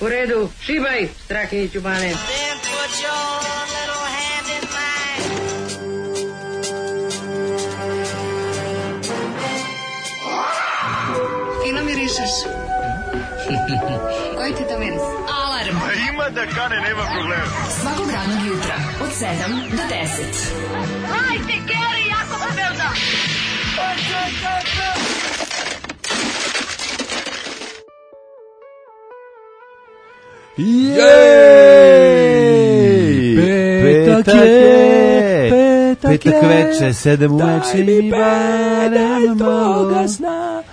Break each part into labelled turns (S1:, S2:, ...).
S1: U redu, šibaj, Strahinjiću Bane.
S2: Fino mirišeš. Koji ti to miris? Alarm.
S3: Ima da kane, nema problema.
S2: Svakog radnog jutra, od 7 do 10.
S4: Hajde, Geri, jako se velda.
S5: Petak veče, 7 uveče i barem toga sna.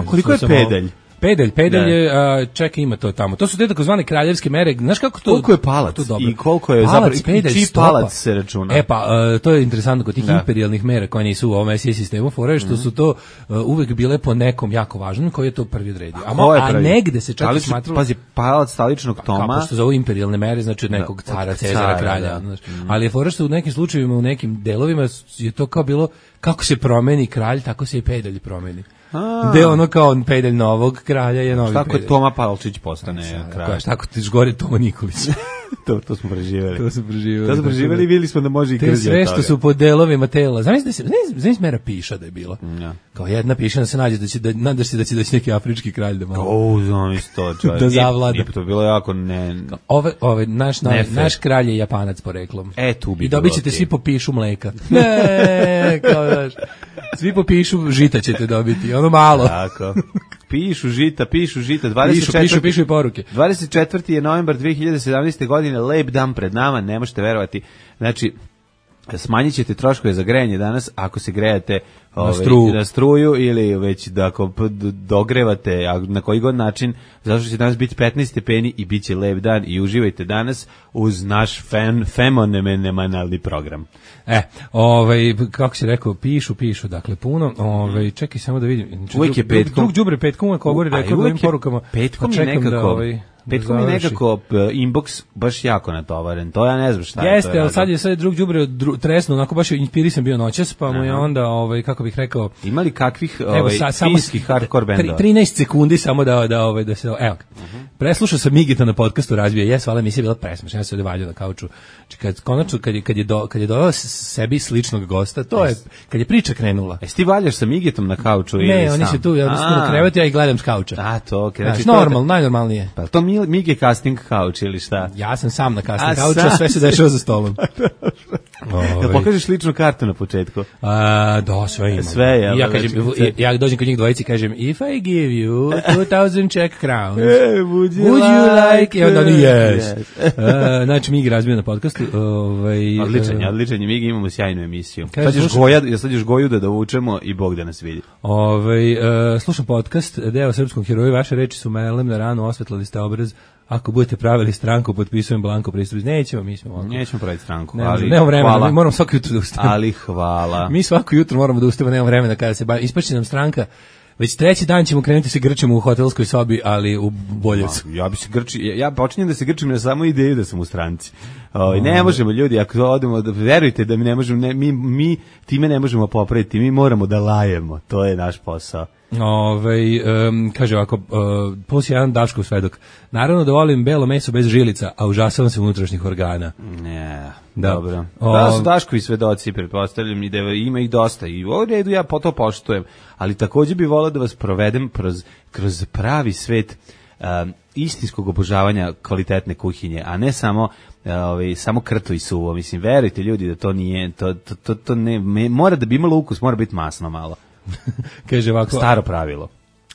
S5: Koliko je pedalj?
S6: Pedalj je, čekaj, ima to tamo. To su te takozvane kraljevske mere. Znaš kako to...
S5: Koliko je palac i koliko je zapravo... Čiji palac se računa?
S6: To je interesantno kod tih imperijalnih mera koje nisu u ovom SI sistemu, fore što su to uvek bile po nekom jako važnom koji je to prvi odredio. A negde se čak smatralo...
S5: Pazi, palac staličnog Toma...
S6: Kako što zovu imperijalne mere, znači od nekog cara, Cezara, kralja. Ali je fore što u nekim slučajevima, u nekim delovima je to kao bilo, kako se promeni kralj, tako se i pedalj promeni. Gde ono kao pedalj novog kralja je novi pedalj.
S5: Tako je Toma Palčić postane kralj.
S6: Tako ti gore Toma Nikolić.
S5: To smo preživjeli.
S6: To smo
S5: preživjeli i vidjeli smo da može i krzio toga.
S6: Sve što su po delovima tela. Znaš mera piša da je bila. Kao jedna piša da se nađe nadaš se da će doći neki afrički kralj da malo.
S5: Znaš to čovjek.
S6: Da zavlada.
S5: To bilo jako
S6: naš kralj je Japanac poreklom.
S5: Tu bi.
S6: I dobit ćete svi po pišu mleka. Ne, kao daš. Svi po pišu žita ćete dobiti. Ono malo.
S5: Tako. Pišu žita.
S6: Pišu i poruke.
S5: 24. je novembar 2017. godine, lep dan pred nama, ne možete verovati. Znači, smanjit ćete troškove za grejanje danas ako se grejate na struju ili već da ako dogrevate na koji god način, zato što će danas biti 15 stepeni i bit će lep dan i uživajte danas uz naš fenomenalni program.
S6: Kako si rekao, pišu, dakle puno, čekaj samo da vidim.
S5: Uvijek je petkom.
S6: Drug đubre petkom, ako govori rekao ovim porukama.
S5: Petkom je nekako inbox baš jako natovaren, to ja ne znam šta je.
S6: Jeste, ali sad je drug đubre tresno, onako baš inspirisan bio noćas, pa mu je onda, kako bih rekao...
S5: Ima li kakvih finskih hardcore bendova?
S6: 13 sekundi samo da se... Evo, preslušao sam Migita na podcastu Razbija, hvala emisija bila presmešna, ja se ovdje valjao na kauču. Konačno, kad je dodao sebi sličnog gosta, to je, kad je priča krenula.
S5: Jesi ti valjaš sa Migitom na kauču?
S6: Ne, oni se tu, ja sam u krevetu, ja ih gledam s kauča. Najnormalnije.
S5: Pa to Migi casting kauč ili šta?
S6: Ja sam sam na casting kauču, sve se dešava za stolom.
S5: Da pokažeš ličnu kartu na početku?
S6: Da, sve imam. Ja dođem kod njih dvojici i kažem, if I give you 2000 Czech crowns, would you like? I onda oni, yes. Znači, Migi razbio na podcastu.
S5: Odličan je Migi, imamo sjajnu emisiju. Sad još Goju da dovučemo i Bog da nas vidi.
S6: Slušam podcast, deo srpskom heroju, vaše reči su melem na ranu, osvetlali ste obraz. Ako budete pravili stranku, potpisujem blanko pristup. Nećemo
S5: praviti stranku.
S6: Nemamo vremena, mi moramo svako jutro da ustavimo.
S5: Ali hvala.
S6: Mi svako jutro moramo da ustavimo, nemamo vremena kada se bavi. Ispašće nam stranka. Već treći dan ćemo krenuti se grčemo u hotelskoj sobi, ali u Boljevcu.
S5: Ja počinjem da se grčim na samo ideju da sam u stranci. Ne možemo, ljudi, ako odemo, verujte da mi ne možemo, mi time ne možemo popraviti, mi moramo da lajemo, to je naš posao.
S6: Kaže ovako, plus jedan Daškov svedok. Naravno da volim belo meso bez žilica, a užasavam se unutrašnjih organa.
S5: Ne, dobro. Da su Daškovi svedoci, pretpostavljam, i da ima ih dosta. I u ovom redu ja to poštujem. Ali također bi volao da vas provedem kroz pravi svet istinskog obožavanja kvalitetne kuhinje, a ne samo krto i suvo. Mislim, verujte ljudi da to nije, to ne, mora da bi imalo ukus, mora biti masno malo.
S6: Kaže ovako,
S5: staro pravilo.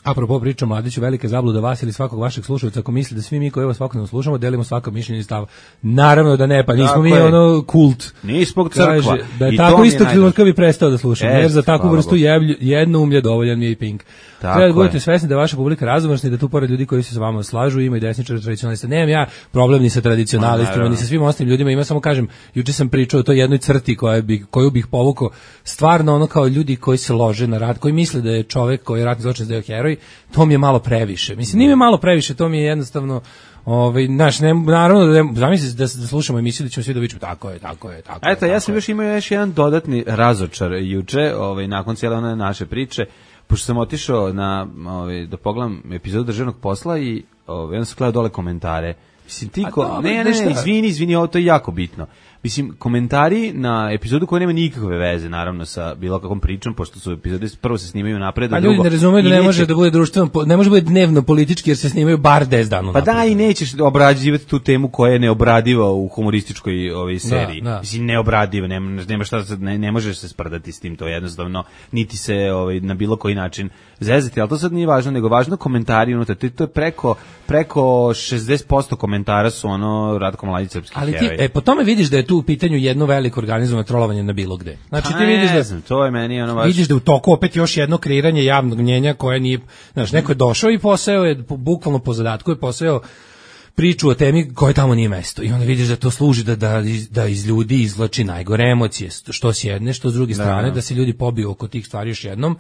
S6: Apropo priča Mladiću, velika zabluda vas ili svakog vašeg slušalca ako misli da svi mi koji ovo svakodnevno slušamo delimo svako mišljenje i stav. Naravno da ne, pa nismo mi ono kult.
S5: Nismo crkva.
S6: Da je tako isto trenutka bi prestao da slušam, jer za takvu vrstu jedno umlje dovoljan mi je i Pink. Treba da budete svesni da je vaša publika raznovrsna i da tu pored ljudi koji se sa vama slažu ima i desničara tradicionalista. Nemam ja problem ni sa tradicionalistima, ni sa svim ostalim ljudima, ima samo kažem, juče sam pričao o toj jednoj crti koju bih povukao, stvarno ono kao ljudi koji se lože na rat, koji misle da je čovek koji je ratni zločinac da je heroj, to mi je malo previše. Mislim, nije mi malo previše, to mi je jednostavno naravno da zamisli da slušamo emisiju da ćemo svi da vičemo tako je.
S5: Eto, ja sam imao još jedan dodatni razočar juče, nakon cijele one naše priče, pošto sam otišao da pogledam epizodu Državnog posla i onda sam gledao dole komentare. Mislim, izvini, ovo to je jako bitno. Mislim, komentari na epizodu koja nema nikakve veze, naravno, sa bilo kakvom pričom, pošto su epizode prvo se snimaju napred, a drugo...
S6: ljudi ne razumeju da ne može da bude društveno, ne može da bude dnevno politički, jer se snimaju bar 10 dana napred.
S5: Pa da, i nećeš obrađivati tu temu koja je neobradiva u humorističkoj seriji. Da. Mislim, neobradiva, nema šta, ne možeš se sprdati s tim, to jednostavno, niti se na bilo koji način zezati, ali to sad nije važno, nego važno komentari unutar, to je preko 60% komentara su Ratko Mladić srpski heroj.
S6: Ali ti, po tome vidiš da je tu u pitanju jedno veliko organizovano trolovanje na bilo gde. Znači ti vidiš
S5: to je meni baš...
S6: Vidiš da u toku opet još jedno kreiranje javnog mnjenja koje nije, znaš, neko je došao i poseo je bukvalno po zadatku je poseo priču o temi koje tamo nije mesto. I onda vidiš da to služi da iz ljudi izvlači najgore emocije, što s jedne, što s druge strane, da se ljudi pobiju oko tih stvari još jednom.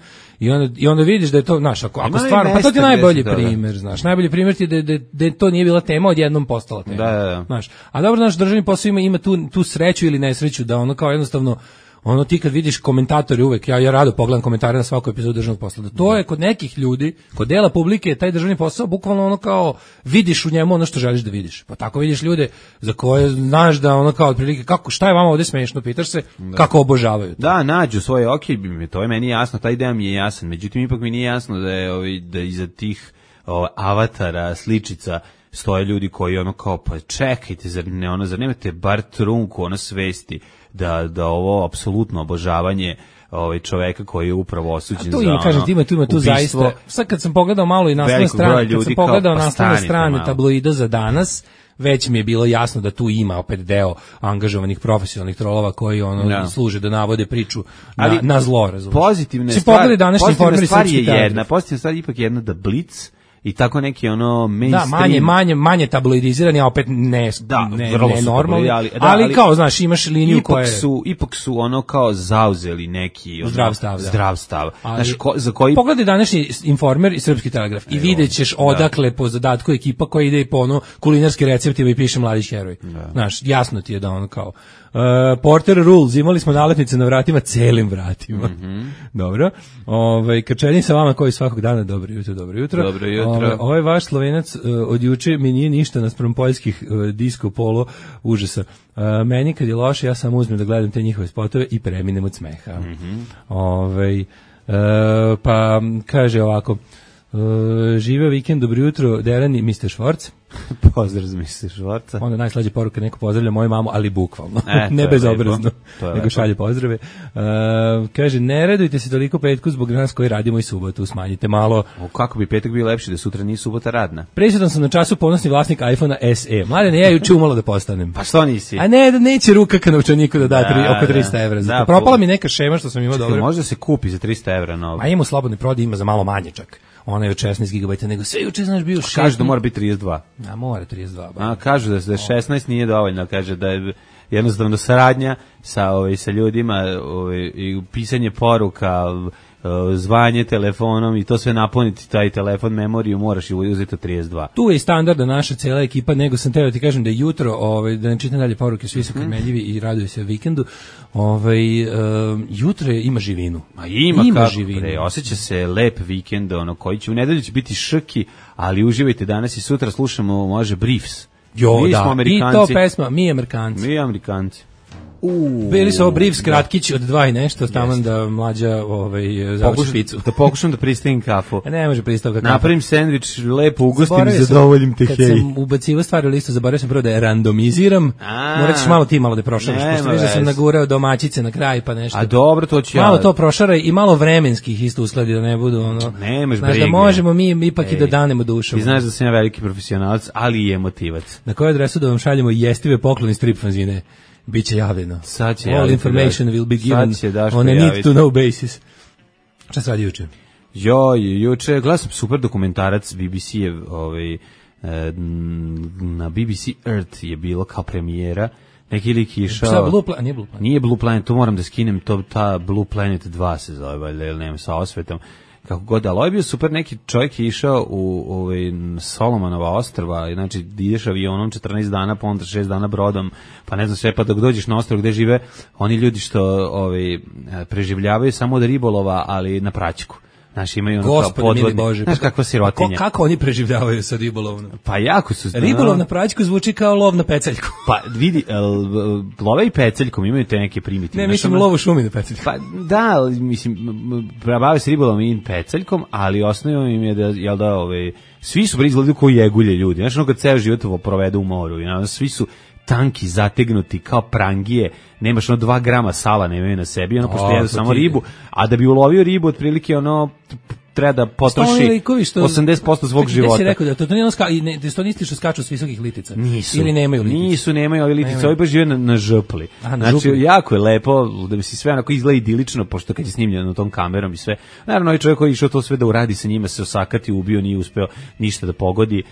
S6: I onda vidiš da je to, znaš, ako stvarno, pa to ti je najbolji primjer, znaš. Najbolji primjer ti je da to nije bila tema, odjednom postala tema.
S5: Da.
S6: Znaš. A dobro, naš državni posao ima tu sreću ili nesreću da kao jednostavno ti kad vidiš komentatore uvek, ja rado pogledam komentare na svaku epizodu državnog posla, da to je kod nekih ljudi, kod dela publike, taj državni posao, bukvalno kao vidiš u njemu ono što želiš da vidiš. Pa tako vidiš ljude za koje znaš da kao otprilike, šta je vama ovdje smešno, pitaš se, kako obožavaju to.
S5: Da, nađu svoje, to je meni jasno, ta ideja mi je jasan, međutim ipak mi nije jasno da iza tih avatara, sličica, stoje ljudi koji kao, pa čekajte, zar nemate bar trunku svesti da ovo apsolutno obožavanje čoveka koji je upravo osuđen za
S6: ima tu zaista. Sad kad sam pogledao malo i naslovne strane, tabloida za danas, već mi je bilo jasno da tu ima opet deo angažovanih profesionalnih trolova koji služe da navode priču na zlo, razumiješ.
S5: Pozitivna stvar je ipak jedna da Blitz i tako neki mainstream.
S6: Da, manje tabloidizirani, a opet ne normalni, ali kao, znaš, imaš liniju koja
S5: ipak su kao zauzeli neki zdrav stav. Znaš, za koji...
S6: Pogledaj današnji Informer i Srpski telegraf i vidjet ćeš odakle po zadatku ekipa koja ide po kulinarski receptima i piše Mladić heroj. Znaš, jasno ti je da kao... Porter Rules, imali smo nalepnice na vratima, celim vratima. Dobro. Krčenji sa vama koji svakog dana, dobro jutro. Ovaj vaš Slovenac od juče mi nije ništa naspram poljskih disco polo užasa. Meni kad je loše, ja sam uzmem da gledam te njihove spotove i preminem od smeha. Pa kaže ovako, živeo vikend, dobro jutro, Deran i Mr. Švorc.
S5: Pozdrav za Mr. Švorca.
S6: Onda najslađe poruka, neko pozdravlja moju mamu, ali bukvalno, ne bezobrazno, nego šalje pozdrave. Kaže, ne radujte se toliko petku zbog nas koji radimo i subotu, smanjite malo.
S5: Kako bi petak bio lepši da sutra nije subota radna?
S6: Prisutan sam na času, ponosni vlasnik iPhone-a SE. Mladene, ja juče umalo da postanem.
S5: Pa što nisi?
S6: A ne, da neće ruka ka novčaniku da da oko 300 evra. Zato propala mi neka šema što sam imao dobro.
S5: Možda se kupi za 300 evra novo.
S6: A ima u slobodnoj prodaji, ima za malo manje čak. Ona je od 16 GB, nego sve juče, znaš, bio 6.
S5: Kažu da mora biti 32.
S6: A mora 32.
S5: A kažu da 16 nije dovoljno, kaže da je jednostavno saradnja sa ljudima i pisanje poruka, zvanje telefonom i to sve napuniti, taj telefon, memoriju, moraš i uzeti 32.
S6: Tu je i standardna naša cijela ekipa, nego sam teo ti kažem da je jutro, da ne čitam dalje poruke, svi su karmeljivi i raduju se vikendu, jutro ima živinu.
S5: Ima živinu. Osjeća se lep vikend, koji će u nedelju će biti šrki, ali uživajte danas i sutra slušamo, može, Briefs.
S6: Jo, da, i to pesma, mi Amerikanci. Bili su ovo Briefs kratkići od 2 i nešto, taman da mlađa završi picu.
S5: Da pokušam da pristavim kafu.
S6: Ne može pristavka kafu.
S5: Napravim sendvič, lepo ugostim i zadovoljim te hej.
S6: Kad sam ubacivo stvari u listu, zaboravio sam prvo da je randomiziram. Morat ćeš malo da prošaraš, pošto viš da sam nagurao domaćice na kraj pa nešto.
S5: A dobro, to ću ja.
S6: Malo to prošaraj i malo vremenskih isto uskladi da ne budu
S5: Nemaš
S6: brige. Znaš da možemo mi ipak i da danemo dušom.
S5: Ti znaš da sam ja veliki profesionalac, ali i emotivac.
S6: Na koju adresu da vam šaljemo jestive pokloni strip fanzine? Biće javljeno. All information will be given on a need to know basis. Šta se radi juče?
S5: Juče gledao sam super dokumentarac BBC-ev, na BBC Earth je bilo kao premijera. Neki lik išao... Nije Blue Planet, to moram da skinem, ta Blue Planet 2 se zove, ili nema, sa osvetom. Kako god, ali ovo je bio super, neki čovjek je išao u Solomonova ostrva, znači ideš avionom 14 dana, pa onda 6 dana brodom, pa ne znam sve, pa dok dođeš na ostrvo gde žive oni ljudi što preživljavaju samo od ribolova, ali na praćku. Znaš, imaju ono kao podvodni. Znaš kakva sirotinja.
S6: Kako oni preživljavaju sa ribolovnom?
S5: Pa jako su...
S6: Ribolov na praćku zvuči kao lov na peceljku.
S5: Pa vidi, love i peceljkom imaju te neke primitivne.
S6: Ne, mislim lov u šumi na peceljku.
S5: Pa da, mislim, bave se ribolovom i peceljkom, ali osnovno im je da, jel da, svi su izgledaju koji jegulje ljudi. Znaš, ono kad ceo život provede u moru, svi su tanki, zategnuti, kao prangije, nemaš 2 grama sala nemaju na sebi, pošto jedu samo ribu, a da bi ulovio ribu, otprilike treba da potroši 80% svog života.
S6: Gde si rekao da to nije to nisti što skaču s visokih litica?
S5: Nisu.
S6: Ili nemaju litice?
S5: Nemaju ovi litice, ovi baš žive na žrpli. Znači, jako je lepo, da bi si sve onako izgleda idilično, pošto kad je snimljeno tom kamerom i sve. Naravno, ovaj čovjek koji je išao to sve da uradi sa njima, se osakati, ubio, nije uspeo ništa da pogodi,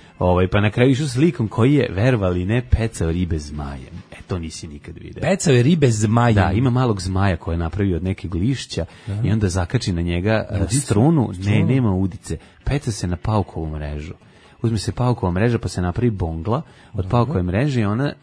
S5: pa na kraju išao s likom koji je, verovali ne, pecao ribe zmajem. To nisi nikad vidio.
S6: Pecao je ribe zmajem.
S5: Da, ima malog zmaja koje je napravio od nekog lišća i onda zakači na njega strunu. Ne, nema udice. Peca se na paukovu mrežu. Uzme se paukova mreža pa se napravi bongla od paukove mreže i a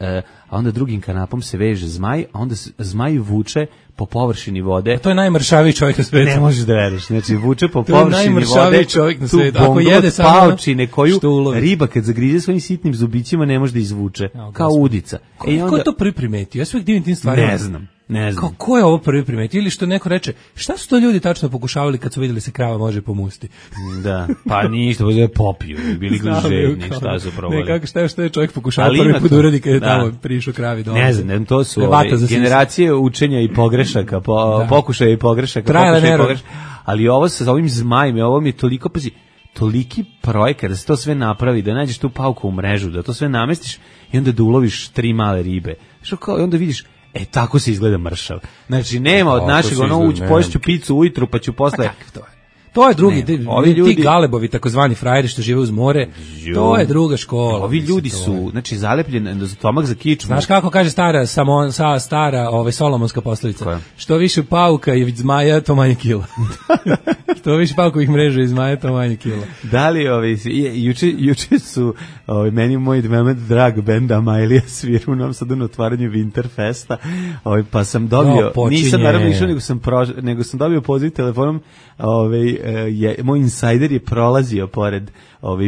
S5: onda drugim kanapom se veže zmaj, a onda zmaj vuče po površini vode.
S6: A to je najmršaviji čovjek na svijetu.
S5: Ne možeš da veriš. Znači, vuče po površini vode
S6: čovjek na
S5: tu bonglu od paučine koju riba kad zagrize svojim sitnim zubićima ne može da izvuče. Kao udica.
S6: Ko je to prvi primetio? Ja sve divim tim stvarima.
S5: Ne znam.
S6: Kako je ovo prvi primetio? Ili što neko reče, šta su to ljudi tačno pokušavali kad su vidjeli se krava može pomusti?
S5: Da, pa ništa, da je popiju, bili gliženi, šta su probali.
S6: Ne, šta je čovjek pokušavao prvi put uradi kad je tamo prišao kravi dole.
S5: Ne znam, to su generacije učenja i pogrešaka, pokušaja i pogrešaka, ali ovo sa ovim zmajem, ovo mi je toliko, toliki projekat da se to sve napravi, da nađeš tu pauku u mrežu, da to sve namestiš i onda da uloviš 3 male ribe. Što kao, i onda vidiš, tako se izgleda mršav. Znači, nema od našeg, poješću picu ujutru, pa ću posle...
S6: To je drugi, ti galebovi, takozvani frajeri što žive uz more, to je druga škola.
S5: Ovi ljudi su, znači, zalepljeni za stomak za kičmu.
S6: Znaš kako kaže stara solomonska poslovica? Što više pauka i zmaja, to manje kila. Što više paukovih mreža i zmaja, to manje kila.
S5: Da li, juče su, meni moj drag benda Amailija sviru u Novom Sadu na otvaranju Winterfesta, pa sam dobio, nisam naravno išao, nego sam dobio poziv telefonom, moj insajder je prolazio pored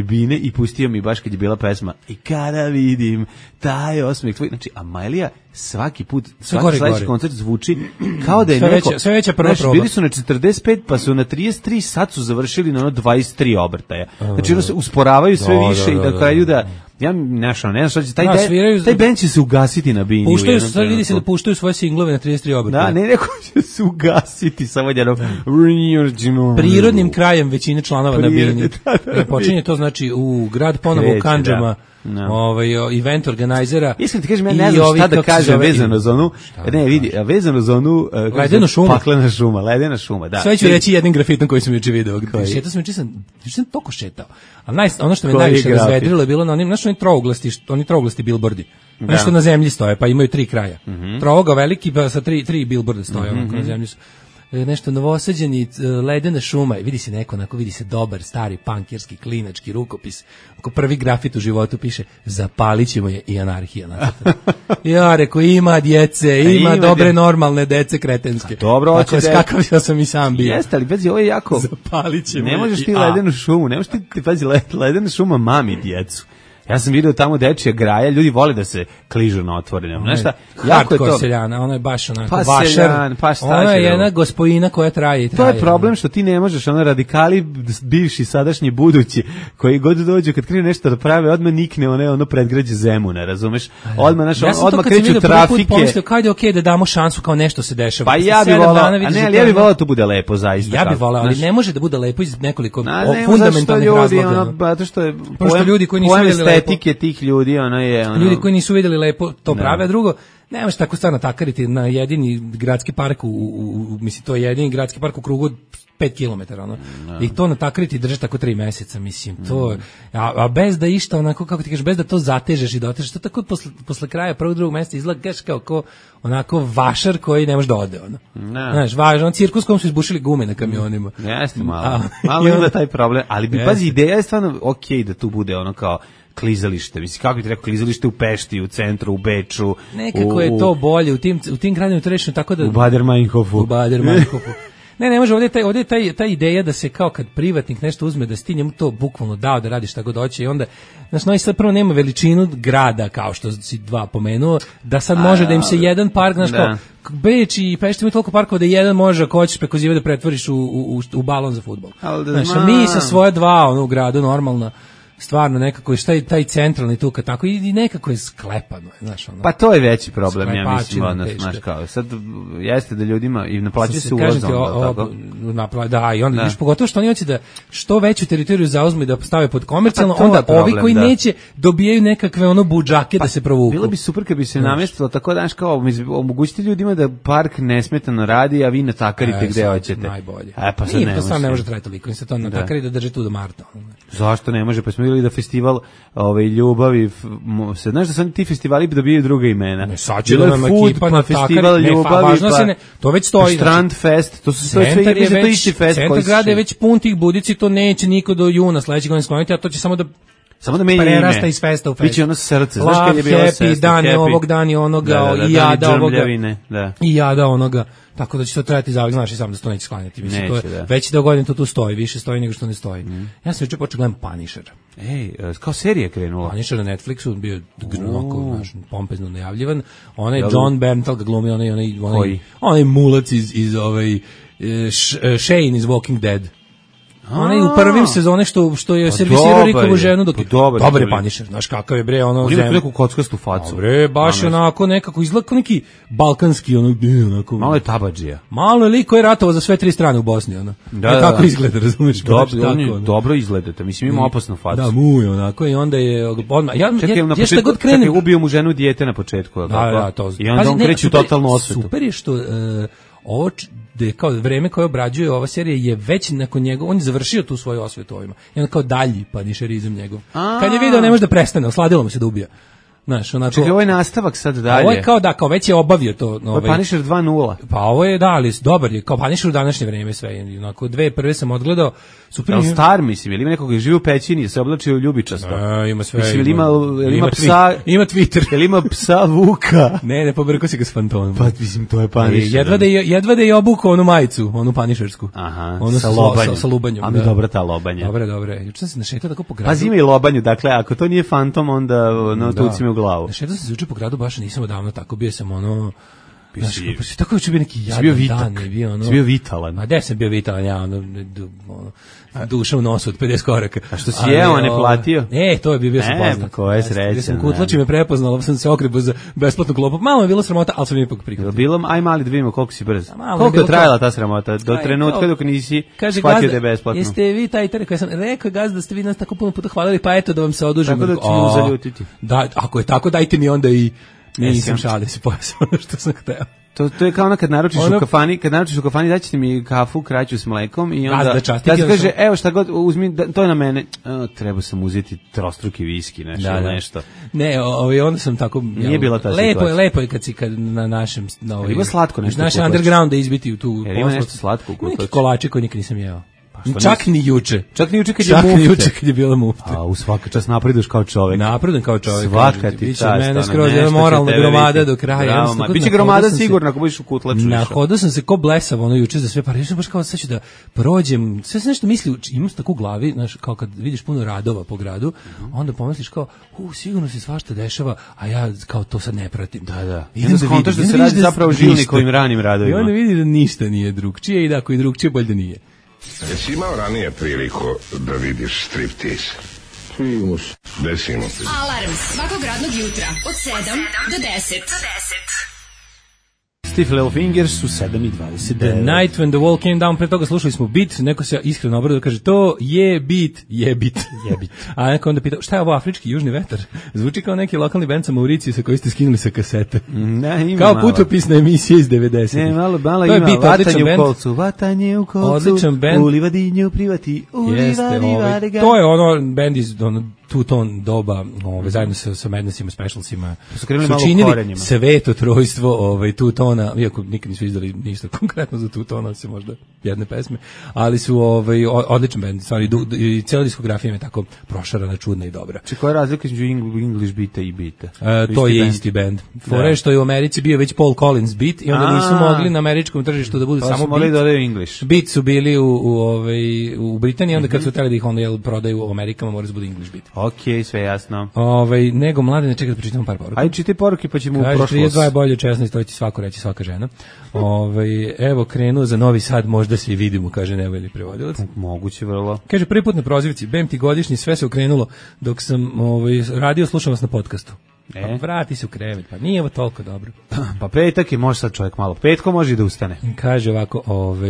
S5: bine i pustio mi baš kad je bila pesma i kada vidim taj osmeh tvoj, znači Amailija svaki put, svaki sledeći koncert zvuči kao da je neko,
S6: sve veća prva proba.
S5: Bili su na 45 pa su na 33, sad su završili na 23 obrtaja, znači se usporavaju sve više i da kraju da ja ne znam šta će, taj band će se ugasiti na bini.
S6: Puštaju, sad vidi se da puštaju svoje singlove na 33 obrtaja.
S5: Da, neko će se ugasiti samo jednom
S6: prirodnim krajem većine članova na bini. Počinje to znači u grad ponovo u Kandžama. Event organizera.
S5: Iskreno ti kažem, ja ne znam šta da kažem vezano za onu, vezano za onu ledena šuma, da.
S6: Sve ću reći jednim grafitom koji sam juče video. Šetao sam juče, sam toliko šetao. Ali ono što me najviše razvedrilo je bilo na onim, znaš, oni trouglasti bilbordi. Nešto na zemlji stoje, pa imaju 3 kraja. Trougao veliki, pa sa 3 bilborda stoje, onako na zemlji su. Nešto novosađeni, ledena šuma, vidi se neko, onako vidi se dobar, stari, pankirski, klinački rukopis. Ako prvi grafit u životu piše, zapalit ćemo je i anarhija. Ja, reko, ima djece, ima dobre, normalne dece kretenske.
S5: Dobro, hoće
S6: da... Kakav sam i sam bio.
S5: Jeste, ali pazi, ovo je jako...
S6: Zapalit ćemo
S5: ne možeš ti ledenu šumu, ne možeš ti, pazi, ledena šuma mami djecu. Ja sam vidio tamo dečija graja, ljudi vole da se kližu na otvorenom. Znaš šta?
S6: Jako je to seljana, ono je baš onako vašar. Ona je jedna gospojina koja traje i traje.
S5: To je problem što ti ne možeš, radikali, bivši, sadašnji, budući, koji god dođu, kad krenu nešto da prave, odmah nikne ono predgrađe Zemuna, razumeš? Odmah kreću trafike.
S6: Kad je okej da damo šansu kao nešto se dešava.
S5: Pa ja bih volao, ja bih volao da to bude lepo, zaista.
S6: Ja bih volao, ali ne može da bude lepo iz nekoliko fundamentalnih razloga.
S5: Zato što je
S6: ljudi koji nisu videli
S5: estetike tih ljudi,
S6: ljudi koji nisu vidjeli lepo to prave, a drugo, ne možeš tako stvarno takariti na jedini gradski park mislim, to je jedini gradski park u krugu 5 km, i to natakariti drži tako 3 mjeseca, mislim, to, a bez da išta, onako, kako ti kažeš, bez da to zatežeš i dotežeš, to tako posle kraja prvog, drugog mjeseca izgleda kao onako vašar koji ne može da ode, znaš, važno, cirkus kom su izbušili gume na kamionima.
S5: Jeste malo ima taj problem, ali bi, pazi, ideja je stvarno okej da tu bude ono kao klizalište, mislim, kako bi ti rekao, klizalište u Pešti, u centru, u Beču.
S6: Nekako je to bolje, u tim gradima to rečeno tako da...
S5: U Bader-Meinhofu.
S6: Ne može, ovdje je ta ideja da se kao kad privatnik nešto uzme, da si njemu to bukvalno dao da radi šta god hoće i onda, znači, Novi Sad prvo nema veličinu grada, kao što si dva pomenuo, da sad može da im se jedan park, znaš, kao Beč i Pešta imaju toliko parkova da jedan može, ako hoćeš preko zive da pretvoriš u balon za fudbal. Znači, mi sa svoje dva u gradu normalno, stvarno nekako je taj centralni tu kad tako i nekako je sklepano, znaš, ono.
S5: Pa to je veći problem, ja mislim, znaš, kao sad jeste da ljudima i naplaćuje se ulaz tako.
S6: Da, i onda viš pogotovo što oni hoće da što veću teritoriju zauzmu i da stave pod komercijalno, onda ovi koji neće dobijaju nekakve ono budžake da se provuku.
S5: Bilo bi super kad bi se namestilo tako, znaš, kao omogućiti ljudima da park nesmetano radi, a vi natakarite gde hoćete.
S6: Najbolje.
S5: Pa sad
S6: to sam ne može trajati toliko, im se to natakari da drže tu do marta.
S5: Zašto ne može? Pa smo ili da festival ljubavi, znaš da sam ti festivali dobijaju druga imena.
S6: Ne, sad će da nam ekipa
S5: na festival ljubavi,
S6: to već stoji.
S5: Strand fest, to su sve isti fest.
S6: Centar grada je već pun tih budici, to neće niko do juna sledećeg godine skloniti, a to će samo da
S5: menja
S6: prerasta
S5: ime.
S6: Iz festa u fest.
S5: Biće ono srce, znaš kad je bilo srce.
S6: Happy, dan ovog, dan je onoga, i jada ovoga, i jada onoga. Tako da će to trajati zavljeno, znaš i sam da se to neće sklanjati. Mislim,
S5: neće,
S6: to je, već da godin to tu stoji, više stoji nego što ne stoji. Ja sam juče počeo gledam Punisher.
S5: Kao serija krenula.
S6: Punisher na Netflixu, bio onako, pompezno najavljivan. Onaj John Bernthal ga glumi, onaj mulac iz Shane iz Walking Dead. Onaj u prvim sezone što je servisirao Rikovu ženu dok dobar je Punisher, znaš kakav je bre, ono
S5: ima neku kockastu facu.
S6: Bre, baš onako nekako izgleda kao neki balkanski onako.
S5: Malo je tabadžija.
S6: Malo je lik koji je ratovao za sve tri strane u Bosni, ono. Tako izgleda, razumeš?
S5: Dobro izgledate, mislim ima opasnu facu.
S6: Da, mu je onako i onda je odmah ja šta god krenem.
S5: Čekaj, ubio mu ženu dijete na početku,
S6: da, to.
S5: I onda on kreće u totalnu osvetu.
S6: Super je što ovo da je kao vreme koje obrađuje ova serija je već nakon njega, on je završio tu svoju osvetu ovima. I onda kao dalji panišerizam njegov. Kad je video ne može da prestane, osladilo mu se da ubija. Znaš, onako.
S5: Čekaj, ovo je nastavak sad dalje.
S6: Ovo je kao već je obavio to.
S5: Ovo je Punisher 2.0.
S6: Pa ovo je, ali dobar je, kao Punisher u današnje vreme sve. Onako, dve prve sam odgledao. Super.
S5: Ali star, mislim, ili ima nekog živi u pećini, se oblačio ljubičasto.
S6: Ima sve.
S5: Mislim, ima psa.
S6: Ima Twitter.
S5: Ili ima psa Vuka.
S6: Ne pobrko se ga s fantomom.
S5: Pa, mislim, to je Punisher.
S6: Jedva da je obukao onu majicu, onu Punishersku.
S5: Aha,
S6: sa lobanjem.
S5: A mi dobra ta lobanja.
S6: Dobre. Juče sam se našetao tako po gradu.
S5: Pa zima i lobanju, dakle, ako to nije fantom, onda tuci me u glavu.
S6: Našetao sam se juče po gradu, baš nisam odavno tako, bio sam ono... Tako je bio neki jadan dan.
S5: Bio vitalan.
S6: A gde sam bio vitalan, ja duša u nosu od 50 koraka.
S5: A što si jeo, a ne platio?
S6: To je bio sam poznat.
S5: Koje sreće.
S6: Sam kutlači me prepoznala, sam se okrepo za besplatnu klopu. Malo je bilo sramota, ali sam ipak prihvatio.
S5: Bilo, aj mali da vidimo koliko si brz. Koliko je trajala ta sramota? Do trenutka dok nisi shvatio da je besplatno.
S6: Jeste vi taj koji sam rekao, gazda, da ste vi nas tako puno puta hvalili, pa eto da vam se odužim.
S5: Tako da ću mu zaljutiti.
S6: Da, ako je tako, dajte mi onda i nisam šalio se pojasno ono što sam hteo.
S5: To je kao ono kad naručiš u kafani, daćete mi kafu kraću s mlekom i onda
S6: da
S5: se kaže, evo šta god, uzmi, to je na mene. Treba sam uzeti trostruki viski, nešto.
S6: Ne, onda sam tako...
S5: Nije bila ta situacija.
S6: Lepo je kad na našem...
S5: Ima slatko nešto.
S6: Naš underground da izbiti u tu...
S5: Ima nešto slatko u kutlaču.
S6: Neki kolače koji nikad nisam jeo. Čak ni juče kad je bila mufta.
S5: A u svaka čast napreduješ kao čovjek.
S6: Napredujem kao čovjek.
S5: Svaka ti čast.
S6: Mene skroz jedna moralna gromada do kraja.
S5: Biće gromada sigurno ako budeš u kutlaču.
S6: Nahodao sam se ko blesav juče za sve pare. Ja sam baš kao sad ću da prođem. Sve sam nešto mislio, imam tako u glavi, znaš, kao kad vidiš puno radova po gradu, onda pomisliš kao, sigurno se svašta dešava, a ja kao to sad ne pratim.
S5: Da. Idem da vidim. Da se radi zapravo o Žilnikovim ranim radovima.
S6: I onda vidi da ništa nije drugčije i da ako je drugčije, bolje da nije.
S7: Jesi imao ranije priliku da vidiš striptease? Desimo se.
S2: Alarm svakog radnog jutra od 7 do 10.
S5: Stiff Little Fingers su 7:29.
S6: The Night When the Wall Came Down, pre toga slušali smo Beat, neko se iskreno obradao, kaže to je beat. A neko onda pitao, šta je ovo afrički južni vetar? Zvuči kao neki lokalni bend sa Mauriciju sa koji ste skinuli sa kasete. Kao putopisna emisija iz 90.
S5: Ne, malo ima, vatanje u kolcu,
S6: odličan bend.
S5: U livadinju privati,
S6: to je ono bend iz two-tone doba, zajedno sa Madnessima, Specialsima,
S5: su činili
S6: sveto trojstvo two-tona, iako nikad nisu izdali ništa konkretno za two-tona, osim možda jedne pesme, ali su odličan band, i cijela diskografija je tako prošarana, čudna i dobra.
S5: Či koja je razlika između English beata i beata?
S6: To je isti band. Fore što je u Americi bio već Paul Collins beat i onda nisu mogli na američkom tržištu da budu samo beat.
S5: Da English.
S6: Beat su bili u Britaniji, onda kad su hteli da ih onda prodaju u Amerikama, mora da bude English beat.
S5: Okej, sve jasno.
S6: Nego mlade, ne čekaj da pričitamo par poruka.
S5: Ajde, čitaj poruke pa ćemo u prošlost.
S6: 32 je bolje od 16, to će svako reći, svaka žena. Evo, krenuo za Novi Sad, možda se i vidimo, kaže Nevojli prevodilac.
S5: Moguće vrlo.
S6: Kaže, prvi put na prozivci, bem ti godišnji, sve se okrenulo dok sam radio, slušam vas na podcastu. Pa vrati se u krevet, pa nije ovo toliko dobro.
S5: Pa petak je, može sad čovjek malo petko, može i da ustane.
S6: Kaže ovako,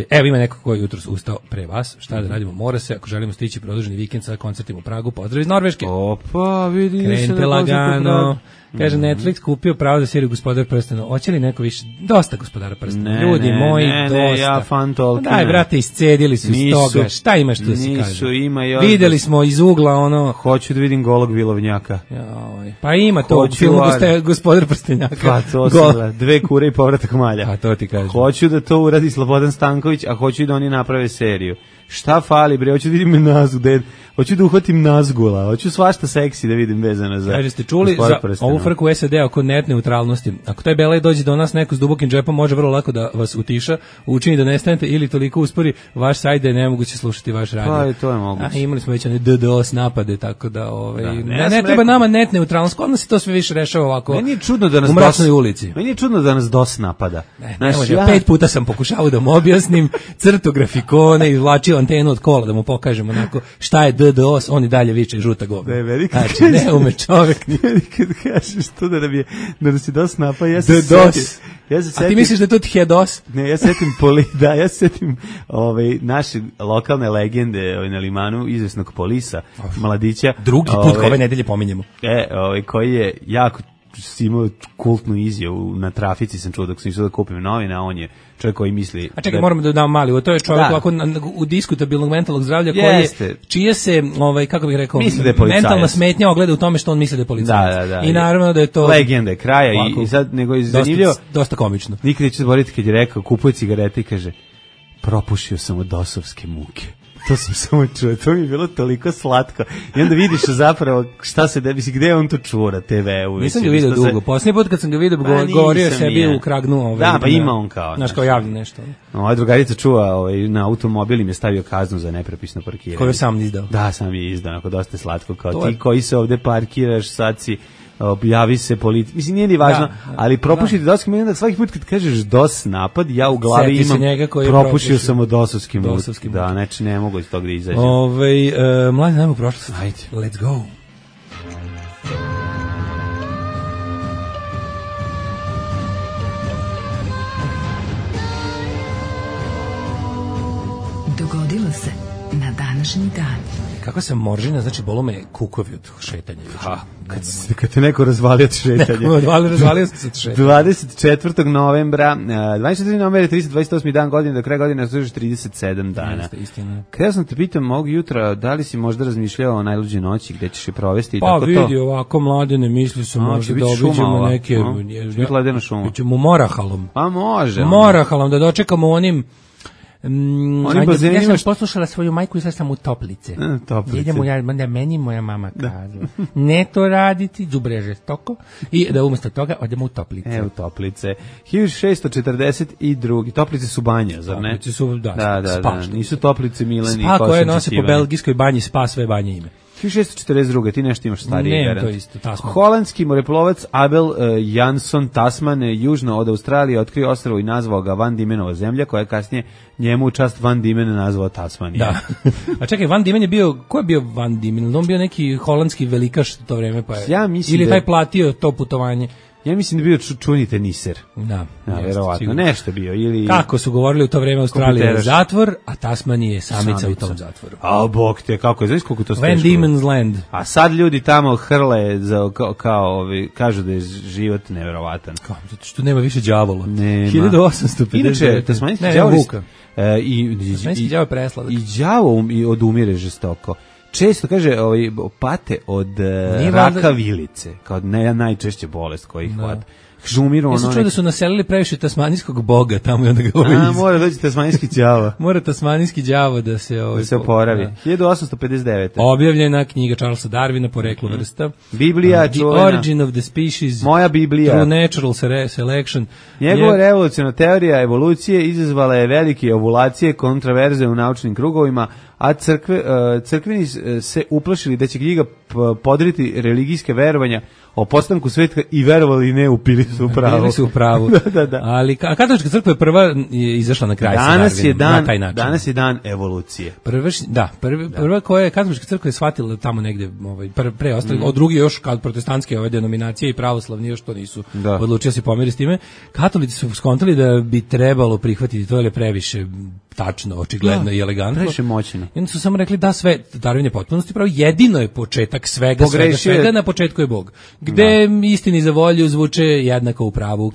S6: evo ima neko koji je jutros ustao pre vas, šta da radimo, mora se, ako želimo stići produženi vikend sa koncertima u Pragu, pozdrav iz Norveške.
S5: Opa, vidi.
S6: Krenite lagano. Kaže, Netflix kupio pravo za seriju Gospodar prstena. Hoće li neko više? Dosta Gospodara prstena. Ljudi moji, dosta.
S5: Ne, ja fan Tolkiena.
S6: Daj, brate, iscedili su iz toga. Šta imaš tu da se kaže?
S5: Nisu, ima još.
S6: Videli smo iz ugla ono.
S5: Hoću da vidim golog vilovnjaka.
S6: Pa ima to u filmu Gospodar prstenjaka.
S5: Pa to se dve kure i povratak malja.
S6: Pa to ti kažem.
S5: Hoću da to uradi Slobodan Stanković, a hoću da oni naprave seriju. Šta fali, bre? Hoću da vidim nazgu, hoću da uhvatim nazgula, hoću svašta seksi da vidim vezano za...
S6: Kaže, ste čuli za ovu frku u SAD oko net neutralnosti? Ako taj belaj dođe do nas neko s dubokim džepom, može vrlo lako da vas utiša, učini da nestanete ili toliko uspori vaš sajt da je nemoguće slušati vaš radio.
S5: Pa i to je moguće.
S6: Imali smo već one DDoS napade, tako da... Ne treba nama net neutralnost, kod nas se to sve više rešava ovako u mračnoj ulici.
S5: Meni je čudno da nas DOS napada.
S6: Ne može, 5 puta sam pokušavao da mu objasnim, crto grafikone, izvlačio antenu od kola da mu pokažemo onako šta je DDoS, on i dalje viče žuta govna. Znači, ne ume čovek.
S5: Kad kažeš to da nas je DOS napao, ja se
S6: DDoS. A ti misliš da je to HEDOS?
S5: Ne, ja se setim naše lokalne legende na Limanu, izvesnog Polisa, mladića.
S6: Drugi put ove nedelje pominjemo.
S5: Koji je jako imao kultnu izjavu na trafici, sam čuo dok sam išao da kupim novine, a on je čovjek koji misli...
S6: A čekaj, moramo da dam mali, to je čovjek ovako u diskutabilnog mentalnog zdravlja čije se, kako bih rekao, mentalna smetnja ogleda u tome što on misli da je policajac.
S5: Da.
S6: I naravno da je to...
S5: Legenda kraja i sad nego je zanimljivo...
S6: Dosta komično.
S5: Nikad neću zaboraviti kad je rekao, kupuje cigarete i kaže, propušio sam od dosovske muke. To sam samo čuo, to mi je bilo toliko slatko. I onda vidiš zapravo šta se debi, gde on to čuo na TV-u.
S6: Nisam ga vidio dugo, posljednji put kad sam ga vidio govorio sebi u kragnu.
S5: Da, pa ima on kao.
S6: Znaš, kao javno nešto.
S5: Ova drugarica čuva na automobil im je stavio kaznu za nepropisno parkiranje.
S6: Koju sam izdao.
S5: Da, sam je izdao, onako dosta slatko, kao ti koji se ovde parkiraš, sad si... javi se policija, mislim nije ni važno, ali propušiti DOS, onda svaki put kad kažeš DOS napad, ja u glavi imam propušio sam od DOS-ovskim da, znači ne mogu iz toga da izađem.
S6: Mladi, najmo prošlost.
S5: Ajde.
S6: Let's go.
S2: Dogodilo se na današnji dan.
S6: Kako sam moržina, znači bolo me kukovi od šetanja.
S5: Kad te neko razvalio od šetanja.
S6: Razvalio se od šetanja.
S5: 24. novembra, 24. novembra je 328. dan godine, do kraja godine služiš 37 dana.
S6: Istina.
S5: Kada sam te pitam ovog jutra, da li si možda razmišljao o najluđoj noći, gde ćeš je provesti i
S6: tako to? Pa vidi, ovako mladene, misli su možda da obiđemo neke...
S5: Biti ledena šuma.
S6: Bićemo Morahalom.
S5: Pa može.
S6: Morahalom, da dočekamo onim...
S5: bazenima...
S6: Ja sam poslušala svoju majku i sad sam u Toplice. Idemo, meni moja mama kazala. Ne to raditi, đubre žestoko. I da umjesto toga odemo u Toplice.
S5: U Toplice. 1642. Toplice su banja, zar ne?
S6: Toplice su,
S5: da. Nisu Toplice Milani.
S6: Spa koje nose po belgijskoj banji, Spa sve banje ime.
S5: 1642. Ti nešto imaš starije garant.
S6: Ne, to isto, Tasman.
S5: Holandski moreplovac Abel Jansson Tasman južno od Australije otkrio ostrvo i nazvao ga Van Diemenova zemlja, koja je kasnije njemu u čast Van Diemen nazvao Tasmanija.
S6: Da. A čekaj, Van Diemen je bio, ko je bio Van Diemen? On bio neki holandski velikaš to vreme, pa je.
S5: Ja mislim
S6: ili taj platio to putovanje.
S5: Ja mislim da je bio čuni teniser.
S6: Da,
S5: verovatno. Nešto bio. Ili...
S6: Kako su govorili u to vreme, Australija je zatvor, a Tasmanija je samica u tom zatvoru.
S5: A bog te, kako je, znaš koliko to
S6: Van Diemen's Land.
S5: A sad ljudi tamo hrle, kažu da je život neverovatan.
S6: Kao, zato što nema više đavola.
S5: Nema.
S6: 1850.
S5: Inače, tasmanijski đavo...
S6: Tasmanijski đavo je presladak.
S5: I đavo odumire žestoko. često kaže pate od raka vilice, kao najčešće bolest koji ih hvata. Žumiru,
S6: ja sam čuo da su naselili previše tasmanijskog boga tamo i onda ga
S5: mora doći tasmanijski đavo.
S6: Mora tasmanijski đavo da se
S5: oporavi. 1859.
S6: Objavljena knjiga Charlesa Darwina Poreklo vrsta.
S5: Biblija
S6: The Origin of the Species.
S5: Moja Biblija.
S6: Through Natural Selection.
S5: Njegova revolucionarna teorija evolucije izazvala je velike ovulacije, kontraverze u naučnim krugovima, a crkveni se uplašili da će knjiga podriti religijske verovanja o postanku sveta i verovali ne, upili su u pravu.
S6: Bili su u pravu.
S5: Da.
S6: Ali katolička crkva je prva izašla na kraj sa Darwinom na taj način.
S5: Danas je dan evolucije.
S6: Prva koja je katolička crkva je shvatila tamo negde pre ostali, od drugi još kad protestantske denominacije i pravoslavni još to nisu odlučili se pomeri s time. Katolici su skontali da bi trebalo prihvatiti to, jer je previše tačno, očigledno i elegantno.
S5: Previše moćno.
S6: I onda su samo rekli da sve Darwin je potpunosti pravo, jedino je početak svega, na početku je Bog. Gde istini za volju zvuče jednako u pravu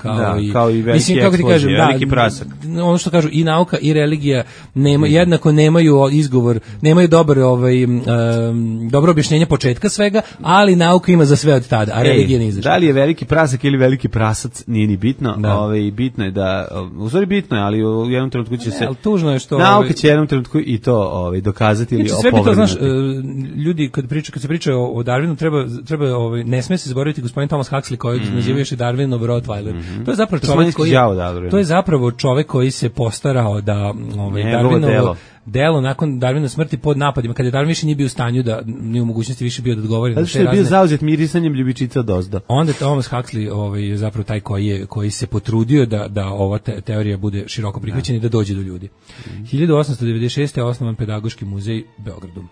S6: kao i veliki eksplozije, veliki prasak. Ono što kažu i nauka i religija jednako nemaju izgovor, nemaju dobro objašnjenje početka svega, ali nauka ima za sve od tada, a religija nije izašla.
S5: Da li je veliki prasak ili veliki prasac, nije ni bitno. Bitno je da, u stvari bitno je, ali u jednom trenutku će se
S6: tužno je što
S5: nauka će jednom trenutku i to dokazati ili opovrgnuti.
S6: Ljudi kad se priča o Darwinu treba ne sme se zaboraviti gospodin Thomas Huxley koji nazivaju još i Darwinov Rottweiler. To je zapravo čovjek koji koji se postarao da Darwinovo delo nakon Darwinove smrti pod napadima, kada je Darwin više nije bio u stanju da ni u mogućnosti više bio da odgovori na te razne.
S5: Zato što je bio zauzet mirisanjem ljubičica dozdo.
S6: Onda Thomas Huxley je zapravo taj koji se potrudio da ova teorija bude široko prihvaćena i da dođe do ljudi. 1896. je osnovan Pedagoški muzej u Beogradu.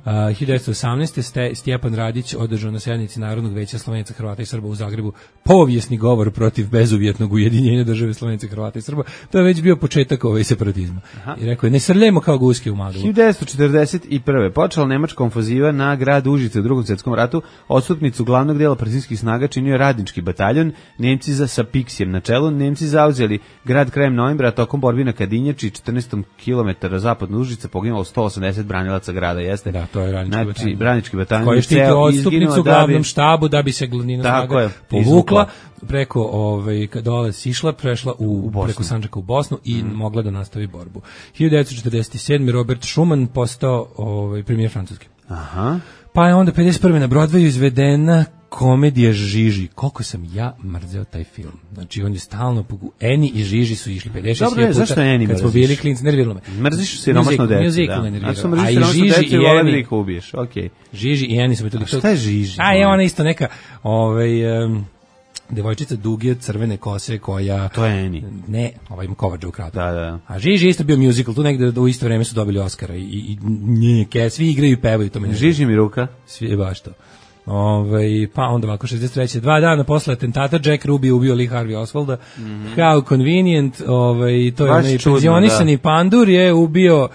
S6: 1918. Stjepan Radić održao na sednici Narodnog veća Slovenaca, Hrvata i Srba u Zagrebu povijesni govor protiv bezuvjetnog ujedinjenja države Slovenaca, Hrvata i Srba. To je već bio početak separatizma. I rekao je, ne srljajmo kao guske u maglu.
S5: 1941. počela nemačka ofanziva na grad Užice u Drugom svjetskom ratu. Odstupnicu glavnog dela partizanskih snaga činio je radnički bataljon, Nemci sa Piksijem na čelu. Nemci zauzeli grad krajem novembra, tokom borbi na Kadinjači, 14 km zapadno Užice, poginulo 180 branilaca grada. Jeste?
S6: Da, to je
S5: radnički bataljon.
S6: Koji štiti odstupnicu u glavnom štabu da bi se glavnina snaga povukla preko dole sišla, prešla preko Sandžaka u Bosnu i mogla da nastavi borbu. 1947. Robert Schumann postao premijer Francuski.
S5: Aha.
S6: Pa je onda 51. na Broadwayu izvedena komedija Žiži. Koliko sam ja mrzeo taj film. Znači, on je stalno Eni i Žiži su išli 56 puta.
S5: Zašto Eni
S6: kad smo bili klinci, nerviralo me.
S5: Mrziš siromašno dete.
S6: Musical me nerviralo.
S5: A i Žiži i Eni ubiješ. Okay.
S6: Žiži i Eni su me toliko...
S5: A šta je Žiži?
S6: Je ona isto neka devojčica duge crvene kose koja...
S5: To je Eni.
S6: Ne, ima Kovača u kratu.
S5: Da.
S6: A Žiži isto bio musical, tu negde u isto vreme su dobili Oscara i svi igraju i pevaju. To
S5: Žiži mi ruka.
S6: Svi je baš to. Pa onda ovako 63. 2 dana posle atentata Jack Ruby ubio Lee Harvey Oswalda. How convenient, to je onaj penzionisani pandur je ubio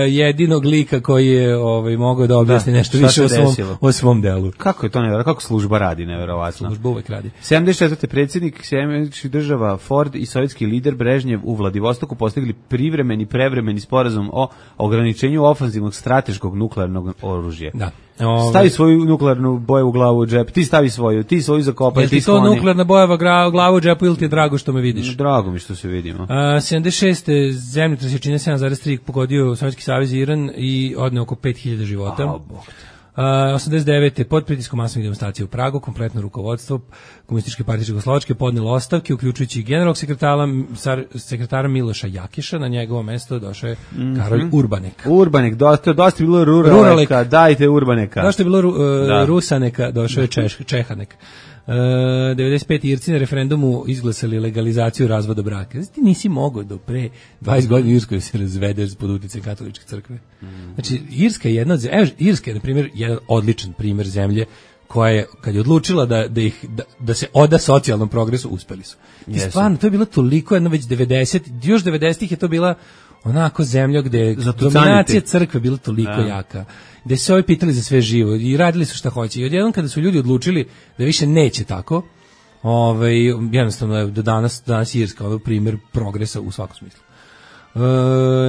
S6: jedinog lika koji je mogao da objasni nešto više o svom delu.
S5: Kako je to nevjerojatno? Kako služba radi nevjerovatno?
S6: Služba uvek radi.
S5: 74. predsjednik Sjedinjenih država Ford i sovjetski lider Brežnjev u Vladivostoku postigli prevremeni sporazum o ograničenju ofanzivnog strateškog nuklearnog oružja.
S6: Da.
S5: Stavi svoju nuklearnu boju u glavu u džep, ti stavi svoju, ti svoju zakopaj, ti skloni.
S6: Je ti to nuklearna bojeva glavu u džepu ili ti je drago što me vidiš?
S5: Drago mi što se vidimo.
S6: 76. zemljotres jačine 7,3 pogodio Sovjetski savez i Iran i odneo oko 5000 života. 89. pod pritiskom masovnih demonstracija u Pragu, kompletno rukovodstvo Komunističke partije Čehoslovačke podnelo ostavke, uključujući generalnog sekretara Miloša Jakiša, na njegovo mesto došao je Karolj Urbanek.
S5: Urbanek, dosta je bilo ruraleka, dajte Urbaneka.
S6: Dosta je bilo Rusaneka, došao je Čehanek. 95. Irci na referendumu izglasali legalizaciju razvoda braka. Znači, ti nisi mogao do pre 20 godina u Irskoj se razvedeš pod uticajem katoličke crkve. Znači, Irska je jedna od zemlje, Irska je, na primjer, jedan odličan primjer zemlje koja je, kad je odlučila da se oda socijalnom progresu, uspeli su. I stvarno, to je bilo toliko, jedno već 90-ih je to bila onako zemlja gde je dominacija crkve bila toliko jaka, gde su se pitali za sve živo i radili su šta hoće. I odjednom kada su ljudi odlučili da više neće tako, jednostavno je do danas Irska primjer progresa u svakom smislu.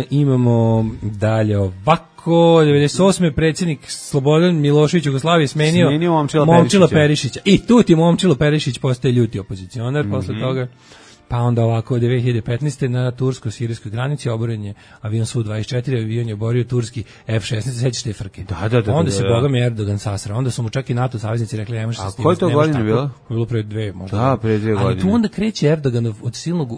S6: Imamo dalje ovako. 98. predsjednik Slobodan Milošević Jugoslavije smenio Momčila Perišića. I tu ti Momčilo Perišić postaje ljuti opozicionar posle toga. Pa onda ovako, 2015. na tursko-sirijskoj granici oboren je avion Su-24, avion je oborio turski F-16, sećaš te frke.
S5: Da.
S6: Onda se bogami Erdogan sasra, onda su mu čak i NATO saveznici rekli, nemaš se s tim.
S5: A koje to godine bilo?
S6: Bilo pre 2 možda.
S5: Da, pre 2 godine.
S6: Ali tu onda kreće Erdogan od silnog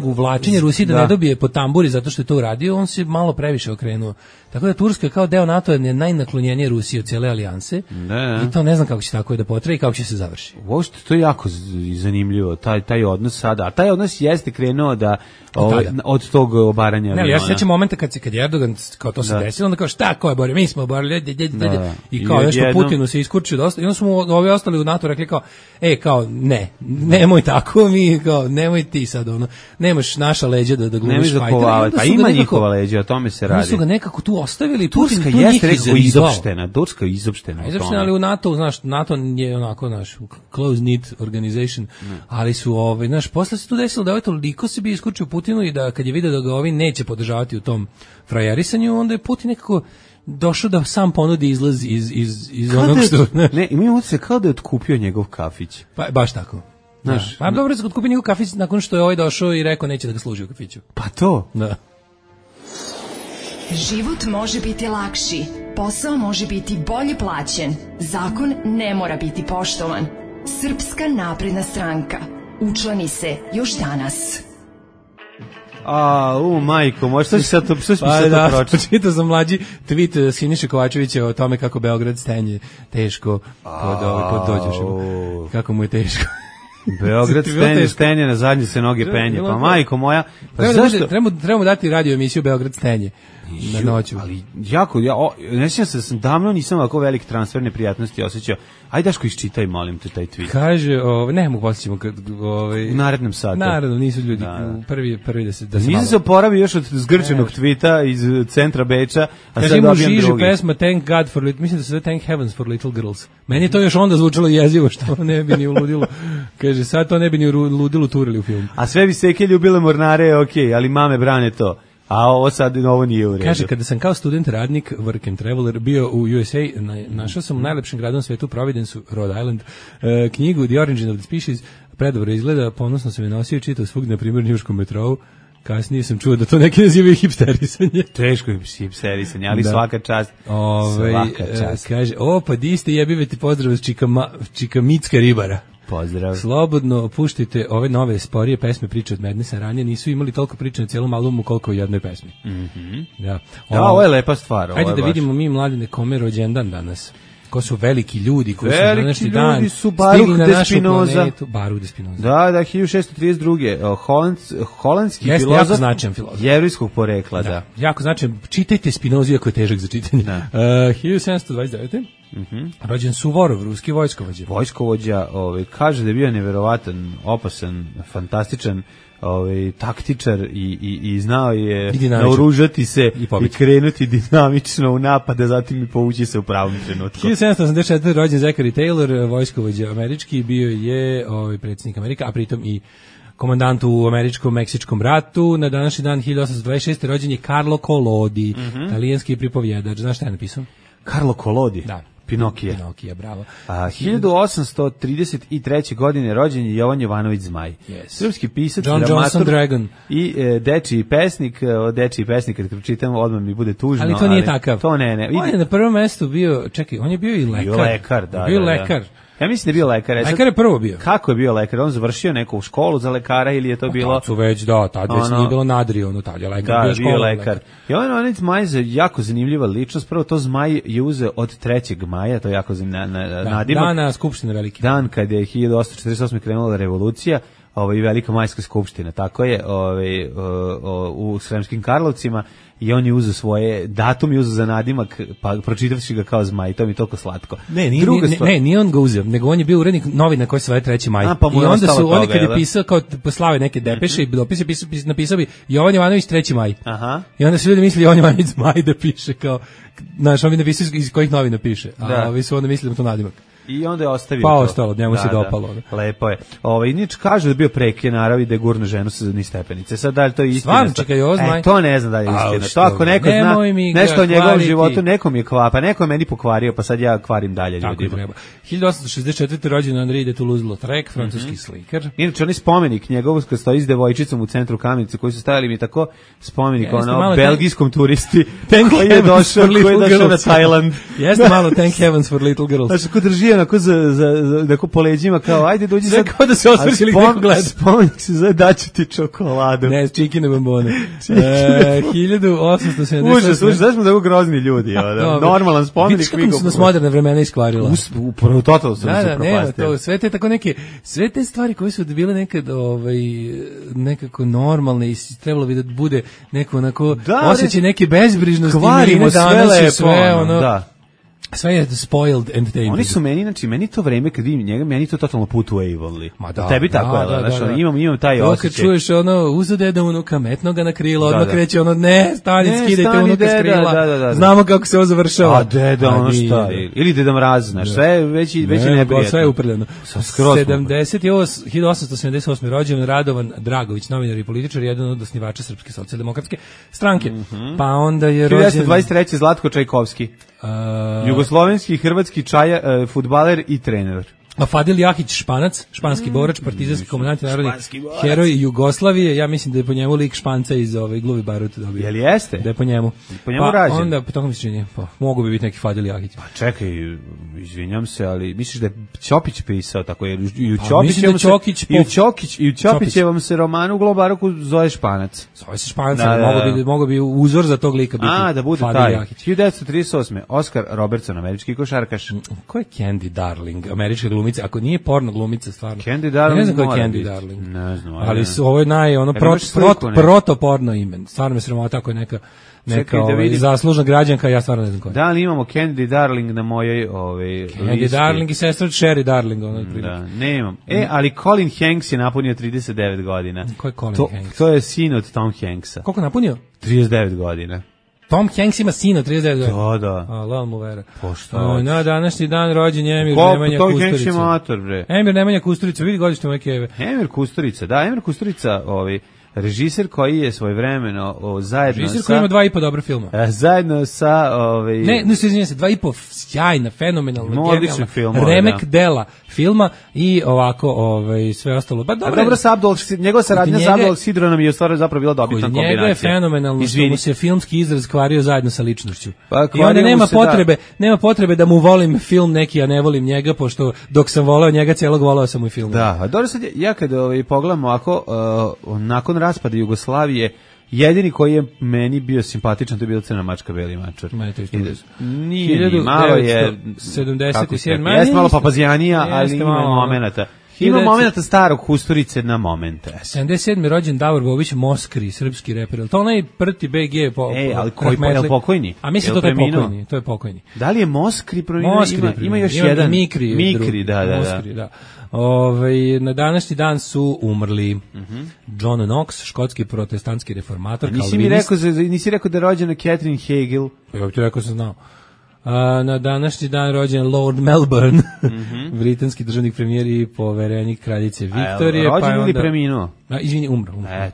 S6: uvlačenja Rusije da ne dobije po tamburi zato što je to uradio, on se malo previše okrenuo. Tako da Turska kao deo NATO je najnaklonjenije Rusije od cijele alijanse. I to ne znam kako će tako da potraje i kako će se završi.
S5: Uopšte to je jako zanimljivo, taj odnos sada. A taj odnos jeste krenuo da od tog obaranja.
S6: Ne, ja se sjećam momenta kad je Erdogan kao to se desilo, onda kao šta ko je borio, mi smo oborili i kao nešto Putinu se iskurčio dosta i onda su mu ovi ostali u NATO rekli kao kao nemoj tako, mi kao nemoj ti sad nemaš naša leđa da glumiš fajtera.
S5: Pa ima njihova leđa, o tome se radi.
S6: Oni su ga nekako tu ostavili,
S5: Turska jeste rekao izopštena, Turska je izopštena.
S6: Izopštena, ali u NATO, znaš, NATO je onako naš close knit organization, ali su znaš, posle se tu desilo da toliko se bi iskurčio Putinu i da kad je vidio da ga ovi neće podržavati u tom frajerisanju, onda je Putin nekako došao da sam ponudi izlaz iz onog što...
S5: Ne, imamo se kao da je otkupio njegov kafić.
S6: Pa, baš tako. Znaš, pa dobro je otkupio njegov kafić nakon što je ovaj došao i rekao neće da ga služi u kafiću.
S5: Pa to?
S6: Da.
S2: Život može biti lakši, posao može biti bolje plaćen, zakon ne mora biti poštovan. Srpska napredna stranka. Učlani se još danas.
S5: Majko, možda što mi sad to pročiti?
S6: Čitao sam mlađi tweet Siniše Kovačevića o tome kako Beograd stenje teško kod dođeš. Kako mu je teško.
S5: Beograd stenje, na zadnje se noge penje. Pa majko moja,
S6: trebamo dati radio emisiju Beograd stenje na noću.
S5: Ali jako, ne sjećam se da sam davno nisam ovako velik transfer neprijatnosti osjećao. Ajde Daško, iščitaj, molim te, taj tweet.
S6: Kaže, ne mogu posjećamo
S5: u narednom satu.
S6: Naravno, nisu ljudi prvi da se
S5: nisam se oporavio još od zgrčenog tweeta iz centra Beča, a sad
S6: dobijam
S5: drugi.
S6: Kaže, pesma Thank God for Little, mislim da se zove Thank Heavens for Little Girls. Meni je to još onda zvučalo jezivo, što ne bi ni uludilo. Kaže, sad to ne bi ni uludilo turili u filmu.
S5: A sve bi seke ljubile mornare, okej, ali mame brane to. A ovo nije u redu.
S6: Kaže, kada sam kao student radnik, work and traveler, bio u USA, našao sam u najlepšem gradu na svetu, Providence, Rhode Island, knjigu The Origin of the Species, predobro izgleda, ponosno sam je nosio i čitao svugdje, na primjer, njuškom metrou. Kasnije sam čuo da to neki nazivaju hipsterisanje.
S5: Teško je hipsterisanje, ali svaka čast. Svaka čast.
S6: Kaže, pa di ste jebive ti pozdrav iz Čikamitska ribara.
S5: Pozdrav.
S6: Slobodno puštite ove nove sporije pesme, priče od Madnessa, ranije nisu imali toliko priče na cijelom albumu koliko u jednoj pesmi.
S5: Da, ovo je lepa stvar.
S6: Ajde da vidimo mi mladine kome rođendan danas. Ko su veliki ljudi koji su
S5: na
S6: današnji dan
S5: su Baruch de Spinoza.
S6: Baruch de Spinoza.
S5: Da, 1632. Holandski filozof. Jevrejskog porekla, da.
S6: Jako značajan. Čitajte Spinozu, jako je težak za čitanje. 1729. Rođen Suvorov, ruski vojskovođa.
S5: Vojskovođa, kaže da je bio neverovatan, opasan, fantastičan, taktičar i znao je naoružati se i krenuti dinamično u napade, zatim i povući se u pravom trenutku.
S6: 1784. rođen Zachary Taylor, vojskovođa američki, bio je predsjednik Amerika, a pritom i komandant u američko-meksičkom ratu. Na današnji dan 1826. rođen je Carlo Collodi, talijanski pripovjedač. Znaš šta je napisao?
S5: Carlo Collodi?
S6: Da.
S5: Pinokije,
S6: bravo.
S5: 1833. godine rođen je Jovan Jovanović Zmaj.
S6: Yes.
S5: Srpski pisac,
S6: John Johnson Dragon.
S5: I dečiji pesnik. Dečiji pesnik, kad pročitam, odmah mi bude tužno.
S6: Ali to nije takav.
S5: To ne.
S6: On je na prvom mjestu bio, on je bio i lekar.
S5: Bio lekar. Ja mislim da je bio lekar.
S6: Lekar je prvo bio.
S5: Kako je bio lekar? On završio neku školu za lekara ili je to bilo...
S6: Tad su već, tad već nije bilo nadrio, tad je lekar bio
S5: lekar. Jovan Zmaj je jako zanimljiva ličnost. Prvo to Zmaj je uzeo od 3. maja, to je jako nadimak.
S6: Dana Skupštine velike.
S5: Dan kad je 1848. krenula revolucija, i Velika majska skupština, tako je, u Sremskim Karlovcima, i on je uzeo svoje datum i uzeo za nadimak, pa pročitavši ga kao Zmaj, to mi je toliko slatko.
S6: Nije on ga uzeo, nego on je bio urednik novina koji se zove 3. maj. I onda su oni kad je pisao kao poslave neke depeše i dopise, napisao bi Jovan Jovanović 3. maj. I onda su ljudi mislili Jovan Jovanović Zmaj da piše kao, znaš, on bi napisao iz kojih novina piše, a ovi su onda mislili da to nadimak.
S5: I onda je ostavio
S6: pa
S5: to.
S6: ostalo, njemu se dopalo.
S5: Da. Lepo je. Inače kaže da je bio preke naravi i da je gurno ženu sa niz stepenice. Sad da li to je istina?
S6: Stvarno, čekaj, ozmaj.
S5: To ne znam da je istina. To ako neko zna nešto o njegovom životu, nekom je kvapa, neko je meni pokvario, pa sad ja kvarim dalje ljudima.
S6: 1864. rođen Henri de Toulouse-Lautrec, francuski slikar.
S5: Inače, onaj spomenik njegov koji stoji s devojčicom u centru Kamenice, koji su stavili mi tako spomenik belgijskom turisti koji je došao na Tajland.
S6: Jeste malo Thank Heavens for Little Girls.
S5: Znači, ko drži onako za po leđima, kao, ajde, dođi sad.
S6: Kao da se osvrćili neko gleda.
S5: Spomenik se zove daću ti čokoladu.
S6: Ne, čikine bombone. 1870.
S5: Užas, znaš smo tako grozni ljudi. Normalan spomenik.
S6: Vidiš kako su nas moderne vremena iskvarila.
S5: Upravo totalno su nas
S6: propastili. Sve te tako sve te stvari koje su bile nekad nekako normalne i trebalo bi da bude neko onako osjećaj neke bezbrižnosti.
S5: Kvarimo sve lepo.
S6: Da. Sve je spoiled entertainment.
S5: Oni su meni, znači, meni to vreme kad vidim njega, meni to totalno put u Avonley. Tebi tako je, znači, imam taj osjećaj.
S6: Kad čuješ uzu deda unuka, metno ga na krilo, odmah kreće ne, stani, skidajte unuka s krila. Znamo kako se ovo završava.
S5: A deda, šta? Ili Deda Mraz, znaš, sve već i neprijatno.
S6: Sve je uprljeno. 1878. rođen Radovan Dragović, novinar i političar, jedan od osnivača Srpske socijaldemokratske stranke. Pa onda je rođen
S5: 1923. Zlatko Čajkovski. Jugoslovenski i hrvatski fudbaler i trener.
S6: Fadil Jahić, Španac, španski borač, partizanski komandant i narodni heroj Jugoslavije. Ja mislim da je po njemu lik Španca iz Gluvi Barut dobio.
S5: Jel jeste?
S6: Da je po njemu.
S5: Po njemu rađen.
S6: Onda, tako mi se čini, mogu bi biti neki Fadil Jahić.
S5: Pa čekaj, izvinjam se, ali misliš da je Ćopić pisao tako, jer i u Ćopićevom se romanu u Globaroku zove Španac.
S6: Zove se Španac, mogu bi uzor za tog lika biti
S5: da bude
S6: Fadil
S5: taj.
S6: Jahić.
S5: 1938. Oscar Robertson, američki košarkaš.
S6: Ko je Candy Darling, američka glumica, ako nije porno glumica stvarno.
S5: Candy Darling.
S6: Ne znam ko je Candy Darling.
S5: Ne znam.
S6: Ali ovo je protoporno ime. Stvarno me sramota ako je neka zaslužna građanka, ja stvarno ne znam ko je.
S5: Da li imamo Candy Darling na mojoj
S6: Candy
S5: listi?
S6: Darling i sestra Sherry Darling.
S5: Da, nemam. Ali Colin Hanks je napunio 39 godina.
S6: Ko je Colin Hanks?
S5: To je sin od Tom Hanksa.
S6: Koliko napunio?
S5: 39 godina.
S6: Tom Hanks ima sina 39 godina.
S5: Da.
S6: Allah mu vera.
S5: Pošto?
S6: Na današnji dan rođen Emir Nemanja Kusturica.
S5: Tom Hanks je mator, bre.
S6: Emir Nemanja Kusturica, vidi godište moje keve.
S5: Emir Kusturica, režiser koji je svojevremeno zajedno
S6: režiser koji ima 2,5 dobra filma.
S5: Zajedno sa
S6: Ne, izvinjam se, 2,5 sjajna, fenomenalna,
S5: odlična filma,
S6: remek dela filma i ovako sve ostalo. Ba
S5: dobro, njegova saradnja sa Abdul Sidronom je u stvari zapravo bila dobitna kombinacija.
S6: Njega je fenomenalno što mu se filmski izraz kvario zajedno sa ličnošću. I onda nema potrebe da mu volim film neki, a ne volim njega, pošto dok sam voleo njega, cijelog voleo sam mu i film.
S5: Da, a dobro sad, ja kad pogledam ovako, nakon raspada Jugoslavije, jedini koji je meni bio simpatičan, to je bila Crna mačka, Beli mačor. Nije, malo je
S6: 77.
S5: Jeste malo papazjanija, ali ima momenata. Ima momenata starog Kusturice na momente.
S6: 77. rođen Davor Bobić, Moskri, srpski reper. To onaj prti BG
S5: ali koji je pokojni?
S6: A mislim to je pokojni.
S5: Da li je Moskri preminuo? Ima još jedan. Mikri, da.
S6: Na današnji dan su umrli John Knox, škotski protestantski reformator, kalvinist.
S5: Nisi rekao da je rođena Catherine Hagel?
S6: Ja bih ti rekao sam znao. Na današnji dan rođen Lord Melbourne, britanski državnik premijer i poverenik kraljice Viktorije.
S5: Rođen ili preminuo?
S6: Izvini, umro.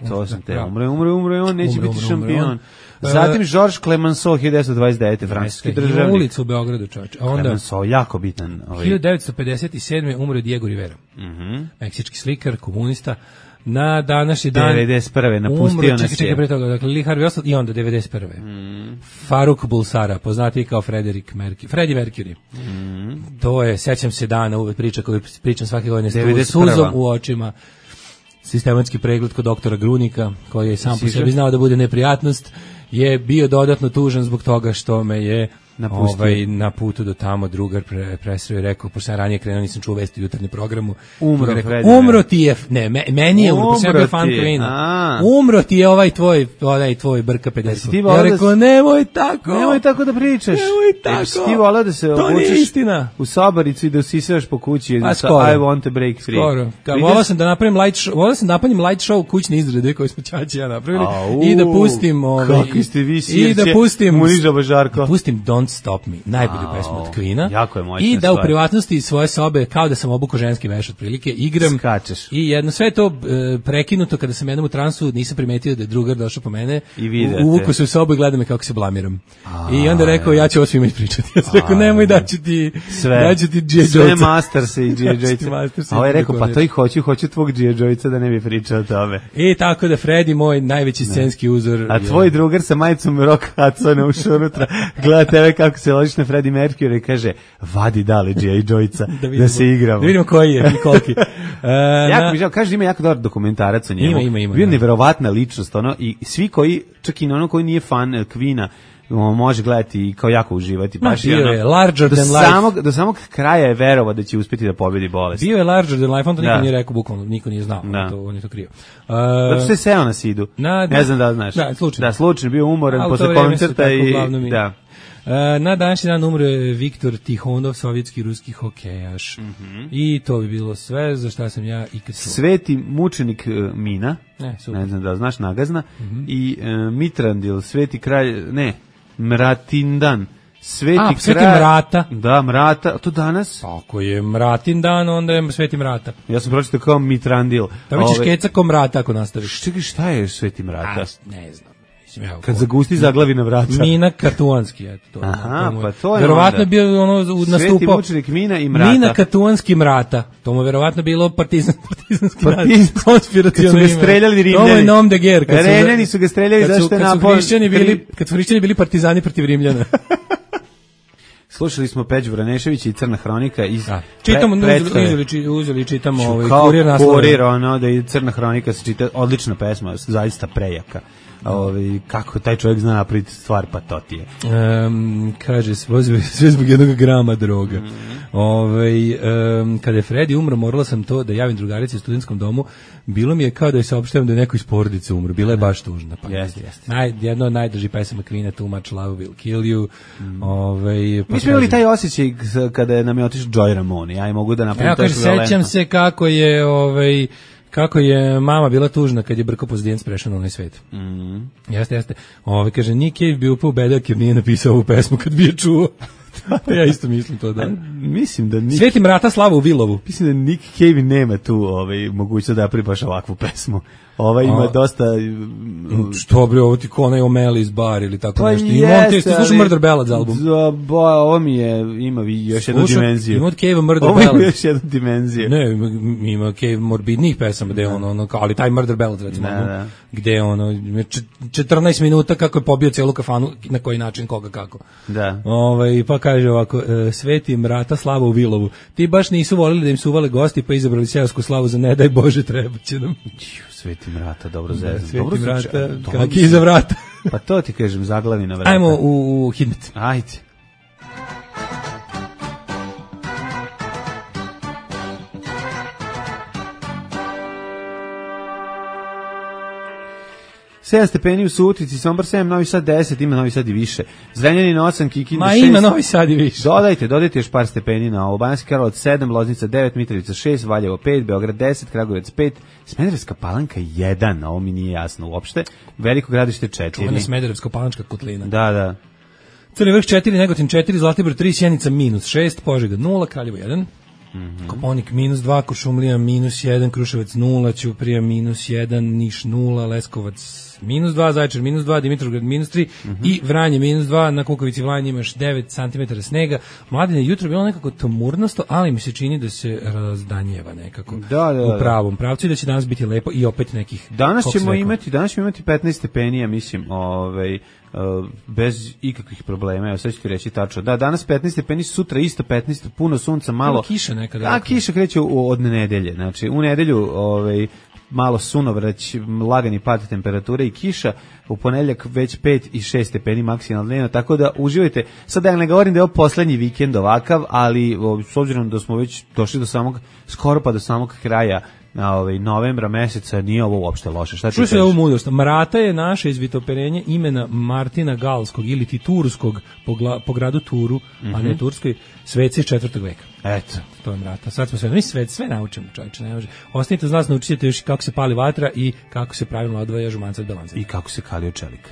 S5: To sam te, umro, on neće biti šampion. Zatim Georges Clemenceau, 1929. francuski državnik.
S6: Ulica u Beogradu, čovječe.
S5: Clemenceau, jako bitan.
S6: 1957. umro Diego Rivera, meksički slikar, komunista. Na današnji dan
S5: 91. napustio nas je.
S6: Čekaj pre toga, dakle Lee Harvey Oswald i onda 91. Faruk Bulsara, poznatiji kao Freddie Mercury. To je, sećam se dana, uvek priča koju pričam svake godine s suzom u očima. Sistematski pregled kod doktora Grunika, koji je sam po sebi znao da bude neprijatnost, je bio dodatno tužan zbog toga što me je na putu do tamo drugar presreo i rekao, pošto sam ranije krenuo, nisam čuo vesti u jutarnjem programu. Umro ti je, meni je umro, sam bio fan Queen-a. Umro ti je onaj tvoj Brka 50. Ja rekao, nemoj tako da pričaš. Nemoj tako.
S5: Ti volao da se
S6: obučeš
S5: u sobaricu i da usisavaš po kući. I want to break free.
S6: Skoro. Volao sam da napravim light show kućne izrede koje smo Ćaći ja napravili i da pustim
S5: kakvi ste vi sirće, Muniža Bažarko.
S6: Pustim Don't Stop Me, najbolju pesmu od Queena.
S5: Jako je moćna
S6: i da
S5: stvar.
S6: U privatnosti svoje sobe, kao da sam obukao ženski veš otprilike, igram.
S5: Skačeš.
S6: I jedno sve to prekinuto kada sam jednom u transu, nisam primetio da je drugar došao po mene.
S5: I
S6: uvukao se u sobu i gleda me kako se blamiram. I onda rekao, ja ću ovo svima ispričati. Ja sam rekao, nemoj da ću ti G.I.
S5: Sve Masters i G.I. Joyce. A ovaj rekao, pa to i hoću tvog G.I. Joyce da ne bi pričao o tome.
S6: I tako da Freddy, moj najveći scenski uzor.
S5: A tvoj drugar sa majicom Rock Hudsona ušao unutra, gleda tebe kako se ložiš na Freddie Mercury i kaže, vadi dale G.I. Joyce da se igramo.
S6: Da vidimo koji je i koliki.
S5: Jako mi žao, kaže ima jako dobar dokumentarac o njemu.
S6: Ima.
S5: Bio neverovatna ličnost, ono, i svi koji, čak i ono koji nije fan Queena, može gledati i kao jako uživati. Baš
S6: bio je larger than life.
S5: Do samog kraja je verovao da će uspjeti da pobedi bolest.
S6: Bio je larger than life, on to niko nije rekao, bukvalno, niko nije znao, on je to krio.
S5: Zato se seo na sidu, ne znam da znaš.
S6: Da,
S5: slučajno, bio umoran posle koncerta i da.
S6: Na današnji dan umro je Viktor Tihonov, sovjetski ruski hokejaš. I to bi bilo sve za šta sam ja ikad čuo.
S5: Sveti mučenik Mina, ne znam da znaš, nagazna, i Mitrandil, sveti kralj, Mratindan,
S6: Sveti Mrata.
S5: Da, Mrata, to danas?
S6: Ako je Mratin dan, onda je Sveti Mrata.
S5: Ja sam pročitao kao Mitrandil.
S6: Da mi ćeš keca ko Mrata ako nastaviš.
S5: Čekaj, šta je Sveti Mrata?
S6: Ne znam.
S5: Kad zagusti zaglavi na vrata.
S6: Mina Katuanski, eto to.
S5: Aha, pa to je.
S6: Verovatno je bio nastupao.
S5: Sveti mučenik Mina i Mrata.
S6: Mina Katuanski Mrata. To mu verovatno bilo partizanski konspiraciono ime.
S5: Kad su ga streljali Rimljani.
S6: To je nom de guerre.
S5: Rimljani su ga streljali zašto je napao.
S6: Kad su hrišćani bili partizani protiv Rimljana.
S5: Slušali smo Peđu Vraneševića i Crna hronika iz
S6: čitamo, uzeli čitamo kurir naslove.
S5: Kurir, da je Crna hronika se čita, odlična pesma, zaista prejaka. Kako taj čovjek zna napraviti stvar, pa to ti je.
S6: Kaže, sve zbog jednog grama droga. Kada je Freddy umro, morala sam to da javim drugarici u studentskom domu. Bilo mi je kao da joj saopštavam da je neko iz porodice umro. Bila je baš tužna. Jedno od najdržih pesama Queena, Too Much Love Will Kill You.
S5: Mi smo imali taj osjećaj kada nam je otišao Joy Ramone. Ja i mogu da napravim to ekvivalentno.
S6: Sećam se kako je mama bila tužna kad je Brko Pozdijenc prešao na onaj svet. Jeste. Kaže, Nick Cave bi upao bedak jer nije napisao ovu pesmu kad bi je čuo. Ja isto mislim to, da.
S5: Mislim da
S6: Sveti Mrata slava u Vilovu.
S5: Mislim da Nick Cave nema tu mogućnost da napravi baš ovakvu pesmu. Ima dosta...
S6: Što bre, ovo ti ko onaj O'Malley's Bar ili tako nešto. Ti slušao Murder Ballads album?
S5: Ovo mi ima još jednu dimenziju.
S6: Ima od Cave Murder Ballads.
S5: Ovo ima još jednu dimenziju.
S6: Ne, ima Cave morbidnih pesama, gde ali taj Murder Ballads, recimo, gde 14 minuta kako je pobio celu kafanu, na koji način, koga, kako.
S5: Da.
S6: Pa kaže ovako, Sveti Mrata slava u Vilovu. Ti baš nisu volili da im su uvale gosti, pa izabrali seosku slavu za ne daj Bože, treba će nam.
S5: Sveti Mrata, dobro zezam.
S6: Sveti Mrata, kak iza vrata.
S5: Pa to ti kažem, zaglavi na vrata.
S6: Ajmo u Hidmet.
S5: Ajde. Sedam stepeni u Subotici, Sombor 7, Novi Sad 10, ima Novi Sad i više. Zrenjanin 8, Kikinda 6.
S6: Ima Novi Sad i više.
S5: Dodajte još par stepeni na ovo. Banjski Karlovac 7, Loznica 9, Mitrovica 6, Valjevo 5, Beograd 10, Kragujevac 5, Smederevska Palanka 1, ovo mi nije jasno uopšte. Veliko Gradište 4.
S6: Čuvena Smederevska Palančka kotlina.
S5: Da.
S6: Crni Vrh 4, Negotin 4, Zlatibor 3, Sjenica -6, Požega 0, Kraljevo 1. Koponik -2, Kuršumlija -1, Kruševac 0, Ćuprija -1, Niš 0, Leskovac -2, Zaječar -2, Dimitrovgrad -3 i Vranje -2, na Kukovici Vranje imaš 9 cm snega. Mladine, jutro je bilo nekako tamurnasto, ali mi se čini da se razdanjeva nekako u pravom pravcu i da će danas biti lepo i opet nekih...
S5: Danas ćemo imati 15 stepeni, mislim, bez ikakvih problema. Evo sad ću ti reći tačno. Da, danas 15 stepeni, sutra isto 15, puno sunca, malo...
S6: Kiša nekada.
S5: Kiša kreće od nedelje. Znači, u nedelju malo sunovrać, lagani pad temperature i kiša, u ponedjeljak već 5 i 6 stepeni maksimalno dnevno, tako da uživajte. Sad ja ne govorim da je ovo poslednji vikend ovakav, ali s obzirom da smo već došli do skoro pa do samog kraja novembra meseca, nije ovo uopšte loše. Šta ti kažeš?
S6: Ovu mudrost. Mrata je naše izvitoperenje imena Martina Galskog ili ti Turskog po gradu Turu, a ne Turskoj, sveci iz 4. veka.
S5: Eto.
S6: To je Mrata. Sad smo sve naučimo, čovječe, ne može. Ostanite uz nas, naučite još kako se pali vatra i kako se pravilno odvaja žumanca od davanca.
S5: I kako se kalio čelik.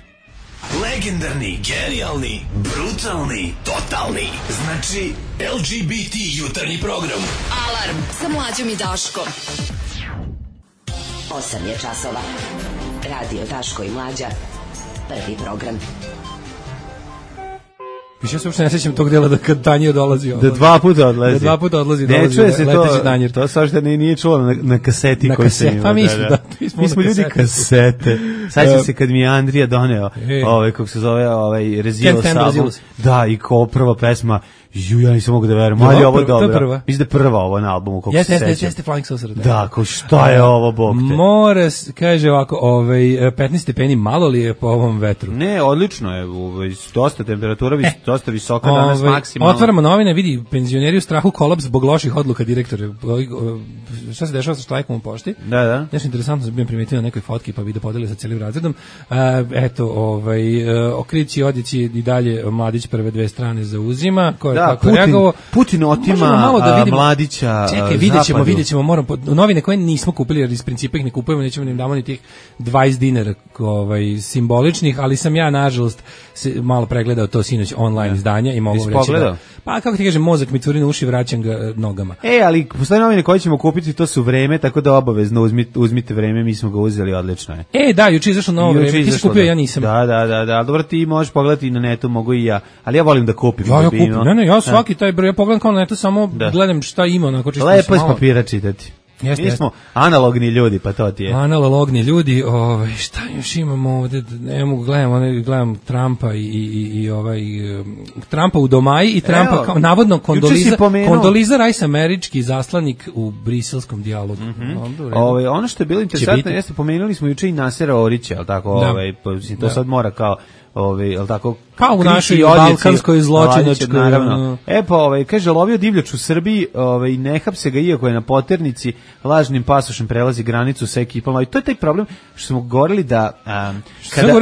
S8: Legendarni, genijalni, brutalni, totalni. Znači, LGBT jutarnji program.
S2: Alarm sa Mlađom i Daškom.
S9: 8 je časova. Radio Daško i Mlađa. Prvi program.
S6: Više se uopšte ne sjećam tog dela da kad Tanjio dolazi.
S5: Da dva puta odlazi.
S6: Da dva puta odlazi.
S5: Ne čuje se to samo što nije čulo na kaseti koju sam imao.
S6: Pa
S5: mi smo ljudi kasete. Sad se kad mi je Andrija doneo, kako se zove, Rezilo album. Da, i kao prva pesma, ja nisam mogu da verujem, ali ovo je dobro. Mislim da je prva ovo na albumu, kako se sećam.
S6: Jeste Flying Saucer.
S5: Da, kao šta je ovo, bog te.
S6: Mora, kaže ovako, 15 stepeni, malo li je po ovom vetru?
S5: Ne, odlično je, dosta temperatura, dosta visoka danas maksimalno.
S6: Otvaramo novine, vidi, penzioneri u strahu kolaps zbog loših odluka direktora. Šta se dešava sa štrajkom u pošti?
S5: Da.
S6: Nešto interesantno sam bio primetio na nekoj fotki, pa video podelili sa celim razredom. Okrići, odjeći i dalje Mladić prve dve strane zauzima.
S5: Putin otima Mladića.
S6: Čekaj, vidjet ćemo, moram novine koje nismo kupili, jer iz principa ih ne kupujemo, nećemo da im damo ni tih 20 dinara simboličnih, ali sam ja nažalost malo pregledao to sinoć online izdanja i mogu reći da, pa kako ti kažem, mozak mi curi na uši, vraćam ga nogama.
S5: Ali postoje novine koje ćemo kupiti, to su Vreme, tako da obavezno uzmite Vreme, mi smo ga uzeli, odlično je.
S6: Da, juče izašlo novo Vreme, ti si kupio, ja nisam.
S5: Da, dobro, ti možeš pogledati na netu, mogu i ja, ali ja volim da kupim.
S6: Ja svaki taj broj, ja pogledam kao na netu, samo gledam šta ima, onako čisto.
S5: Lepo je s papira čitati. Mi smo analogni ljudi, pa to ti je.
S6: Analogni ljudi, šta još imamo ovde, ne mogu, gledam Trumpa i Trumpa u Domaji i Trumpa kao navodno Kondoliza Rice, američki zaslanik u briselskom dijalogu.
S5: Ono što je bilo interesantno, jeste, pomenuli smo juče i Nasera Orića, al tako, to sad mora kao al tako,
S6: kao u našoj balkanskoj zločinačkoj,
S5: naravno. Kaže, lovio divljač u Srbiji, ne hapse ga iako je na poternici, lažnim pasošem prelazi granicu sa ekipom, i to je taj problem što smo govorili da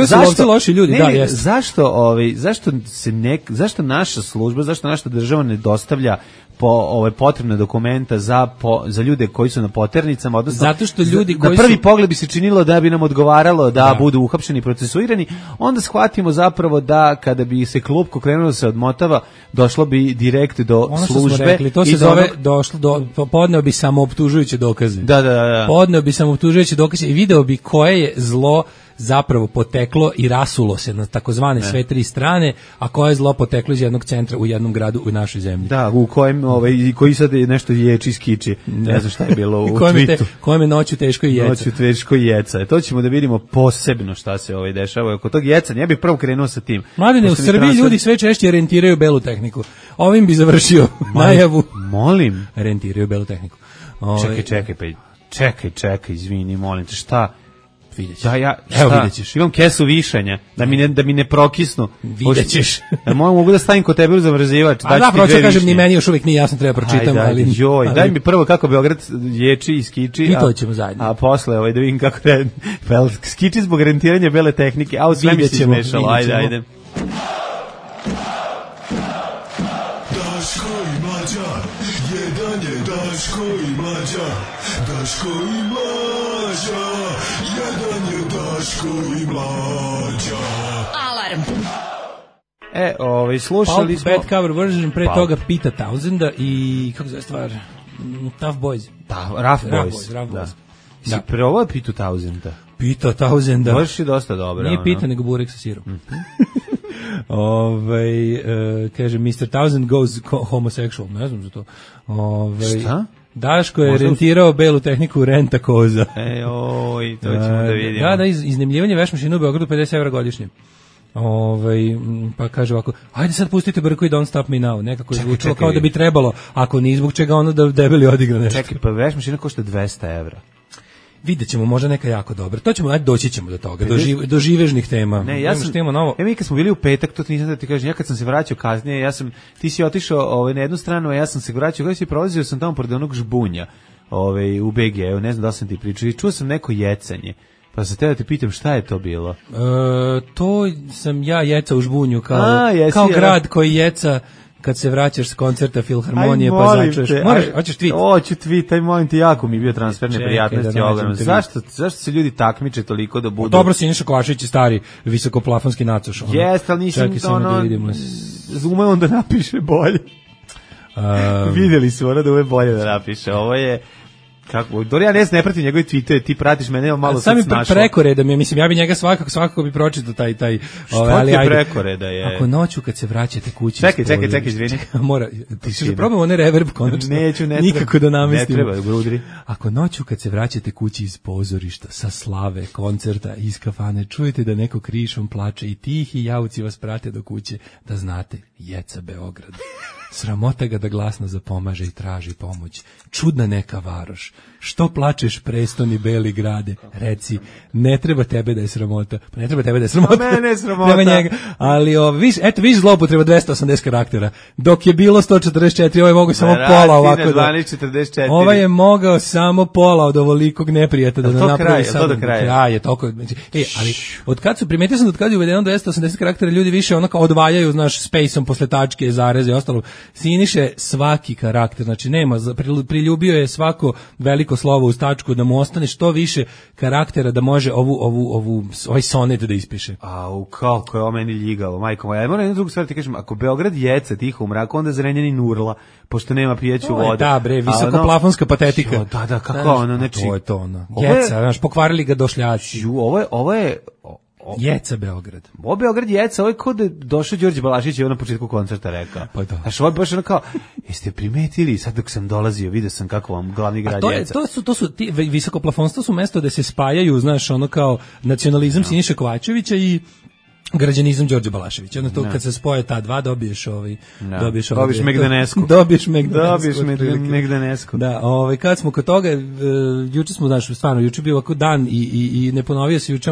S6: zašto loši ljudi,
S5: zašto naša služba, zašto naša država ne dostavlja potrebne dokumenta za ljude koji su na poternicama, odnosno
S6: zato što ljudi
S5: na prvi pogled bi se činilo da bi nam odgovaralo da budu uhapšeni i procesuirani, onda shvatimo zapravo da kada bi se klupko krenulo se odmotava, došlo bi direkt do službe.
S6: To se zove podneo bi samooptužujuće dokaze.
S5: Da.
S6: Podneo bi samooptužujuće dokaze i video bi koje je zlo zapravo poteklo i rasulo se na takozvane sve tri strane, a koje je zlo poteklo iz jednog centra u jednom gradu u našoj zemlji.
S5: Da, u kojem koji sad nešto ječi skiči. Ne znam šta je bilo u tweetu.
S6: Kojem je noću teško i
S5: jeca. To ćemo da vidimo posebno šta se dešava oko tog jecanja. Ja bih prvo krenuo sa tim.
S6: Mladine, u Srbiji ljudi sve češće rentiraju belu tehniku. Ovim bi završio najavu.
S5: Molim.
S6: Rentiraju belu tehniku.
S5: Čekaj, izvini, molim te, šta?
S6: Vidjet ćeš.
S5: Vidjet ćeš. Imam kesu višanja, da mi ne prokisnu.
S6: Vidjet ćeš.
S5: Mogu da stavim kod tebe u zamrzivač.
S6: Proću kažem, ni meni još uvijek nije jasno, treba pročitam.
S5: Daj mi prvo kako Beograd ječi i skiči.
S6: I to ćemo zajedno.
S5: A posle da vidim kako skiči zbog rentiranja bele tehnike. A sve mi se izmešalo. Ajde.
S8: Daško i Mlađa, jedan je Daško i Mlađa, Daško i Mlađa, jedan je Daško i Mlađa.
S2: Alarm.
S5: Slušali smo
S6: Bad Cover Version, pre toga Pita Townsenda i kako zove stvar, Tough Boys.
S5: Rough Boys. Si prvo Pitu Townsenda?
S6: Pita Townsenda.
S5: Možeš i dosta dobro.
S6: Nije pita, nego burek sa sirom. Kaže, Mr. Townsend goes homosexual, ne znam za to.
S5: Šta?
S6: Daško je rentirao belu tehniku renta koza.
S5: To ćemo da vidimo.
S6: Da, iznajmljivanje vešmašina u Beogradu 50 evra godišnje. Pa kaže ovako, ajde sad pustite Brku i Don't Stop Me Now, nekako je zvučilo kao da bi trebalo, ako ni zbog čega ono da debeli odigra nešto.
S5: Čekaj, pa vešmašina košta 200 evra.
S6: Vidjet ćemo, možda neka jako dobra. To ćemo, doći ćemo do toga, do živežnih tema.
S5: Mi kad smo bili u petak, to nisam da ti kažem, ja kad sam se vraćao kasnije, ti si otišao na jednu stranu, a ja sam se vraćao, kada si prolazio sam tamo pored onog žbunja u BG, ne znam da sam ti pričao, i čuo sam neko jecanje. Pa sam te da te pitam šta je to bilo?
S6: To sam ja jeca u žbunju, kao grad koji jeca kad se vraćaš s koncerta Filharmonije pa začuješ. Hoćeš tweet?
S5: Hoću tweet, aj molim te, jako mi je bio transfer neprijatnosti ovoga. Zašto se ljudi takmiče toliko da budu?
S6: Dobro, Siniša Kovačević je stari visokoplafonski nacoš.
S5: Jeste, ali nisam umeo on da napiše bolje. Vidjeli su ona da ume bolje da napiše. Ovo je... Kako, ja ne pratim njegove tweetove, ti pratiš mene, evo malo sad snašao.
S6: Sami prekoreda mi je, mislim, ja bi njega svakako bi pročitao taj
S5: što ti prekoreda je?
S6: Ako noću kad se vraćate kući...
S5: Čekaj, izvini.
S6: Mora, ti probamo one reverb konačno. Nikako da namestimo.
S5: Ne treba, grudri.
S6: Ako noću kad se vraćate kući iz pozorišta, sa slave, koncerta, iz kafane, čujete da neko krišom plače i tihi jauci vas prate do kuće, da znate, jeca Beograd. Sramota ga da glasno zapomaže i traži pomoć. Čudna neka varoš. Što plačeš prestoni beli grade? Reci, ne treba tebe da je sramota. Pa ne treba tebe da je sramota.
S5: Mene je sramota.
S6: Treba njega. Ali viš zloupotreba 280 karaktera. Dok je bilo 144, ovo je mogao samo pola ovako.
S5: 12:44.
S6: Ovo je mogao samo pola od ovolikog neprijata da napravi
S5: samo. Do kraja.
S6: Je toliko. Ali od kad su primetio sam da kad je uvedeno 280 karaktera, ljudi više onako odvajaju, znaš, spaceom posle tačke, zareze i ostalo. Siniše svaki karakter, znači nema, priljubio je svako veliko slovo uz tačku da mu ostane što više karaktera da može ovaj sonet da ispiše.
S5: Kako je ovo meni ljigavo, majko moja. Ja moram jednu drugu stvar ti kažem, ako Beograd jeca tiho u mraku, onda Zrenjanin urla, pošto nema pijeću vodu.
S6: Da bre, visokoplafonska patetika.
S5: Da, kako ono, znači.
S6: To je to ono. Jeca, znaš, pokvarili ga došljaci.
S5: Ovo je
S6: Jeca Beograd.
S5: Ovo Beograd jeca, ovo je kod da došao Đorđe Balašić i on na početku koncerta rekao.
S6: Pa da.
S5: Znaš, ovo je baš ono kao, jeste primetili, sad dok sam dolazio, vidio sam kako vam glavni grad jeca.
S6: To su ti visokoplafonstva su mesto da se spajaju, znaš, ono kao nacionalizam Siniše Kovačevića i građanizam Đorđe Balaševića. Onda to kad se spoje ta dva dobiješ
S5: Dobiješ Megdanesku.
S6: Dobiješ
S5: Megdanesku.
S6: Da, kad smo kod toga, juče smo, znaš, stvarno, juče bio ovako dan i ne ponovio se juče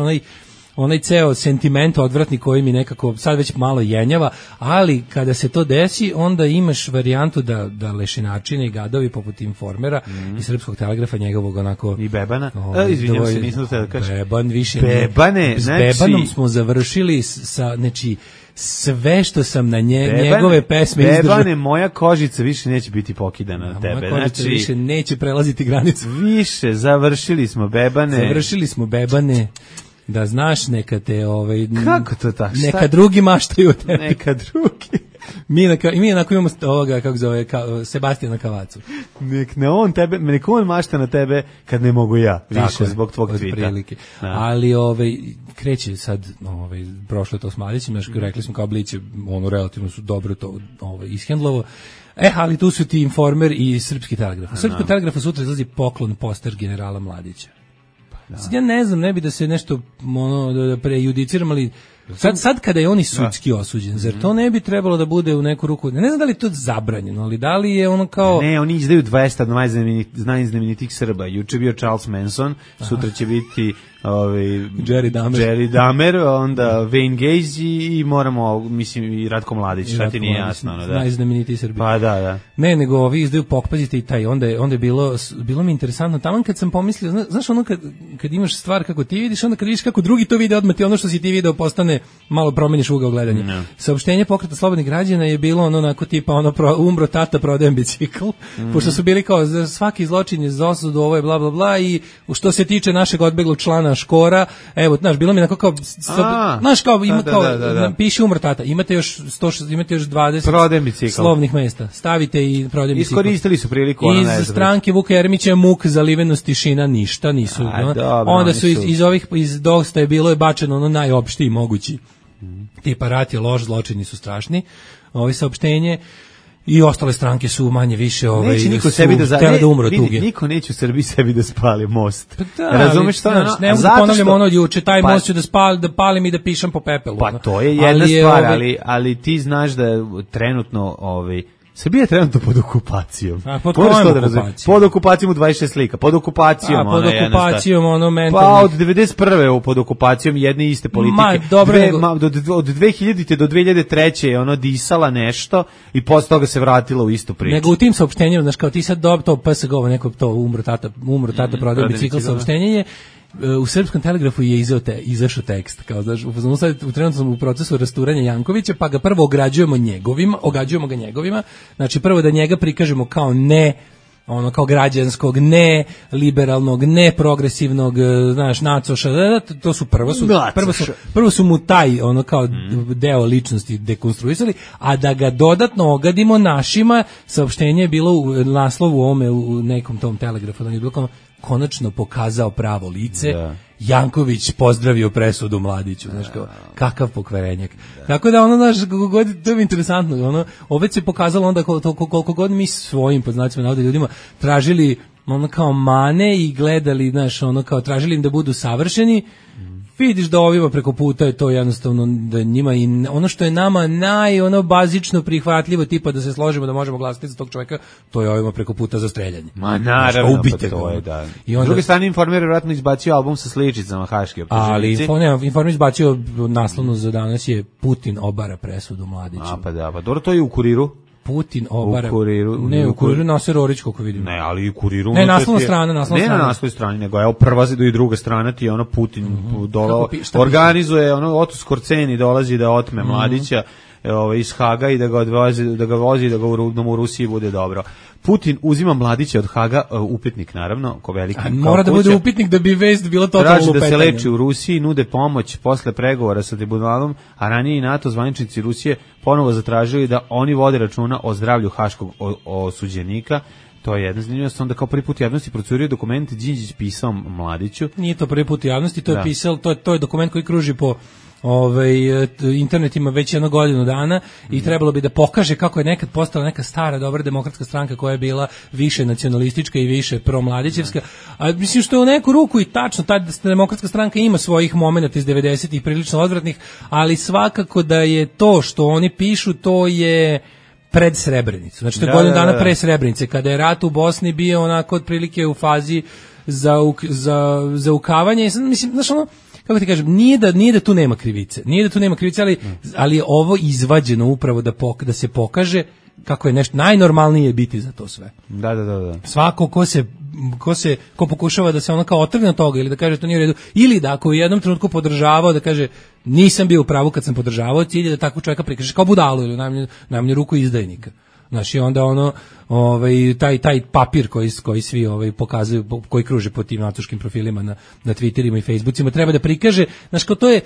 S6: onaj ceo sentiment odvratni koji mi nekako sad već malo jenjava, ali kada se to desi, onda imaš varijantu da lešinačine i gadovi poput Informera i Srpskog telegrafa njegovog onako...
S5: I Bebana? Izvinjam se, nisam da kažem.
S6: Beban više...
S5: Bebane,
S6: znači... S Bebanom smo završili sa, znači, sve što sam na njegove pesme izdržao.
S5: Bebane, moja kožica više neće biti pokidana na tebe.
S6: Moja kožica više neće prelaziti granicu.
S5: Više, završili smo Bebane.
S6: Da znaš, neka te
S5: kako to tako?
S6: Neka drugi maštaju od tebe.
S5: Neka drugi.
S6: Mi onako imamo ovoga, kako zove, Sebastijana Kavacu.
S5: Neka on mašta na tebe kad ne mogu ja, više zbog tvog tvita.
S6: Ali kreće sad, prošlo to s Mladićem, rekli smo kao Blić, relativno su dobro to ishendlovo. Ali tu su ti Informer i Srpski telegraf. U Srpskom telegrafu sutra izlazi poklon poster generala Mladića. Sad ja ne znam, ne bi da se nešto da prejudiciram, ali sad kada je on i sudski osuđen, zar to ne bi trebalo da bude u neku ruku, ne znam da li je to zabranjeno, ali da li je ono kao...
S5: Ne, oni izdaju 200 najznamenitijih Srba. Juče bio Charles Manson, sutra će biti
S6: Jerry
S5: Dahmer, onda Wayne Gacy i moramo, mislim, i Ratko Mladić, šta ti nije jasno.
S6: Najznamenitiji Srbi.
S5: Pa da.
S6: Ne, nego ovi izdaju pokpazite i taj, onda je bilo mi interesantno, taman kad sam pomislio, znaš ono kad imaš stvar kako ti vidiš, onda kad vidiš kako drugi to vide, odmah ti ono što si ti video postane, malo promeniš ugao gledanja. No. Saopštenje Pokreta slobodnih građana je bilo onako tipa umro tata, prodajem bicikl, pošto su bili kao svaki zločin je za osudu, ovo je bla bla bla, i što se tiče našeg odbeglog člana Škora, evo, znaš, bilo mi onako kao, znaš, kao, ima kao, piše umro tata, imate još 20 slovnih mesta, stavite i prodajem bicikl.
S5: Iskoristili su priliku.
S6: Iz stranke Vuka Jeremića muk, zalivenost, tišina, ništa nisu. Onda su iz Dosta je bilo bačeno ono najopštiji mogući. Tipa rat je loš, zločini su strašni. Ovi saopštenje i ostale stranke su manje više
S5: neće niko sebi da umro tuge. Niko neće u Srbiji sebi da spali most. Razumeš što?
S6: Ne mogu da ponavljam ono od juče, taj most ću da palim i da pišem po pepelu.
S5: Pa to je jedna stvar, ali ti znaš da trenutno Srbija je trenutno pod okupacijom.
S6: Pod kojom okupacijom?
S5: Pod okupacijom u 26 slika. Pod okupacijom.
S6: Pod okupacijom, mentalnih.
S5: Pa od 91. pod okupacijom jedne iste politike. Od 2000. do 2003. je disala nešto i posle toga se vratila u istu priču.
S6: Nego u tim saopštenjima, znaš, kao ti sad to PSG, neko to umro tata prodaje bicikl, saopštenje je u Srpskom telegrafu je izašao tekst, kao znaš, trenutno sam u procesu rasturanja Jankovića, pa ga prvo ogađujemo ga njegovima, znači prvo da njega prikažemo kao kao građanskog, ne liberalnog, ne progresivnog, znaš, nacoša, to su prvo su mu taj kao deo ličnosti dekonstruisali, a da ga dodatno ogadimo našima. Saopštenje je bilo u naslovu ovome u nekom tom telegrafu, da je bilo kao konačno pokazao pravo lice. Da. Janković pozdravio presudu Mladiću, znaš, kakav pokvarenjak. Tako da znaš, to je interesantno, opet se pokazalo onda koliko god mi svojim, pod znacima navoda, ljudima tražili kao mane i gledali, znaš, kao tražili im da budu savršeni, vidiš da ovima preko puta je to jednostavno da njima i ono što je nama bazično prihvatljivo, tipa da se složimo da možemo glasati za tog čovjeka, to je ovima preko puta za streljanje.
S5: Ma naravno, pa to je, da. I onda, s druge strane, Informer je vjerojatno izbacio album sa sličicama haške optuženici.
S6: Ali Informer izbacio naslovno za danas je Putin obara presudu Mladiću.
S5: Pa da, pa dobro, to je u Kuriru.
S6: Putin obara. U Kuriru Naser Orić, koliko vidim.
S5: Ne, ali u Kuriru.
S6: Ne, naslovna strana.
S5: Ne na naslovnoj strani, nego evo prva i druga strana ti je Putin organizuje, Otus Korceni dolazi da otme Mladića iz Haga i da ga vozi da ga u Rusiji bude dobro. Putin uzima Mladića od Haga, upitnik naravno, ko veliki.
S6: Mora da bude upitnik da bi vest bila totalno
S5: lupetanje. Traži da se leči u Rusiji, nude pomoć posle pregovora sa tribunalom, a ranije i NATO zvaničnici Rusije ponovo zatražili da oni vode računa o zdravlju haškog osuđenika. To je jedna zanimljivost. Onda kao prvi put javnosti procurio dokument Đinđić pisao Mladiću.
S6: Nije to prvi put javnosti, to je pisao, to je dokument koji kruži po internetima već 1 godinu dana i trebalo bi da pokaže kako je nekad postala neka stara dobra demokratska stranka koja je bila više nacionalistička i više promladićevska. A mislim što je u neku ruku i tačno, ta demokratska stranka ima svojih momenata iz 90-ih prilično odvratnih, ali svakako da je to što oni pišu, to je pred Srebrenicu. Znači to je godinu dana pre Srebrenice, kada je rat u Bosni bio onako otprilike u fazi za ukavanje. Mislim, znaš kako ti kažem, nije da tu nema krivice, ali je ovo izvađeno upravo da se pokaže kako je nešto najnormalnije biti za to sve.
S5: Da.
S6: Svako ko pokušava da se kao otrgne od toga ili da kaže to nije u redu, ili da ako u jednom trenutku podržavao da kaže nisam bio u pravu kad sam podržavao, cilj je da takvog čovjeka prikaže kao budalu ili najmanje ruku izdajnika. Znači onda taj papir koji svi pokazuju, koji kruže po tim natuškim profilima na Twitterima i Facebookima, treba da prikaže, znači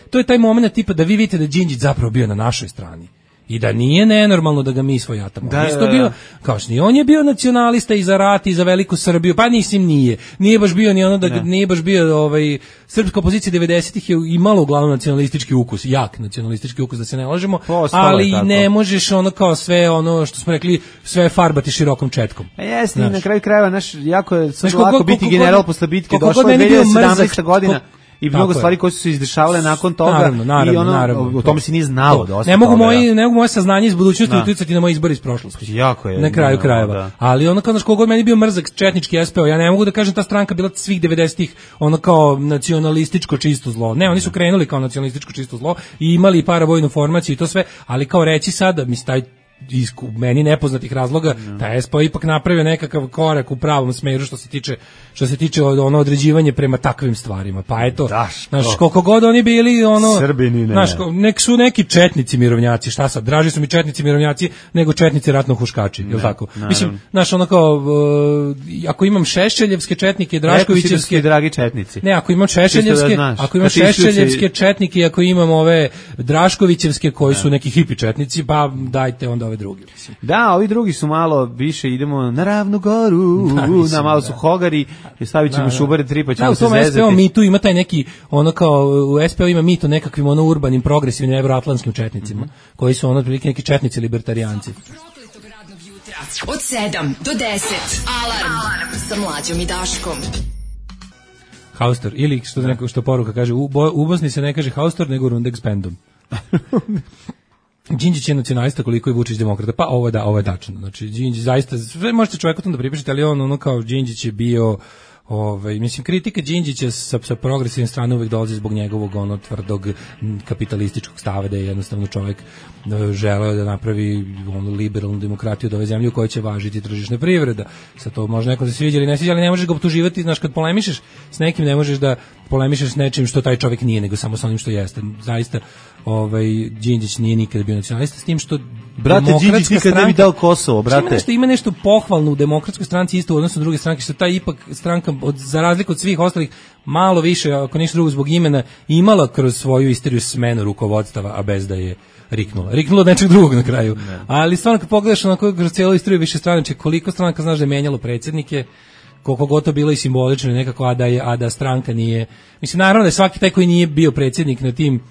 S6: to je taj moment tipa da vi vidite da Đinđić zapravo bio na našoj strani. I da nije nenormalno da ga mi svojatamo. Bio, kao što on je bio nacionalista i za rat i za veliku Srbiju, pa nije baš bio nije baš bio srpska opozicija 90-ih je imala uglavnom nacionalistički ukus, jak nacionalistički ukus, da se ne lažemo, ali ne možeš kao sve što smo rekli, sve farbati širokom četkom.
S5: Jeste, i na kraju krajeva, jako je lako biti general posle bitke, došla je 2017. godina. I mnogo stvari koje su se izdešavale nakon toga. Naravno. O tome se nije znalo dosta.
S6: Ne mogu moje saznanje iz budućnosti uticati na moj izbor iz prošlosti.
S5: Jako je.
S6: Na kraju krajeva. Da. Ali kao god meni bio mrzak četnički SPO, ja ne mogu da kažem ta stranka bila svih 90-ih kao nacionalističko čisto zlo. Ne, oni su krenuli kao nacionalističko čisto zlo i imali paravojnu formaciju i to sve, ali kao reći sada, taj iz meni nepoznatih razloga, taj SPO ipak napravio nekakav korak u pravom smeru što se tiče određivanje prema takvim stvarima. Pa eto, znaš, koliko god oni bili
S5: Srbini,
S6: znaš, nek su neki četnici mirovnjaci, šta sad, draži su mi četnici mirovnjaci nego četnici ratno huškači, jel tako? Mislim, znaš, ako imam šešeljevske četnike, Draškovićevske,
S5: dragi četnici.
S6: Ne, ako imam šešeljevske četnike, ako imam ove Draškovićevske koji su neki hipi četnici, pa dajte onda ove drugi.
S5: Da, ovi drugi su malo više, idemo na Ravnu goru, na malo su hogari, stavit ćemo šubare 3 pa ćemo se zezati. U
S6: SPO mitu ima taj neki, kao u SPO ima mito nekakvim urbanim, progresivnim, evroatlantskim četnicima, koji su otprilike neki četnici libertarijanci.
S2: Od 7 do 10. Alarm sa Mlađom i Daškom.
S6: Haustor, ili što poruka kaže, u Bosni se ne kaže Haustor, nego Rundex bandom. Đinđić je nacionalista koliko je Vučić demokrata. Pa ovo je tačno. Znači Đinđić zaista, sve možete čovjeku tom da pripišete, ali kao Đinđić je bio Mislim, kritika Đinđića sa progresivne strane uvek dolazi zbog njegovog tvrdog kapitalističkog stava, da je jednostavno čovjek želeo da napravi liberalnu demokratiju od ove zemlje u kojoj će važiti tržišna privreda. Sad to može neko da se sviđa ili ne sviđa, ali ne možeš ga optuživati, znaš, kad polemišeš s nekim, ne možeš da polemišeš s nečim što taj čovjek nije, nego samo sa onim što jeste. Zaista, Đinđić nije nikada bio nacionalista, s tim što
S5: brate, Đinđić nikad ne bi dao Kosovo, brate.
S6: Ima nešto pohvalno u Demokratskoj stranci isto u odnosu na druge stranke, što ta ipak stranka, za razliku od svih ostalih, malo više, ako ništa drugo zbog imena, imala kroz svoju istoriju smenu rukovodstava, a bez da je riknula. Riknula od nečeg drugog na kraju. Ne. Ali stvarno kad pogledaš onako kroz cijelu istoriju više stranačke, koliko stranaka znaš da je menjalo predsjednike, koliko gotovo bilo i simbolično nekako, a da stranka nije. Mislim, naravno da je svaki taj koji nije bio predsjednik na tim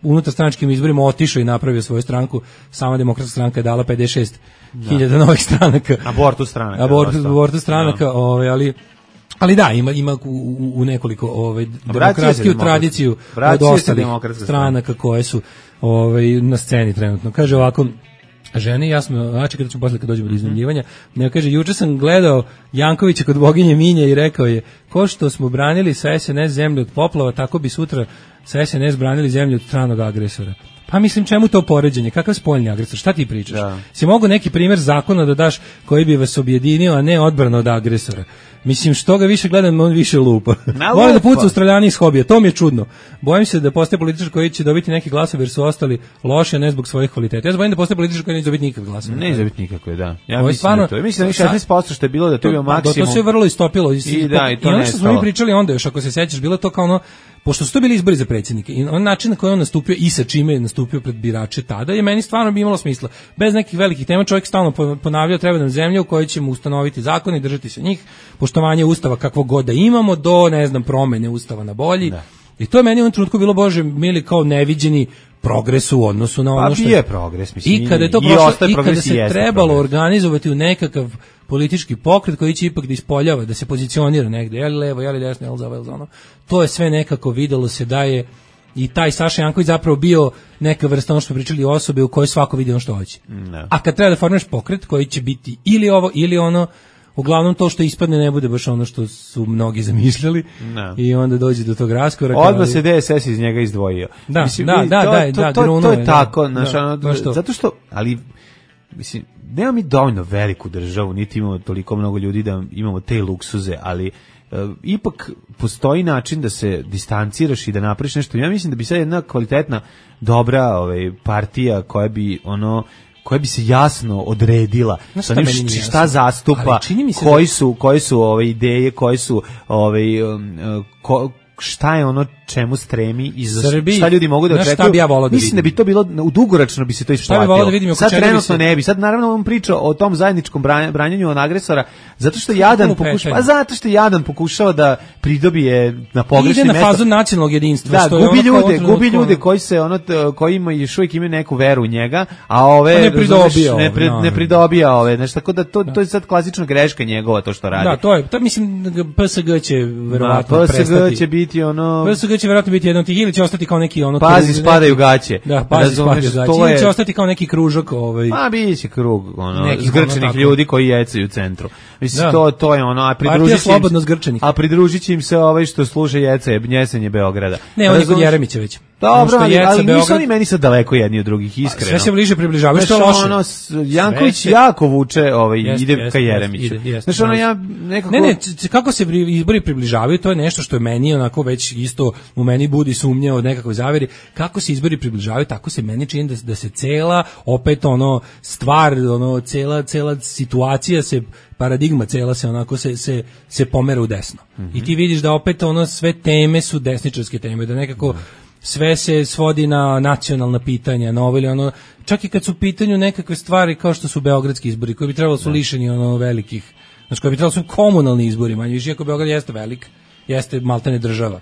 S6: unutarstranačkim izborima otišao i napravio svoju stranku. Sama Demokratska stranka je dala 56.000 novih stranaka. Abortus stranaka, ali da, ima u nekoliko demokratskiju tradiciju od ostalih stranaka koje su na sceni trenutno. Kaže ovako, ženi, ja smo, znači kada ćemo posle kad dođemo do iznajmljivanja, ne kaže, juče sam gledao Jankovića kod boginje Minje i rekao je, ko što smo branili sa SNS zemlju od poplava, tako bi sutra sa SNS branili zemlju od stranog agresora. Pa mislim, čemu to poređenje? Kakav spoljni agresor? Šta ti pričaš? Da. Si mogu neki primjer zakona da daš koji bi vas objedinio, a ne odbrana od agresora? Mislim, što ga više gledam, on više lupa. Vole da puca Australijani iz hobija, to mi je čudno. Bojim se da postoje političar koji će dobiti neki glasove jer su ostali loši, a ne zbog svojih kvaliteta. Ja se bojim da postoje političar koji neće dobiti nikakve glasove.
S5: Ne dobiti nikakve, da. Ja mislim da to. Mislim da 16% što je bilo da to bio maksimum.
S6: To se je vrlo istopilo.
S5: I ono
S6: što smo mi pričali onda još, ako se sećaš, bilo to kao ono, pošto su to bili izbori za predsjednike i on način na koji on nastupio i sa čime je nastupio pred birače tada je meni stvarno bi imalo smisla. Bez nekih velikih tema čovjek stalno ponavljao treba nam zemlja u kojoj ćemo ustanoviti zakone i držati se njih, poštovanje ustava kakvog god da imamo do, ne znam, promene ustava na bolji. Da. I to je meni u ovom trenutku bilo, bože mili, kao neviđeni progres u odnosu na ono što
S5: je progres, mislim.
S6: I kada je to prošlo, i kada se trebalo organizovati u nekakav politički pokret koji će ipak da ispoljava, da se pozicionira negde, je li levo, je li desno, je li za ovo, je li za ono. To je sve nekako videlo se da je i taj Saša Janković zapravo bio neka vrsta, ono što pričali, osobe u kojoj svako vidi ono što hoće. No. A kad treba da formiraš pokret koji će biti ili ovo ili ono, uglavnom to što ispadne ne bude baš ono što su mnogi zamišljali. No. I onda dođe do tog raskoraka.
S5: Odmah se DSS iz njega izdvojio.
S6: Da,
S5: mislim,
S6: to
S5: je tako, zato što, ali mislim, nema mi dovoljno veliku državu, niti imamo toliko mnogo ljudi da imamo te luksuze, ali ipak postoji način da se distanciraš i da napraviš nešto. Ja mislim da bi sad jedna kvalitetna, dobra partija koja bi se jasno odredila sa onim šta zastupa, koji su ideje, koji su šta je ono čemu stremi i šta ljudi mogu da očekuju. Mislim da bi to bilo, u dugoročno bi se to isplatilo. Sad trenutno ne bi. Sad naravno on priča o tom zajedničkom branjenju od agresora, zato što Jadan pokušava da pridobije na pogrešni
S6: mesto. Ide na fazu nacionalnog jedinstva.
S5: Da, gubi ljude koji se koji još uvijek imaju neku veru u njega, a ove ne pridobija ove. Znači, tako da to je sad klasična greška njegova to što radi.
S6: Da, to mislim PSG će verovatno prestati.
S5: PSG će biti
S6: PSG će verovatno biti jedan od tih, ili će ostati kao neki ono...
S5: Pazi, spadaju gaće.
S6: Da, pazi, spadaju gaće. Ili će ostati kao neki kružok.
S5: Ma, bit će krug, zgrčenih ljudi koji jecaju u centru. Mislim, to je ono, a pridružit će im se što sluša jecenje Beograda.
S6: Ne, on je kod Jeremića već.
S5: Dobro, ali nisu oni meni sad daleko jedni od drugih, iskreno.
S6: Sve se bliže približavaju, što je loše.
S5: Janković jako vuče, ide ka Jeremiću. Znaš, ja nekako...
S6: Ne, kako se izbori približavaju, to je nešto što je meni onako već isto u meni budi sumnje od nekakve zaveri. Kako se izbori približavaju, tako se meni čini da se cela, opet stvar, cela situacija se, paradigma cela se onako se pomera u desno. I ti vidiš da opet sve teme su desničarske teme, da nekako sve se svodi na nacionalna pitanja, na ovo ili ono, čak i kad su u pitanju nekakve stvari kao što su beogradski izbori, koji bi trebalo su lišeni velikih, znači koji bi trebalo su komunalni izbori, manje više, iako Beograd jeste velik, jeste maltene država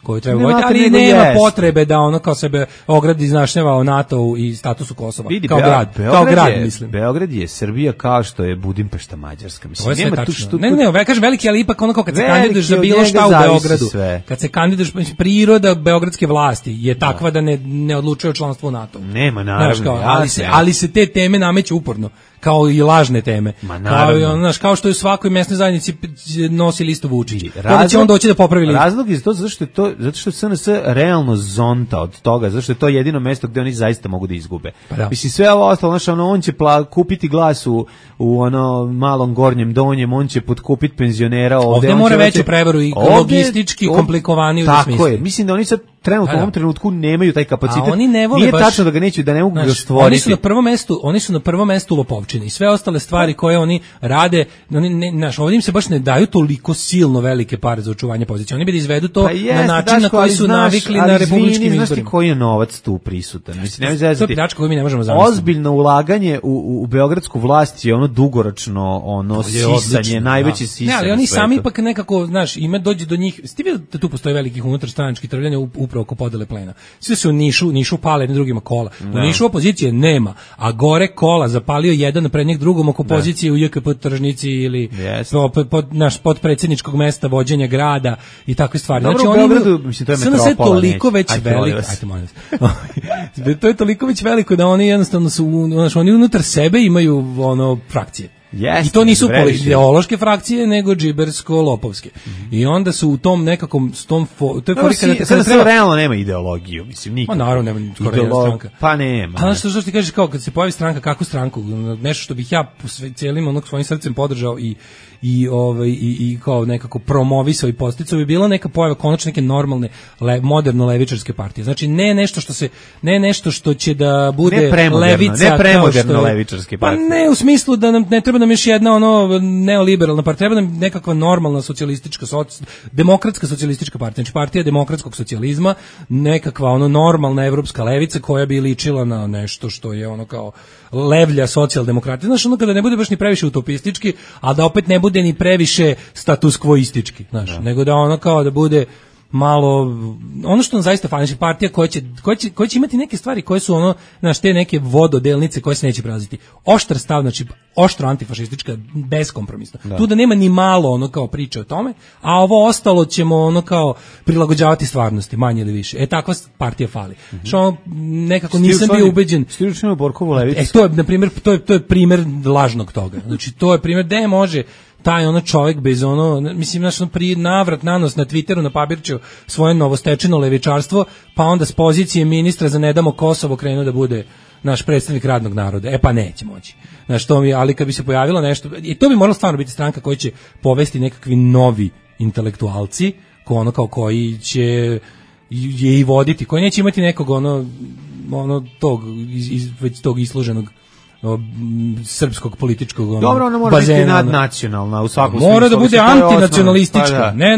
S6: koju treba voditi, ali nema potrebe da kao sebe ogradi iznašnjava o NATO i statusu Kosova, kao grad, mislim.
S5: Beograd je Srbija kao što je Budimpešta Mađarska, mislim.
S6: Nema tu što... Ne, kažem veliki, ali ipak kao kad se kandiduješ za bilo šta u Beogradu, kad se kandiduješ, priroda beogradske vlasti je takva da ne odlučuje o članstvu u NATO.
S5: Nema, naravno.
S6: Ali se te teme nameću uporno. kao i lažne teme. Kao što je u svakoj mesnoj zajednici nosi listu Vučić. Kada će on doći da popravi listu?
S5: Razlog je to zato što SNS realno zonta od toga, zato što je to jedino mesto gde oni zaista mogu da izgube. Mislim, sve ovo ostalo, on će kupiti glas u ono malom gornjem donjem, on će potkupiti penzionera
S6: ovde mora veću prevaru i logistički komplikovaniju u smislu.
S5: Tako je, mislim da oni sad trenutno u ovom trenutku nemaju taj kapacitet.
S6: Oni ne vole
S5: nije
S6: baš,
S5: tačno da ga neće, da ne mogu ga stvoriti.
S6: Oni su na prvom mestu lopovčine i sve ostale stvari koje oni rade, ovdje im se baš ne daju toliko silno velike pare za očuvanje pozicije. Oni bi da izvedu to na način na koji su navikli na republičkim izborima.
S5: Znaš koji je novac tu prisutan? Mislim,
S6: to je pljačka koju mi ne možemo zamisliti.
S5: Ozbiljno ulaganje u beogradsku vlast je ono dugoročno sisanje, najveći sisanje.
S6: Ne, ali oni sami ipak nekako, znaš, dođe do njih. Ste vidjeli da tu postoje velikih unutarstranačkih trvljanja upravo oko podele plena. Sve su u Nišu pale jednim drugima kola. U Nišu opozicije nema, a gore kola zapalio jedan pred njeg drugom oko pozicije u JKP Tržnici ili naš podpredsjedničkog mesta vođenja grada i takve stvari.
S5: Dobro, znači, u Beogradu, mislim, to je metropola.
S6: Toliko već veliko. Ajde, molim vas. To je toliko već veliko da oni jednostavno su, oni unutar sebe imaju frakcije. I to nisu ideološke frakcije, nego džibersko-lopovske. I onda su u tom nekakvom to je
S5: kada treba realno nema ideologiju, mislim, nikad.
S6: Naravno nema skoro jedna stranka.
S5: Pa nema.
S6: A što ti kažeš, kao kad se pojavi stranka, kakvu stranku, nešto što bih ja cijelim svojim srcem podržao i kao nekako promovisao i podsticao bi bila neka pojava konačno neke normalne moderno levičarske partije. Znači ne nešto što će da bude levica,
S5: ne premoderno levičarske partije.
S6: Pa ne u smislu da nam ne treba nam još jedna neoliberalna partija, treba nam nekakva normalna socijalistička demokratska socijalistička partija, znači partija demokratskog socijalizma, nekakva normalna evropska levica koja bi ličila na nešto što je kao levlja socijaldemokratije. Znaš, kada ne bude baš ni previše utopistički, a da opet ne bude ni previše status quoistički, znaš, nego da kao da bude malo, ono što nam zaista fali, znači partija koja će imati neke stvari koje su te neke vododelnice koje se neće prelaziti. Oštar stav, znači oštro antifašistička, beskompromisno. Tu da nema ni malo kao priče o tome, a ovo ostalo ćemo kao prilagođavati stvarnosti, manje ili više. Takva partija fali. Što nekako nisam bio ubeđen.
S5: Stiručimo Borkovu levicu.
S6: To je, na primjer, to je primjer lažnog toga. Znači, to je primjer gde može taj čovjek bez mislim, pri navrat nanos na Twitteru na Pabirću svoje novostečeno levičarstvo, pa onda s pozicije ministra za Ne damo Kosovo krenuo da bude naš predstavnik radnog naroda. Pa neće moći. Znaš, ali kad bi se pojavilo nešto, i to bi moralo stvarno biti stranka koja će povesti nekakvi novi intelektualci, koji će je i voditi, koji neće imati nekog tog isluženog srpskog političkog bazena.
S5: Dobro, ona mora biti nadnacionalna u svakom smislu.
S6: Mora da bude antinacionalistička, ne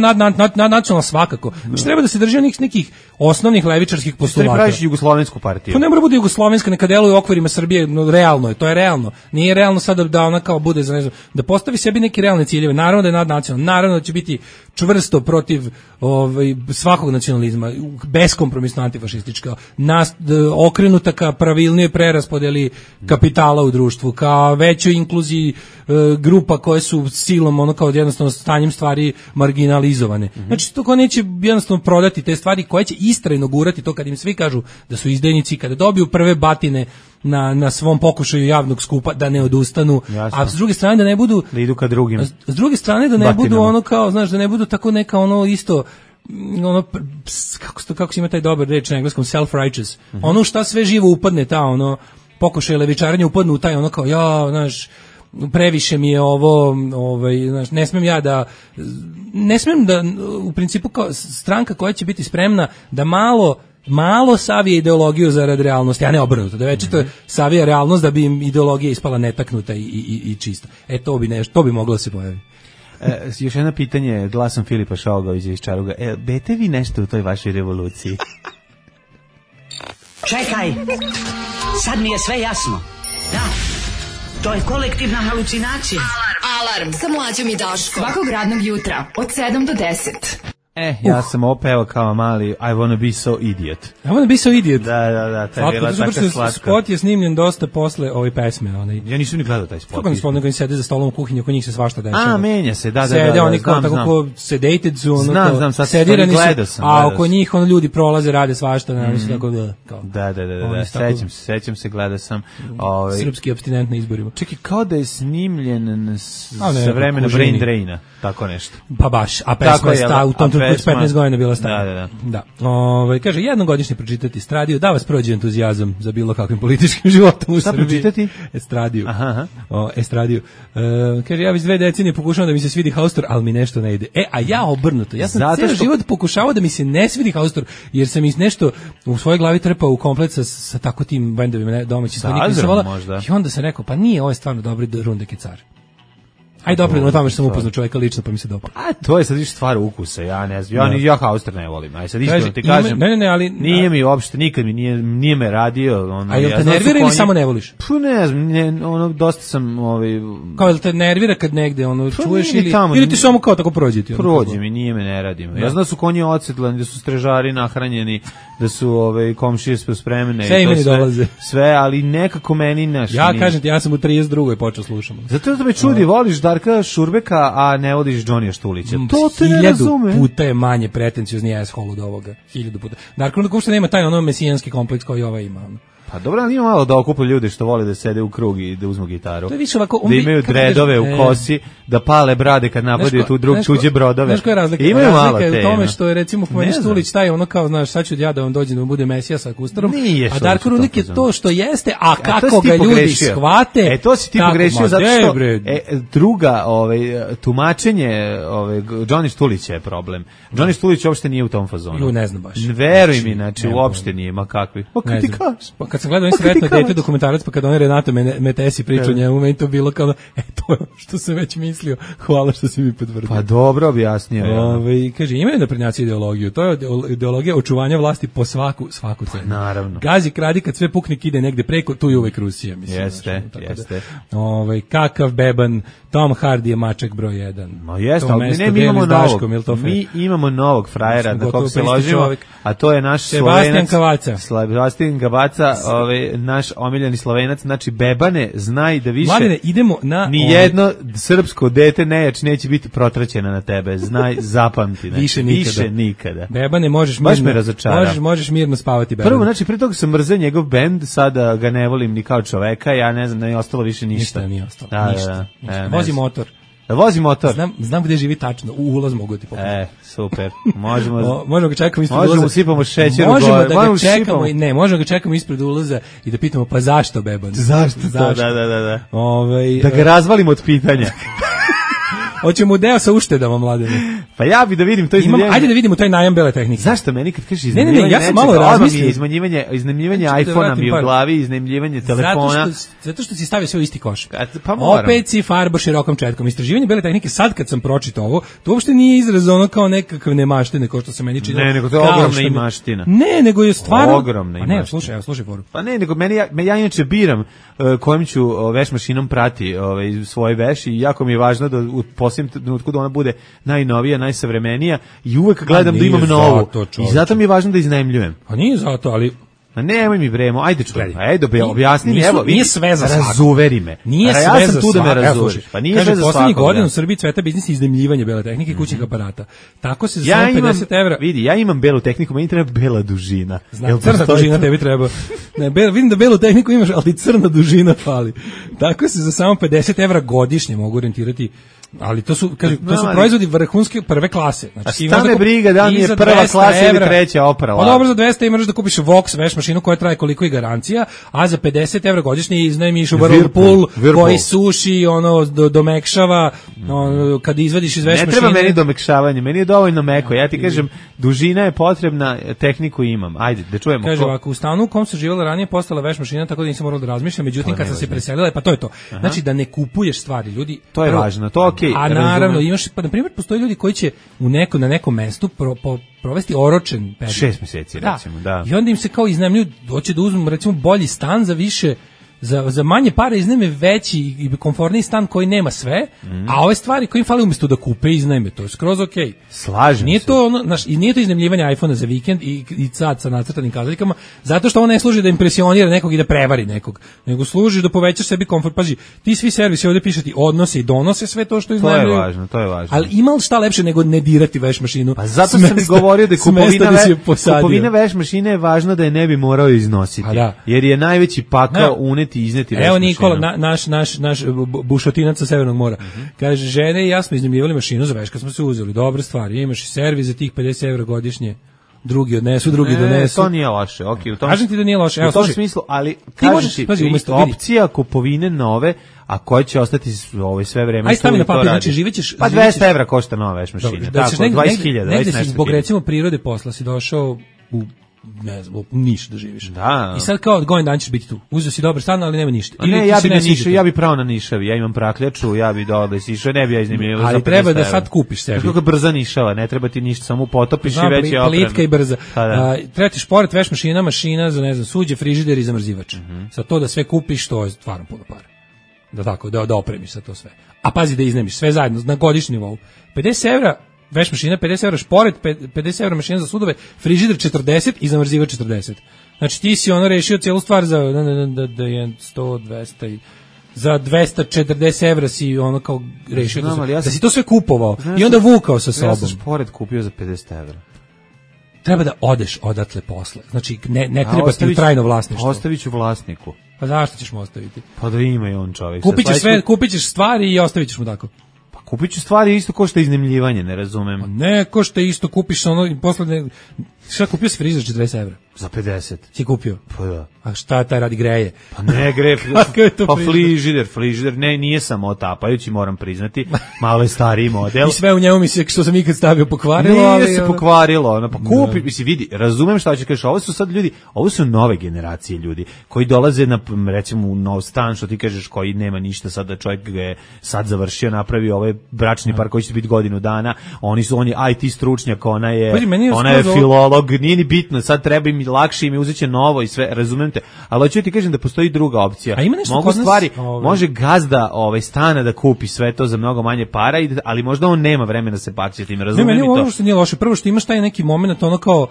S6: nadnacionalna svakako. Znači treba da se drži nekih osnovnih levičarskih postulata.
S5: Ti praviš jugoslovensku partiju.
S6: To ne mora bude jugoslovenska, neka deluje u okvirima Srbije, realno je, to je realno. Nije realno sada da ona kao bude za da postavi sebi neke realne ciljeve. Naravno da je nadnacionalna, naravno da će biti čvrsto protiv svakog nacionalizma, beskompromisno antifašistička, okrenuta ka pravilnijoj preraspodeli kapitala u društvu, ka većoj inkluziji grupa koje su silom kao jednostavno stanjem stvari marginalizovane. Znači to ko neće jednostavno prodati te stvari koje će istrajno gurati to kad im svi kažu da su izdajnici, kada dobiju prve batine na svom pokušaju javnog skupa da ne odustanu. Jasno. A s druge strane da ne budu
S5: da idu ka drugim.
S6: S druge strane da ne batinama. Budu kao, znaš, da ne budu tako neka isto kako se ima taj dobar reč na engleskom, self-righteous. Šta sve živo upadne ta pokušaj levičaranja upadnu u taj kao znaš, previše mi je ovo, znaš, ne smem da u principu kao stranka koja će biti spremna da malo savije ideologiju zarad realnosti, a ne obrnuto, da večito savija realnost da bi im ideologija ispala netaknuta i čista. To bi moglo se pojaviti.
S5: Još jedno pitanje, glasom Filipa Šogovića iz Čaruga. Bete vi nešto u toj vašoj revoluciji?
S10: Čekaj, sad mi je sve jasno. Da, to je kolektivna halucinacija.
S2: Alarm sa Mlađom i Daškom. Svakog radnog jutra od 7 do 10.
S5: Ja sam opeo kao mali I wanna be so idiot.
S6: I wanna be so idiot.
S5: Da, to je bila tako slatka.
S6: Spot je snimljen dosta posle ove pesme.
S5: Ja nisam ni gledao taj spot.
S6: Kako spot, nego im sede za stolom u kuhinji, oko njih se svašta dešava.
S5: Menja se, da.
S6: Sede oni kao tako ko sedated su,
S5: znam, sad
S6: sedirani
S5: gledao
S6: su,
S5: sam.
S6: A oko njih ljudi prolaze, rade svašta, tako
S5: da, sećam se, gledao sam.
S6: Srpski apstinent na izborima.
S5: Čekaj, kao da je snimljen sa vremena Brain Draina, tako nešto.
S6: Pa baš, a pesma je u tom trenutku 15 godina bila stara. Da. Kaže, jednogodišnje pročitati Estradiju, da vas prođe entuzijazam za bilo kakvim političkim životom u Srbiji.
S5: Šta pročitati?
S6: Estradiju. Estradiju. Kaže, ja već 2 decenije pokušavam da mi se svidi Haustor, ali mi nešto ne ide. A ja obrnuto. Ja sam cijeli život pokušavao da mi se ne svidi Haustor, jer sam iz nešto u svojoj glavi trpao u komplet sa tako tim bendovima domaćim. I onda sam rekao, pa nije, ovo je stvarno dobri Rundek je car. Aj dobro, no tamo što sam upoznao čovjeka lično, pa mi se dopao.
S5: To je sad više stvar ukusa, ja ne znam. Ja Haustor ne volim. Aj sad iskreno ti kažem.
S6: Ne, ali
S5: nije mi uopšte nikad mi nije me radio,
S6: A jel te nervira ili samo ne voliš?
S5: Pa ne znam, dosta sam
S6: Kao jel te nervira kad negde čuješ ili ti samo kao tako prođe ti?
S5: Prođe mi, nije me ne radi. Ja znam da su konji odsedlani, da su strežari nahranjeni, da su komšije spremne
S6: sve i to dolaze.
S5: Sve, ali nekako meni naš.
S6: Ja kažem ti, ja sam u 32. počeo slušam.
S5: Zato da me čudi, voliš Darka Šurbeka, a ne vodiš Johnnyja Štulića. To te ne razume.
S6: 1000 puta je manje pretenciozni asshole od ovoga. 1000 puta. Darko uopšte nema taj mesijanski kompleks koji ova ima.
S5: Pa dobro, ali ima malo da okupa ljudi što vole da sede u krug i da uzmu gitaru.
S6: To je više ovako,
S5: da imaju dredove u kosi, da pale brade kad napadaju tu tuđe brodove.
S6: Znaš koja je razlika?
S5: Imaju malo
S6: te. U tome što je recimo Pomeni Štulić taj kao, znaš, sad ću ja da vam dođem da vam bude mesija sa Kustarom, a Darko Rudnik je to što jeste, a kako ga ljudi shvate.
S5: To si ti pogrešio zato što druga tumačenje Johnny Štulića je problem. Johnny Štulić uopšte nije u tom fazonu.
S6: Ne znam baš.
S5: Veruj mi, znači uopšte nije, ma kakvi. Pa ti kažeš.
S6: Kad sam gledao Sretno dete dokumentarac, pa kad on Renato Metesi pričao njemu, meni to bilo kao, to je što sam već mislio, hvala što si mi potvrdio.
S5: Pa dobro objasnio.
S6: Kaže, imaju naprednjaci ideologiju, to je ideologija očuvanja vlasti po svaku cenu.
S5: Naravno.
S6: Gazi, kradi, kad sve puknik ide negde preko, tu je uvek Rusija, mislim.
S5: Jeste.
S6: Kakav beban, Tom Hardy je mačak broj 1.
S5: No jeste, ali mi imamo novog. Mi imamo novog frajera, na kog se ložimo, a to je naš Slovenac. Sebastian Gabaca, naš omiljeni Slovenac, znači bebane, znaj da više
S6: Mladine, idemo na
S5: nijedno srpsko dete neće biti protraćeno na tebe, znaj, zapamti. Znači, više nikada.
S6: Bebane, možeš mirno spavati bebane.
S5: Prvo, znači, pre toga sam mrzeo njegov bend, sada ga ne volim ni kao čoveka, ja ne znam, ne je ostalo više ništa.
S6: Ništa nije ostalo, ništa. Vozi motor.
S5: Vozi motor.
S6: Znam gde živi tačno, u ulaz mogu ti pokupiti.
S5: Super. Možemo
S6: ga čekamo ispred ulaza.
S5: Možemo sipamo šećer u
S6: gore. Možemo ga čekamo ispred ulaza i da pitamo, pa zašto beban?
S5: Zašto? Da. Da ga razvalimo od pitanja.
S6: Hoćemo deo sa uštedama, Mladene.
S5: Pa ja bi da vidim to iznajmljivanje.
S6: Ajde da vidimo taj najam bele tehnike.
S5: Zašto meni kad kažeš iznajmljivanje?
S6: Ne, ja sam malo razmislio.
S5: Iznajmljivanje iPhona mi u glavi, iznajmljivanje telefona.
S6: Zato što si stavio sve u isti koš.
S5: Pa moram.
S6: Opet si farbo širokom četkom. Istraživanje bele tehnike, sad kad sam pročitao ovo, to uopšte nije izraz ono kao nekakve nemaštine, kao što se meni čini.
S5: Ne, nego to je ogromna imaština.
S6: Ne, nego je stvarno
S5: ogromna imaština.
S6: Pa ne, slušaj foru.
S5: Pa ne, nego ja inače biram kojim ću veš mašinom prati svoje veš i jako mi je važno da u posljednjem trenutku da ona bude najnovija, najsavremenija i uvek gledam da imam novu. I zato mi je važno da iznajmljujem.
S6: Pa nije zato, ali
S5: A nemoj mi bremo, ajde čuj, ajde objasni mi, evo,
S6: nije sve za svakog.
S5: Razuveri me.
S6: Nije sve
S5: ja sam tu da me razuveriš. Pa nije sve za svakog.
S6: Poslednjih godina u Srbiji cveta biznis iznajmljivanja bele tehnike i kućnih aparata. Tako se za 50 €.
S5: Vidi, ja imam belu tehniku, meni treba bela dužina.
S6: Crna dužina tebi treba. Ne, vidim da belu tehniku imaš, ali crna dužina fali. Tako se za samo 50 € godišnje mogu orijentirati. Ali to su proizvodi vrhunske prve klase.
S5: Znači šta me briga da li je prva klasa ili treća oprava.
S6: Pa dobro, za 200 imaš da kupiš Vox veš mašinu koja traje koliko i garancija, a za 50 € godišnje iznajmiš u Whirlpool koji suši, domekšava, kad izvadiš iz veš mašine.
S5: Ne treba meni domekšavanje, meni je dovoljno meko. Ja ti kažem, dužina je potrebna, tehniku imam. Ajde, da čujemo.
S6: Kaže ovako, u stanu u kom sam živjela ranije postala veš mašina, tako da nisam morala da razmišljam, međutim kad sam se preselila, pa to je to. Znači da ne kupuješ stvari, ljudi.
S5: To je važno, to
S6: a naravno, imaš, pa na primjer, postoji ljudi koji će na nekom mestu provesti oročen period.
S5: 6 meseci, recimo, da.
S6: I onda im se kao iznajmljuju, hoće da uzmu, recimo, bolji stan za više za manje pare iznajme veći i komforniji stan koji nema sve, a ove stvari koje im fali umjesto da kupe iznajme, to je skroz okej.
S5: Slažem
S6: nije
S5: se.
S6: To ono, i nije to iznajmljivanje iPhonea za vikend i sad sa nacrtanim kazaljkama, zato što on ne služi da impresionira nekog i da prevari nekog, nego služi da povećaš sebi komfort. Pazi, ti svi servisi ovdje piše ti odnose i donose sve to što iznajmljuju.
S5: To je važno.
S6: Ali ima li šta lepše nego ne dirati veš mašinu?
S5: Pa zato sam govorio da kupovina veš mašine je važno da je ne bi morao iznositi. Jer je najveći pakao uneti i izneti veš mašinu.
S6: Evo Nikola, naš bušotinac sa Severnog mora. Kaže, žene i ja smo iznajmljivali mašinu za veš kad smo se uzeli. Dobra stvar, imaš i servis za tih 50 € godišnje. Drugi odnesu, drugi donesu.
S5: To nije loše, okej.
S6: Kažem ti da nije loše.
S5: U tom smislu, ali kažem ti, opcija kupovine nove, a koja će ostati sve vreme.
S6: Aj stavi na papir, znači živećeš...
S5: Pa 200 € košta nova veš mašina. Tako, 20.000.
S6: Negde si zbog recimo prirode posla si došao u ne znam, Niš da živiš.
S5: Da.
S6: I sad kao godin dan ćeš biti tu. Uzeo si dobar stan, ali nema ništa.
S5: Ne, ja bi pravo na Nišavi, ja imam prakljaču, ja bi dole sišao, ne bi ja iznajmljivao za 50 €.
S6: Ali treba da sad kupiš sebi.
S5: Kako brza Nišava, ne treba ti ništa, samo potopiš i već je opremno.
S6: Plitka i brza. Treba ti šporet, veš mašina za ne znam, suđe, frižider i zamrzivač. Sad to da sve kupiš, to je stvarno puno para. Da tako, da opremiš sa to sve. A pazi da iznajmiš sve zajedno na godišnjem nivou. 50 € veš mašina, 50 € šporet, 50 € mašina za sudove, frižider 40 i zamrzivač 40. Znači ti si ono rešio cijelu stvar za da je 100, 200 i za 240 € si ono kao rešio da si to sve kupovao i onda vukao sa sobom.
S5: Ja sam šporet kupio za 50 €.
S6: Treba da odeš odatle posle. Znači ne treba ti trajno vlasništvo.
S5: Ostavit ću vlasniku.
S6: Pa zašto ćeš mu ostaviti?
S5: Pa da ima i on čovjek.
S6: Kupit ćeš stvari i ostavit ćeš mu tako.
S5: Kupit ću stvari isto ko što je iznajmljivanje, ne razumem.
S6: Ne, ko što isto kupiš ono i posle šta kupio si frižider 40 €?
S5: Za 50.
S6: Si kupio?
S5: Pa da.
S6: A šta taj radi greje?
S5: Pa ne greje, pa frižider, ne, nije samo otapajući, moram priznati, malo je stariji model.
S6: I sve u njemu mi se, što sam ikad stavio, pokvarilo, ali...
S5: Nije se pokvarilo, pa kupi, misli, vidi, razumem šta će kažeš, ovo su sad ljudi, ovo su nove generacije ljudi, koji dolaze na, recimo, u nov stan, što ti kažeš, koji nema ništa, sad da čovjek ga je sad završio, napravio ovaj bračni par koji će biti godinu dana, on je IT stručnjak, ona je filolog, nije ni bitno, sad treba im lakše im uzeće novo i sve, razumem te, ali hoću ti kažem da postoji druga opcija. Mogu stvari, može gazda stana da kupi sve to za mnogo manje para, ali možda on nema vremena da se baci tim, razumem i to.
S6: Ne, meni ovo što nije loše, prvo što imaš taj neki moment ono kao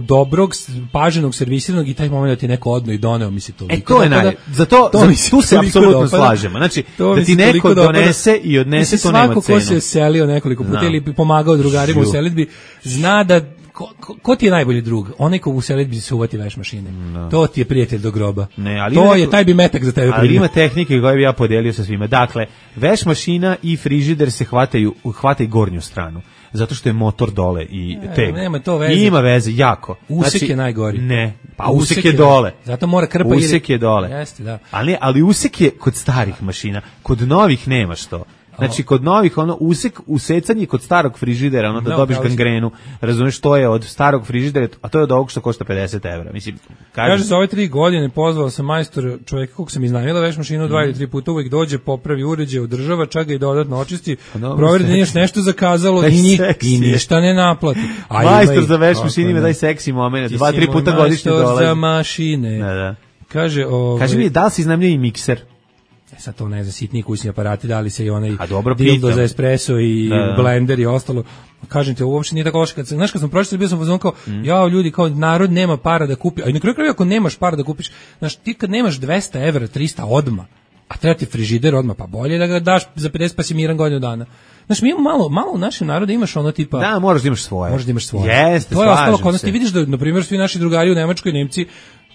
S6: dobrog, paženog, servisiranog i taj moment da ti neko odno i doneo, misli to.
S5: To je tu se apsolutno slažemo. Znači, da ti neko donese i odnese, to nema cenu.
S6: Svako ko se selio nekoliko puta ili pomagao drugarima u selidbi, zna da ko ti je najbolji drug? Onaj ko u selidbi se uvati veš mašine. To ti je prijatelj do groba. Taj bi metak za tebe.
S5: Ali ima tehnike koje bi ja podelio sa svima. Dakle, veš mašina i frižider se hvataju gornju stranu. Zato što je motor dole i teg.
S6: Nema to veze.
S5: I ima veze, jako.
S6: Usek je najgori.
S5: Ne, pa usek je dole.
S6: Zato mora krpa
S5: usek je dole.
S6: Jeste, da.
S5: Ali usek je kod starih mašina, kod novih nemaš to. Znači, kod novih, usecanje kod starog frižidera, da dobiš gangrenu, razumeš, to je od starog frižidera, a to je od ovog što košta 50 €. Mislim,
S6: kaže, za ove 3 godine pozvao sam majstor čovjeka kog sam iznajmila veš mašinu 2 ili 3 puta, uvijek dođe, popravi uređaj, održava, čak ga i dodatno očisti, proveri da nije nešto zakazalo i ništa ne naplati.
S5: Majstor za veš mašine ima daj seksi moment, 2-3 puta godišnje dolazi.
S6: Majstor za mašine. Kaže
S5: mi, da li si iznajmlja i mikser?
S6: Sad to ne znam, sitniji kućni aparati, dali se i onaj dildo za espresso i blender i ostalo. Kažem ti, uopšte nije tako loše. Znaš, kad sam pročitao, bio sam fazon kao, ljudi, kao narod nema para da kupi, a i na kraju kraju ako nemaš para da kupiš, znaš, ti kad nemaš 200 €, 300 odma, a treba ti frižider odma, pa bolje da ga daš za 50 pa si miran godinu dana. Znaš, mi imamo malo u našem narodu imaš ono tipa...
S5: Da, moraš da imaš svoje.
S6: Jeste, to je ostalo kod nas. Ti vidiš da, na primjer, svi naši drugari u Nemačkoj, Nemci,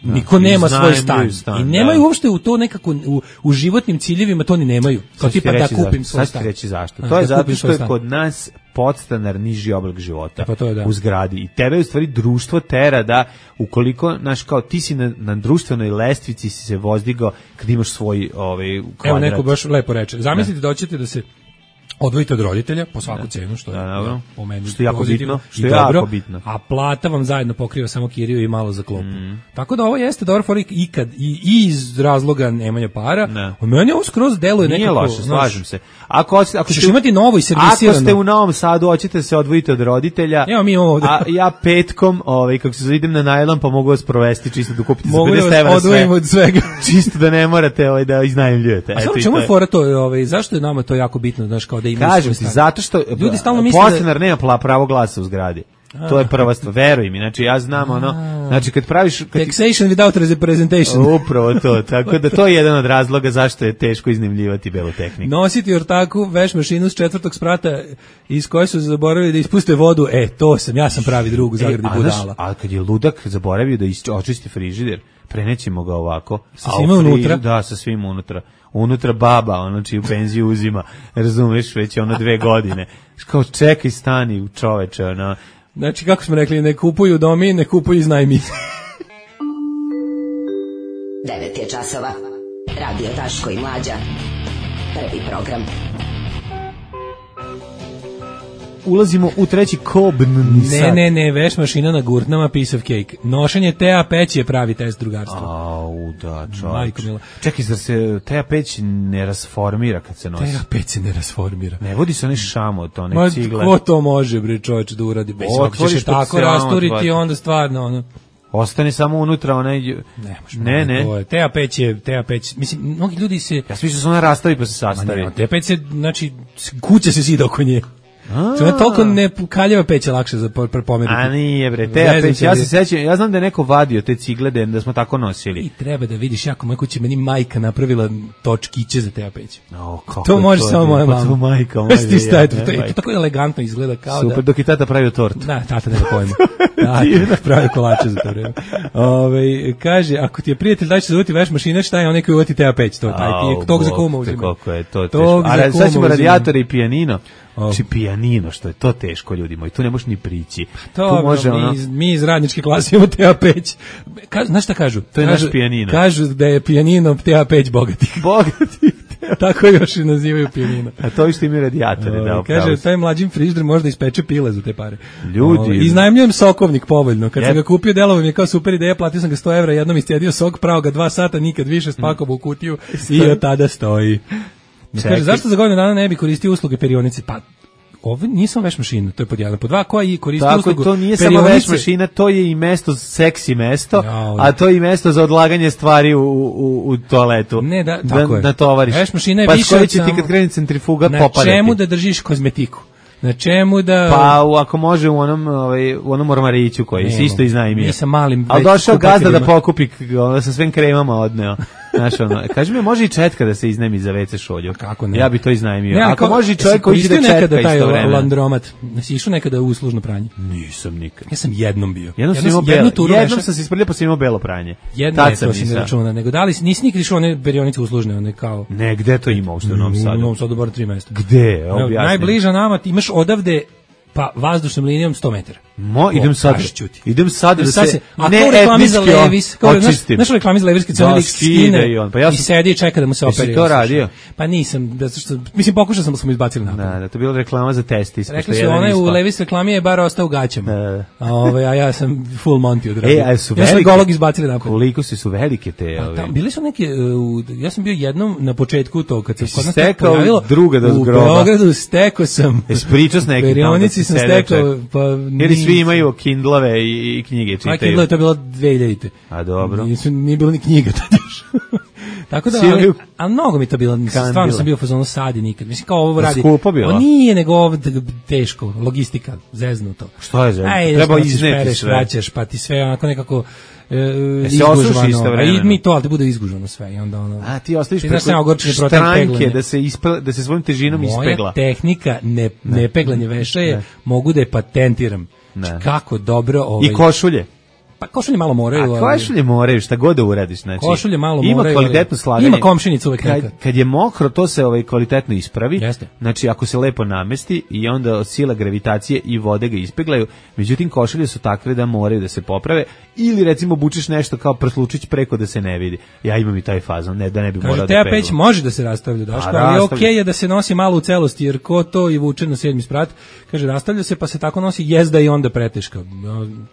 S6: niko nema svoj stan. I nemaju uopšte u to nekako, u životnim ciljevima to ni nemaju. Kao tipa da kupim svoj stan.
S5: Sad ću reći zašto. To je zato što je kod nas podstanar niži oblik života u zgradi. I tebe u stvari društvo tera da ukoliko, znaš, kao ti si na društvenoj lestvici si se vozdigao kad imaš svoj kvadrat.
S6: Evo neko baš lepo reče. Zamislite da hoćete da se odvojite od roditelja po svaku cenu, što je po meni
S5: što je jako bitno,
S6: što je jako bitno. A plata vam zajedno pokriva samo kiriju i malo za klopu. Tako da ovo jeste dobar for ikad i iz razloga nemanja para. U meni ovo skroz deluje nekako.
S5: Nije loše, slažem se. Ako
S6: ćeš imati novo i servisirano.
S5: Ako ste u Novom Sadu, hoćete se odvojiti od roditelja.
S6: Evo mi imamo ovde.
S5: A ja petkom, kako se idem na najlon, pa mogu vas provesti čisto da kupite za 50
S6: €
S5: sve.
S6: Odvojim od svega.
S5: Čisto da ne morate da iznajmljujete.
S6: A samo čemu je fora to, zašto je nama to jako bitno, znaš, kao da ima.
S5: Kažem ti, zato što
S6: ljudi stalno misle
S5: podstanar nema pravo glasa u zgradi. To je prva stvar, veruj mi, znači ja znam znači kad praviš...
S6: Taxation without representation.
S5: Upravo to, tako da to je jedan od razloga zašto je teško iznajmljivati belu tehniku.
S6: Nositi ortaku, veš mašinu s 4. sprata iz koje su zaboravili da ispuste vodu, ja sam pravi drug u zagradi budala.
S5: A kad je ludak zaboravio da očisti frižider, prenećemo ga ovako.
S6: Sa svima unutra?
S5: Da, sa svim unutra. Unutra baba, čiju penziju uzima, razumeš, već je 2 godine. Kao čekaj, stani čoveče,
S6: Znači, kako smo rekli, ne kupuju domi, ne kupuju iznajmi.
S9: 9 je časova. Radio Daško i Mlađa. Prvi program.
S5: Ulazimo u treći kobn.
S6: Ne, veš mašina na gurnama, piece of cake. Nošenje Tea peć je pravi test drugarstva.
S5: Da, čovječ. Čekaj, zar se Tea peć ne rasformira kad se nosi?
S6: Tea peć se ne rasformira.
S5: Ne vodi se onaj šamot, one cigle.
S6: Ko to može, bre, čovječ, da uradi? Ako ćeš tako rasturiti, onda stvarno,
S5: ostane samo unutra onaj... Ne.
S6: Tea peć, mislim, mnogi ljudi se...
S5: Ja sam mislio da se ona rastavi pa se sastavi.
S6: Tea peć se, znači, kuća se zida oko nje. To je toliko kaljeva peć je lakše za pomeriti.
S5: A nije bre, Tea peć, ja se sećam, ja znam da je neko vadio te cigle da smo tako nosili.
S6: I treba da vidiš, jako moja kuća, meni majka napravila točkiće za Tea peć. To može samo moja mama.
S5: To majka moja.
S6: To tako elegantno izgleda kao
S5: super, dok i tata pravio tortu.
S6: Da, tata nema pojma. Da, pravi kolače za to vreme. Kaže, ako ti je prijatelj da će se uvati veš mašina, šta je onaj koji uvati Tea peć? To je tog za kuma uzima.
S5: Kako je to teško. A sad ćemo radijatore i pijanino. Znači pijanino, što je to teško, ljudi moji, tu ne možeš ni prići.
S6: To može mi iz radničke klase imamo Tea peć. Znaš šta kažu?
S5: To je naš pijanino.
S6: Kažu da je pijanino Tea peć bogatih. Tako još i nazivaju pijanino.
S5: A to što imaju radijatore.
S6: Kaže, taj mlađim frižider možda ispeče pile za te pare.
S5: Ljudi.
S6: Iznajmljujem sokovnik povoljno. Kad sam ga kupio, delovo mi je kao super ideja, platio sam ga 100 €, jednom iscedio sok, pravo ga 2 sata, nikad više, spakovao u kutiju i od tada stoji. Kaže, zašto za godinu dana ne bi koristio usluge perionice? Pa, ovo nije samo veš mašina, to je pod 1. Pod 2, koja i koristi uslugu perionice?
S5: To nije samo veš mašina, to je i mesto, seksi mesto, a to je i mesto za odlaganje stvari u toaletu.
S6: Ne, tako je.
S5: Da tovariš.
S6: Veš mašina je više
S5: od samo... ti kad kreni centrifuga popadati.
S6: Na čemu da držiš kozmetiku? Na čemu da...
S5: Pa ako može u onom ormariću koji se isto iznajmio.
S6: Nisam malim...
S5: Ali došao gazda da pokupi, sa svim kremama odneo. Znaš, kaži mi, može i četka da se iznajmi za WC šolju?
S6: Kako ne?
S5: Ja bi to iznajmio. Ako može i čovjek koji će da četka istovremeno.
S6: Landromat. Nisi išao nekada u uslužno pranje?
S5: Nisam nikad.
S6: Ja sam jednom bio.
S5: Jednom sam se isprljao pa sam imao belo pranje.
S6: Jedno je to si ne računa. Nego da li nisi nikad išao one perionice uslužne, one kao...
S5: Ne, gde to ima uopšte u Novom Sadu?
S6: U Novom Sadu bar 3 mesta.
S5: Gde?
S6: Najbliža nama ti imaš odavde pa vazdušnom linijom 100 metara.
S5: Idem sad da se
S6: ne etnički očistim. Znaš reklami za Levis kad se lik skine i sedi i čeka da mu se operi.
S5: Jesi to radio?
S6: Pa nisam, mislim pokušao sam da smo izbacili napad.
S5: Da, to je bila reklama za testi.
S6: Rekli su one u Levis reklami je bar ostao u gaćama. A ja sam full Monty odradio.
S5: Ja su
S6: golog izbacili napad.
S5: Koliko su velike te?
S6: Bili su neke, ja sam bio jednom na početku to kad se kod nas
S5: pojavilo. U
S6: Beogradu stekao sam.
S5: Ispričao s nekim tamo.
S6: Sam stekao, pa
S5: jer svi imaju Kindlove i knjige čitaju.
S6: A Kindle to je bilo 2000.
S5: A dobro.
S6: Nije bilo ni knjiga tad još. Tako da, ali mnogo mi to bilo, stvarno sam bio u fazonu sadi nikad. Mislim kao ovo radi.
S5: Skupo bilo?
S6: Nije, nego ovo teško, logistika, zeznuto.
S5: Što je zeznuto? Treba izneti sve.
S6: Vraćaš, pa ti sve onako nekako izgužvano. A i mi to, ali te bude izgužvano sve. I onda ono,
S5: a ti ostaviš preko štranke da se svojim težinom ispegla.
S6: Moja tehnika nepeglanje veša je, mogu da je patentiram. Kako dobro...
S5: I košulje.
S6: Pa košulje malo moraju.
S5: A košulje moraju, šta god da uradiš, znači.
S6: Košulje malo
S5: ima
S6: moraju.
S5: Ima kvalitetno slaganje.
S6: Ima komšinica uvek neka.
S5: Kad je mokro, to se kvalitetno ispravi.
S6: Jeste.
S5: Znači, ako se lepo namesti i onda od sila gravitacije i vode ga ispeglaju, međutim, košulje su takve da moraju da se poprave ili, recimo, obučeš nešto kao prslučić preko da se ne vidi. Ja imam i taj fazon, ne, da ne bi morao da peglam.
S6: Teja Peć može da se rastavlja, Daško, ali okej je da se nosi malo u celosti, jer ko to i vuče na 7. sprat, kaže, rastavlja se, pa se tako nosi, jezda i onda preteška.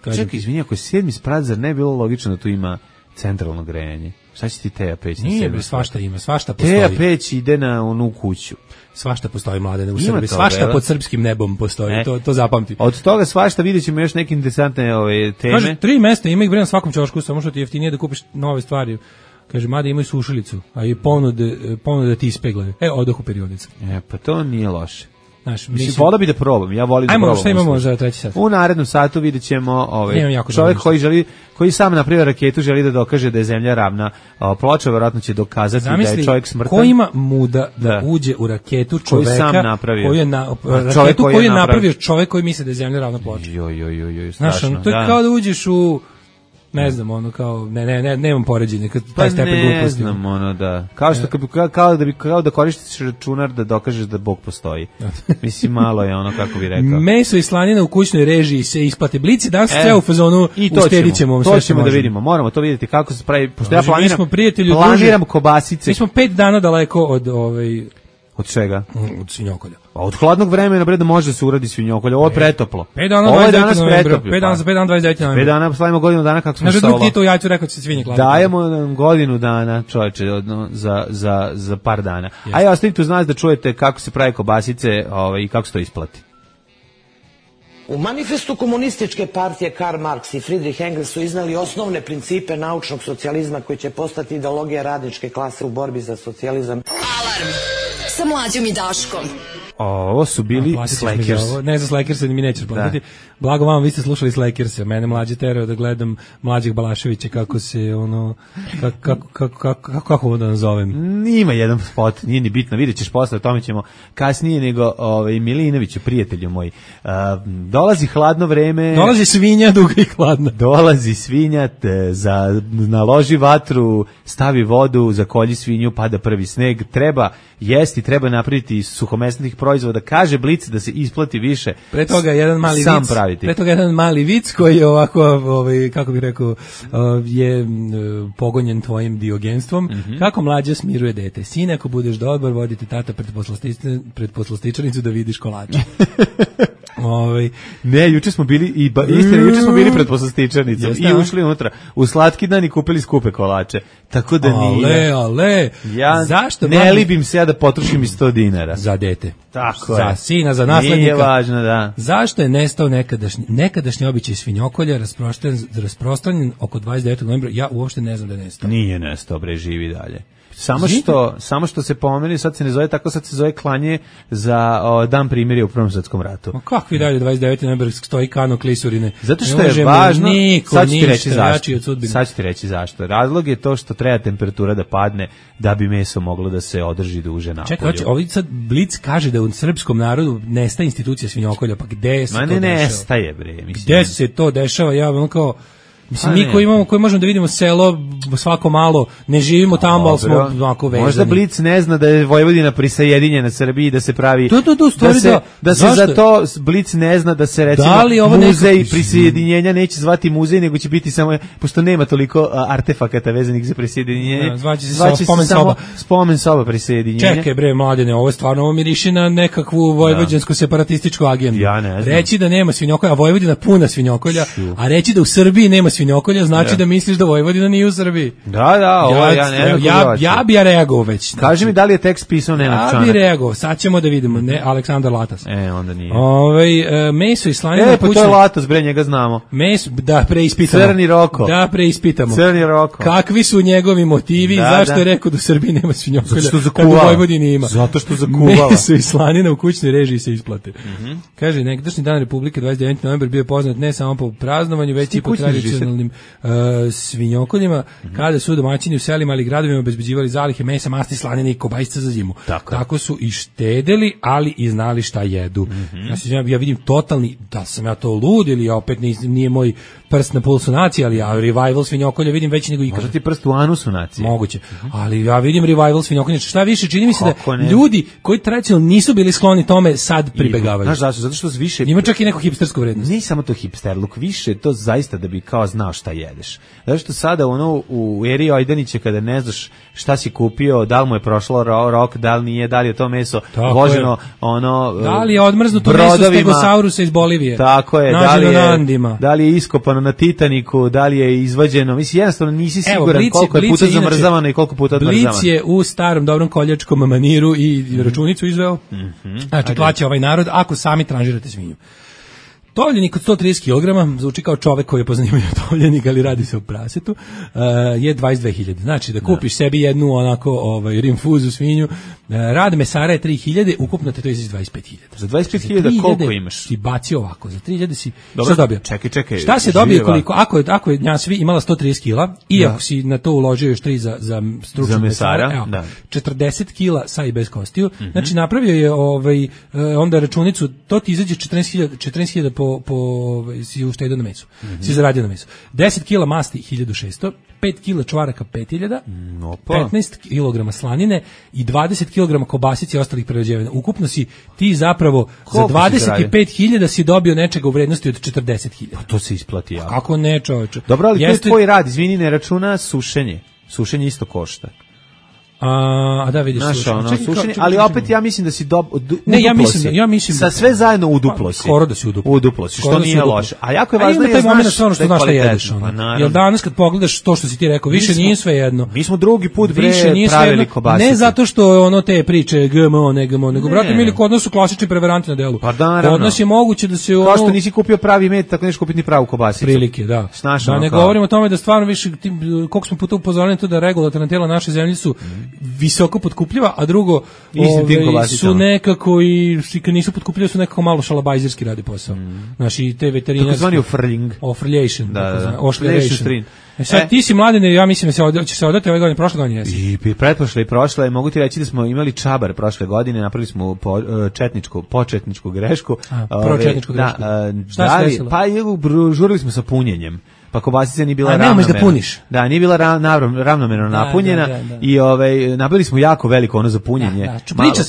S5: Čekaj, izvini, ako je 7. sprat, zar ne bilo logično da tu ima centralno grejanje? Šta će ti Teja Peć na 7. sprat?
S6: Nije, svašta ima, svašta postoji.
S5: Teja Peć ide na onu kuću.
S6: Svašta postoji, Mladene, u Srbiji. Svašta pod srpskim nebom postoji, to zapamti.
S5: Od toga svašta vidjet ćemo još neke interesantne teme.
S6: Kaže, 3 mesta ima ih bre na svakom ćošku, samo što ti jeftinije da kupiš nove stvari. Kaže, mada imaju sušilicu, a i ponude ti ispeglaju. Odoh u periodicu.
S5: Pa to nije loše.
S6: Znaš,
S5: vola bi da probam, ja volim da probam.
S6: Ajmo, šta imamo za treći sat?
S5: U narednom satu vidjet ćemo čovjek koji sam napravio raketu, želi da dokaže da je zemlja ravna ploča, verovatno će dokazati da je čovjek smrtan.
S6: Ko ima muda da uđe u raketu čoveka
S5: koji sam napravio.
S6: Raketu koju je napravio čovjek koji misli da je zemlja ravna ploča.
S5: Strašno.
S6: To je kao da uđeš u ne znam, ono kao nemam poređenja kad taj stepen gluposti.
S5: Ne znam, da. Kao da koristiš računar da dokažeš da Bog postoji. Mislim, malo je ono, kako bi rekao.
S6: Meso i slanina u kućnoj režiji se isplate. Blici danas sve u fazonu uštedićemo.
S5: To ćemo da vidimo. Moramo to vidjeti kako se pravi. Pošto ja
S6: planiram
S5: kobasice.
S6: Mi smo 5 dana daleko od
S5: Od čega?
S6: Od svinjokolja.
S5: A od hladnog vremena bre da može da se uradi svinjokolja. Ovo je pretoplo.
S6: 5 dana 29.
S5: 5 dana slavimo godinu dana kako smo
S6: stalo. Znači, ja ću rekao da se svinje klade.
S5: Dajemo nam godinu dana, čoveče, za par dana. A ja ostavite uz nas da čujete kako se pravi kobasice i kako se to isplati.
S11: U manifestu komunističke partije Karl Marx i Friedrich Engels su iznali osnovne principe naučnog socijalizma koji će postati ideologija radničke klase u borbi za socijalizam.
S2: Alarm sa Mlađom i Daškom.
S5: Ovo su bili Slackers.
S6: Ne za Slackers, mi nećeš platiti. Blago vam, vi ste slušali Slackerse. Mene Mlađe terao da gledam Mlađeg Balaševića kako se kako ovo da nazovem.
S5: Ima jedan spot, nije ni bitno, vidjet ćeš posle, o tome ćemo kasnije, nego Milinoviću, prijatelju moj. Dolazi hladno vreme.
S6: Dolazi svinja duga i hladna.
S5: Dolazi svinja, naloži vatru, stavi vodu, zakolji svinju, pada prvi sneg. Treba jesti, treba napraviti suhomesnih proizvoda. Kaže Blic da se isplati više.
S6: Pre toga jedan mali
S5: sam
S6: vic.
S5: Praviti.
S6: Pre toga jedan mali vic koji je ovako, kako bih rekao, je pogonjen tvojim diogenstvom. Kako Mlađa smiruje dete? Sine, ako budeš dobar, vodite tata pred poslastičarnicu da vidiš kolače.
S5: Ne, juče smo bili juče smo bili pred poslastičarnicom i ušli unutra u slatki dan i kupili skupe kolače. Tako da nije. Ja zašto ne libim se ja da potrošim i 100 dinara
S6: za dete.
S5: Tako
S6: za sina, za naslednika.
S5: Nije važno, da.
S6: Zašto je nestao nekadašnji običaj svinjokolja rasprostranjen oko 29. novembra? Ja uopšte ne znam da je nestao.
S5: Nije nestao, bre, živi dalje. Samo što se pomeni, sad se ne zove tako, sad se zove klanje za dan primirja u Prvom svjetskom ratu.
S6: Ma kakvi dalje 29. novembar stoji kano klisurine?
S5: Zato što je važno, sad ću ti reći zašto. Razlog je to što treba temperatura da padne da bi meso moglo da se održi duže napolju.
S6: Čekaj, ovdje sad Blic kaže da u srpskom narodu nestaje institucija svinjokolja, pa gde se to dešava?
S5: Ne nestaje, bre.
S6: Gde se to dešava? Ja ono kao... Mislim, mi koji možemo da vidimo selo svako malo, ne živimo tamo, ali smo onako vezani.
S5: Možda Blic ne zna da je Vojvodina prisajedinjena Srbiji i da se pravi... Da se za to Blic ne zna da se recimo muzej prisajedinjenja neće zvati muzej, nego će biti samo, pošto nema toliko artefakata vezanih za prisajedinjenje.
S6: Zvaće se samo
S5: spomen soba prisajedinjenja.
S6: Čekaj bre, Mladene, ovo miriši na nekakvu vojvođansku separatističku agendu.
S5: Ja ne znam.
S6: Reći da nema svinjokolja, a Vojvodina puna svinjokolja, a reći da u Srbiji nema svinjokolja, znači da misliš da Vojvodina nije u Srbiji.
S5: Da, ovo ja ne znam.
S6: Ja bi reagovao već.
S5: Kaži mi da li je tekst pisao Nenad Čanak.
S6: Ja bi reagovao, sad ćemo da vidimo. Ne, Aleksandar Latas.
S5: Onda nije.
S6: Meso i slanina
S5: kućne. To je Latas, bre, njega znamo.
S6: Meso, da preispitamo.
S5: Crni Roko.
S6: Da preispitamo.
S5: Crni Roko.
S6: Kakvi su njegovi motivi, zašto je rekao da u Srbiji nema svinjokolja, kad u Vojvodini ima.
S5: Zato što zakuvala.
S6: Meso i slanina u kućnoj režiji se isplate. Kaže, nekadašnji dan Republike 29. novembar bio poznat ne samo po praznovanju, već i po tradicionalnim tradicionalnim svinjokoljima, kada su domaćini u selima ali gradovima obezbeđivali zalihe mesa, masti, slanine i kobasica za zimu. Tako su i štedeli, ali i znali šta jedu. Ja vidim totalni, da sam ja to lud ili opet nije moj prst na pulsu nacije, ali ja revival svinjokolja vidim veći nego ikada.
S5: Možda ti prst u anusu nacije.
S6: Moguće. Ali ja vidim revival svinjokolja. Šta više, čini mi se da ljudi koji tradicionalno nisu bili skloni tome sad pribegavaju.
S5: Znaš zašto? Zato što više...
S6: Ima čak i neku hipstersku vrednost.
S5: Nije samo to hipsterluk, više to zaista da bi kao znao šta jedeš. Zato što sada u eri Ojdanića kada ne znaš šta si kupio, da li mu je prošlo rok, da li nije, da li je to meso voženo,
S6: da li je odmrznuto meso stegosaurusa iz Bolivije.
S5: Tako je, da li je iskopano na Titaniku, da li je izvađeno, mislim jednostavno nisi siguran koliko je puta zamrzavano i koliko puta odmrzavano.
S6: Blic je u starom dobrom koljačkom maniru i računicu izveo. Znači plaća ovaj narod ako sami tranžirate svinju. Tovljenik od 130 kg, zvuči kao čovek koji je po zanimanju tovljenik, ali radi se o prasetu, je 22.000. Znači da kupiš sebi jednu onako rinfuzu svinju, rad mesara je 3.000, ukupno te to izaći 25.000.
S5: Za 25.000 koliko imaš?
S6: Si bacio ovako, za 3.000 si šta dobio?
S5: Čekaj.
S6: Šta se dobije koliko? Ako je njasvi imala 130 kg i ako si na to uložio još 3 za stručnog mesara, evo, 40 kg sa i bez kostiju, znači napravio je onda računicu, to ti izađe 14.000 si uštedio na mesu. Si zaradio na mesu. 10 kg masti 1.600, 5 kg čvaraka 5.000, 15 kg slanine i 20 kg kobasice i ostalih prerađevina. Ukupno si ti zapravo za 25.000 si dobio nečega u vrednosti od 40.000.
S5: Pa to se isplati jako.
S6: Kako ne, čoveče.
S5: Dobro, ali to je tvoj rad, izvini, ne računa sušenje. Sušenje isto košta.
S6: Da vidiš
S5: sušenje, ali opet ja mislim da si
S6: ja mislim
S5: sa sve zajedno uduplo si.
S6: Skoro da si uduplo.
S5: Što nije loše. A jako je važno
S6: taj moment što znaš šta jedeš. Jer danas kad pogledaš to što si ti rekao, više nije sve jedno.
S5: Mi smo drugi put pravili kobasice.
S6: Ne zato što te priče GMO, ne GMO, nego brate mili, kod nas su klasični prevaranti na delu. Kod nas je moguće da se
S5: kao što nisi kupio pravi med, tako neš kupiti ni pravu kobasicu.
S6: Prilike, da. Da ne govorimo o tome da stvarno više koliko smo puta upozoreni to da regulatorna tela naše zemlje su visoko potkupljiva, a drugo su nekako i kad nisu potkupljiva su nekako malo šalabajzerski radi posao. Znači te veterinarski
S5: takozvani ofrljation.
S6: Ošljation. Sad ti si Mladene, ja mislim da će se odati ove godine, prošle godine jesi.
S5: I pretprošle i prošle, mogu ti reći da smo imali čabar prošle godine, napravili smo početničku grešku.
S6: Pročetničku grešku. Šta se desilo?
S5: Pa žurili smo sa punjenjem. Pa kobasica nije bila
S6: ravnomerna. Da puniš.
S5: Da, nije bila ravnomerno napunjena i nabili smo jako veliko ono za punjenje.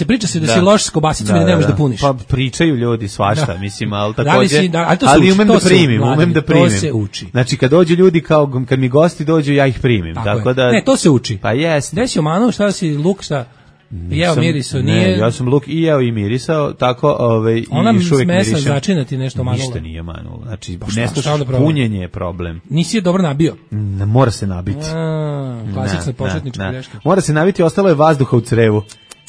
S6: Priča se da si loš s kobasicom i da ne možeš da puniš.
S5: Pa pričaju ljudi svašta, mislim, al takođe. Ali umem da primim.
S6: To se uči.
S5: Znači kad dođu ljudi kad mi gosti dođu, ja ih primim. Tako da
S6: ne, to se uči.
S5: Pa jeste.
S6: Gde si omanu, šta si luk, šta? Jeo mirisao, nije...
S5: Ne, ja sam luk i jeo i mirisao, tako
S6: ona
S5: i još uvijek mirišem.
S6: Ona smesa začina ti nešto manula.
S5: Ništa nije manulo, znači punjenje je problem.
S6: Nisi je dobro nabio?
S5: Mora se nabiti.
S6: Klasična početnička greška.
S5: Mora se nabiti, ostalo je vazduha u crevu.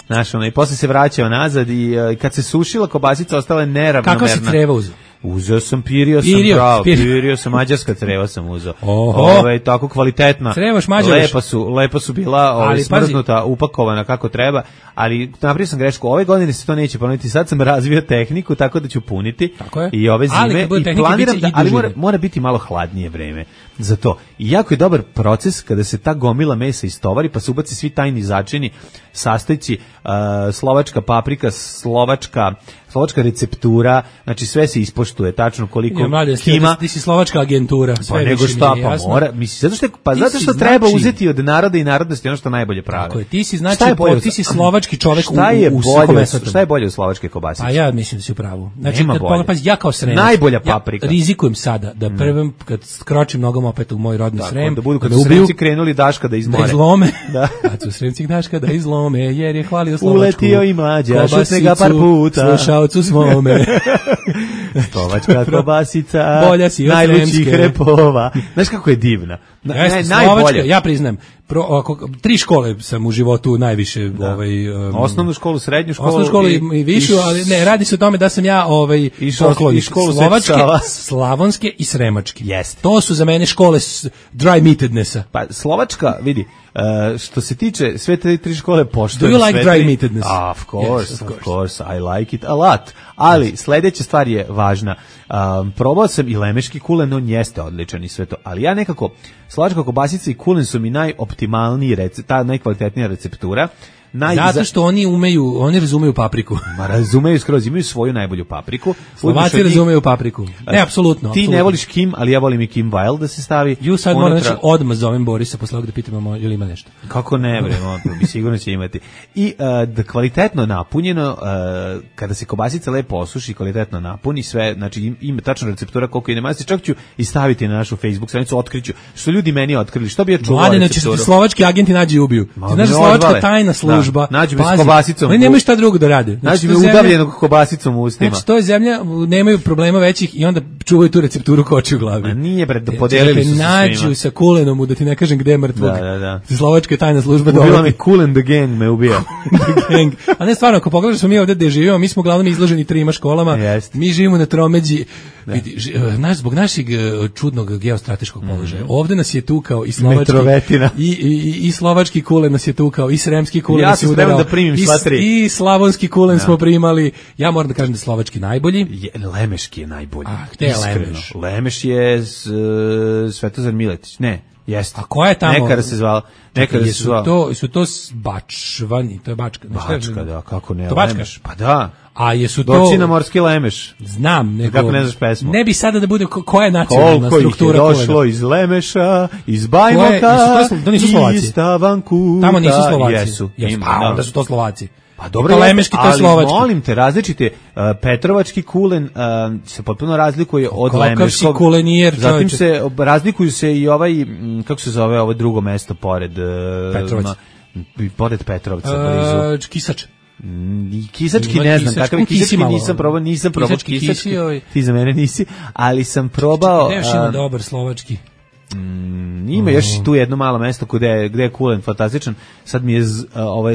S5: Znaš, i posle se vraćao nazad i kad se sušila kobasica, ostala je neravnomerna.
S6: Kakva si creva uzeo?
S5: Uzeo sam pirio sam mađarska creva sam uzeo. Tako kvalitetna.
S6: Crevaš mađaraš.
S5: Lepo su bila smrznuta, upakovana kako treba, ali napravio sam grešku. Ove godine se to neće ponoviti. Sad sam razvio tehniku tako da ću puniti i ove zime i planiram ali mora biti malo hladnije vreme za to. I jako je dobar proces kada se ta gomila mesa istovari pa se ubaci svi tajni začini, sastojci, slovačka paprika, slovačka receptura, znači sve se ispoštuje tačno koliko ima.
S6: Ti si slovačka agentura, sve
S5: pa nego šta, pa mora, mislim, zato što treba uzeti od naroda i narodnosti ono što najbolje prave.
S6: Tako je, ti si znači, ti si slovački čovjek u suhomesnatu.
S5: Šta je bolje od slovačke kobasice?
S6: Pa ja mislim da si u pravu. Znači, ja kao Sremac,
S5: najbolja paprika.
S6: Rizikujem sada da prvim, kad skročim nogom opet u moj rodni Srem,
S5: da budu kad su Sremci krenuli Daška da izmore.
S6: Da izlome, kad su Sremci Daška da izlome, jer je hvalio Slovačku.
S5: Uletio i Mlađa, šutne ga par puta.
S6: Slušaocu svome.
S5: Slovačka kobasica,
S6: bolja si od
S5: najlućih repova. Znaš kako je divna?
S6: Slovačka, ja priznajem. 3 škole sam u životu najviše
S5: osnovnu školu, srednju školu.
S6: Osnovnu školu i višu, ali ne, radi se o tome da sam ja poklonik slovačke, slavonske i sremačke. To su za mene škole dry meatednessa.
S5: Pa Slovačka, vidi, što se tiče sve te 3 škole poštujem.
S6: Do you like dry meatedness?
S5: Of course, I like it a lot. Ali sledeća stvar je važna. Probao sam i lemeški kulen, on jeste odličan i sve to, ali ja nekako slovačka kobasica i kulen su mi najoptimalniji ta najkvalitetnija receptura.
S6: Zato što oni razumeju papriku.
S5: Ma razumeju skroz, imaju svoju najbolju papriku.
S6: Slovaci razumeju papriku. Ne, apsolutno.
S5: Ti ne voliš Kim, ali ja volim i Kim Wild da se stavi.
S6: Sad moram odmah zovem Borisa posle ovog da pitamo ili ima nešto.
S5: Kako ne, bi sigurno će imati. I da kvalitetno napunjeno, kada se kobasica lepo osuši, kvalitetno napuni sve, znači ima tačna receptura koliko ide masti, čak ću i staviti na našu Facebook stranicu, otkriću. Što ljudi meni otkrili, što bi ja čuvao recepturu.
S6: Mladene, će slovački agenti nađi i ubiju. Ti znaš da slovačka tajna služba.
S5: Nađu me s kobasicom.
S6: Oni nemaju šta drugo da rade.
S5: Nađu me udavljenog kobasicom u ustima.
S6: Znači, to je zemlja, nemaju problema većih i onda čuvaju tu recepturu koči u glavi.
S5: Ma nije, podelili su se svima.
S6: Nađu sa kulenom, da ti ne kažem gde je mrtvog.
S5: Da.
S6: Slovačka tajna služba
S5: dolazi. Ubila me Kulen the gang, me ubija.
S6: A ne, stvarno, ako pogledaš smo mi ovde gde živimo, mi smo uglavnom izloženi 3 školama. Mi živimo na tromeđi. Zbog našeg čudnog geostrateškog položaja. Ovde nas je tukao i slovački i slovački kulen nas je tukao i sremski kulen nas je udarao.
S5: Da primim sva 3.
S6: I slavonski kulen smo primali. Ja moram da kažem da je slovački najbolji.
S5: Lemeški je najbolji.
S6: Gde je Lemeš?
S5: Lemeš je Svetozar Miletić. Ne, jeste.
S6: A koja je tamo?
S5: Nekada se zvala.
S6: Su to Bačvani, to je Bačka.
S5: Bačka, da, kako ne.
S6: To Bačka?
S5: Pa da.
S6: A jesu to...
S5: Doći na morski Lemeš.
S6: Znam, nego...
S5: Kako ne znaš pesmu?
S6: Ne bi sada da bude koja je nacionalna struktura
S5: Koliko ih je došlo iz Lemeša, iz Bajmoka, iz Stavankuta.
S6: Tamo nisu Slovaci.
S5: Jesu.
S6: Onda su to Slovaci.
S5: Pa dobro,
S6: Lemeški, to je slovački.
S5: Molim te, različite, Petrovački kulen se potpuno razlikuje od Lemeškog.
S6: Kulenijer,
S5: zatim razlikuju se i kako se zove ovo drugo mesto pored Petrovca, blizu.
S6: Kisač.
S5: Kisački ne znam, kakav je kisački, nisam probao kisački, ti za mene nisi, ali sam probao...
S6: Gde još ima dobar slovački?
S5: Ima još tu jedno malo mesto gde je kulen fantastičan. Sad mi je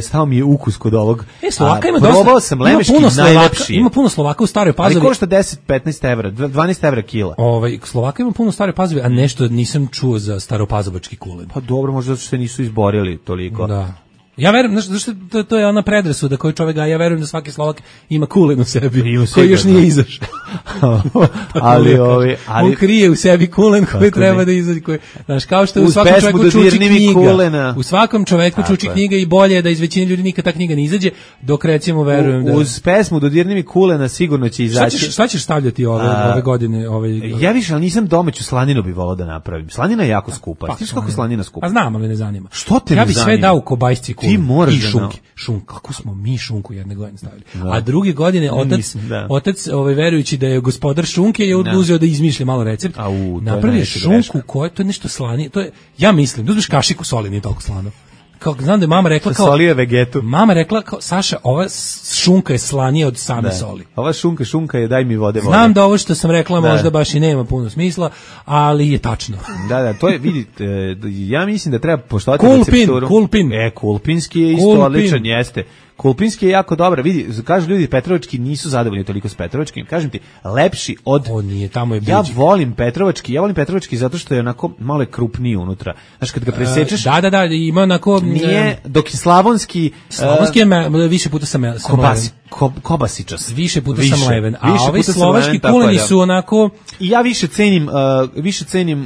S5: stao mi je ukus kod ovog.
S6: Slovaka ima
S5: probao
S6: dosta.
S5: Sam lemeški najlepši.
S6: Ima puno Slovaka u Staroj Pazovi.
S5: Ali košta 10-15 evra, 12 evra kila.
S6: Slovaka ima puno u Staroj Pazovi, a nešto nisam čuo za staropazovački kulen.
S5: Pa dobro, možda zato što se nisu izborili toliko.
S6: Da. Ja verujem, znaš, to je ona predrasuda koju čovjek gaji, ja verujem da svaki Slovak ima kulen u sebi, koji još nije izašao.
S5: ali
S6: on krije u sebi kulen koji treba da izađe. Znaš, kao što u svakom čovjeku čuči knjiga. U svakom čovjeku čuči knjiga i bolje je da iz većine ljudi nikad ta knjiga ne izađe, dok recimo verujem da...
S5: Uz pesmu Dodirni mi kulena sigurno će izaći.
S6: Šta ćeš stavljati ove godine?
S5: Ja više, ali nisam domaću slaninu bi volao da napravim. Slanina je jako skupa. Znaš kako je slanina skupa?
S6: A znam, ali me ne zanima.
S5: Što te ne zanima?
S6: Ja bi sve dao u kobajsci kulen.
S5: Ti moraš
S6: i šunke. Kako smo mi šunku jedne godine stavili. A druge godine otac verujući da je gospodar šunke je oduzeo da izmišlja malo recept. Napravio šunku koja to je nešto slanije. To je, ja mislim, da uzmeš kašiku soli, nije toliko slano. Kao znam da je mama rekla
S5: solio vegetu.
S6: Mama rekla Saša, ova šunka je slanija od same soli.
S5: Ova šunka je daj mi vode.
S6: Znam da ovo što sam rekla možda baš i nema puno smisla, ali je tačno.
S5: Da, to je, vidite, ja mislim da treba poštovati recepturu.
S6: Kulpin.
S5: Kulpinski je isto odličan, jeste. Kulpinski je jako dobar, vidi, kažu ljudi Petrovački nisu zadovoljni toliko s Petrovačkim, kažem ti, lepši od...
S6: On nije, tamo je bliži.
S5: Ja volim Petrovački zato što je onako malo krupniji unutra. Znaš, kad ga presečeš...
S6: Da, ima onako...
S5: Nije, dok je Slavonski...
S6: Slavonski je više puta sam leven.
S5: Kobasičas.
S6: Više puta sam leven. A ovi slovački kuleni su onako...
S5: I ja više cenim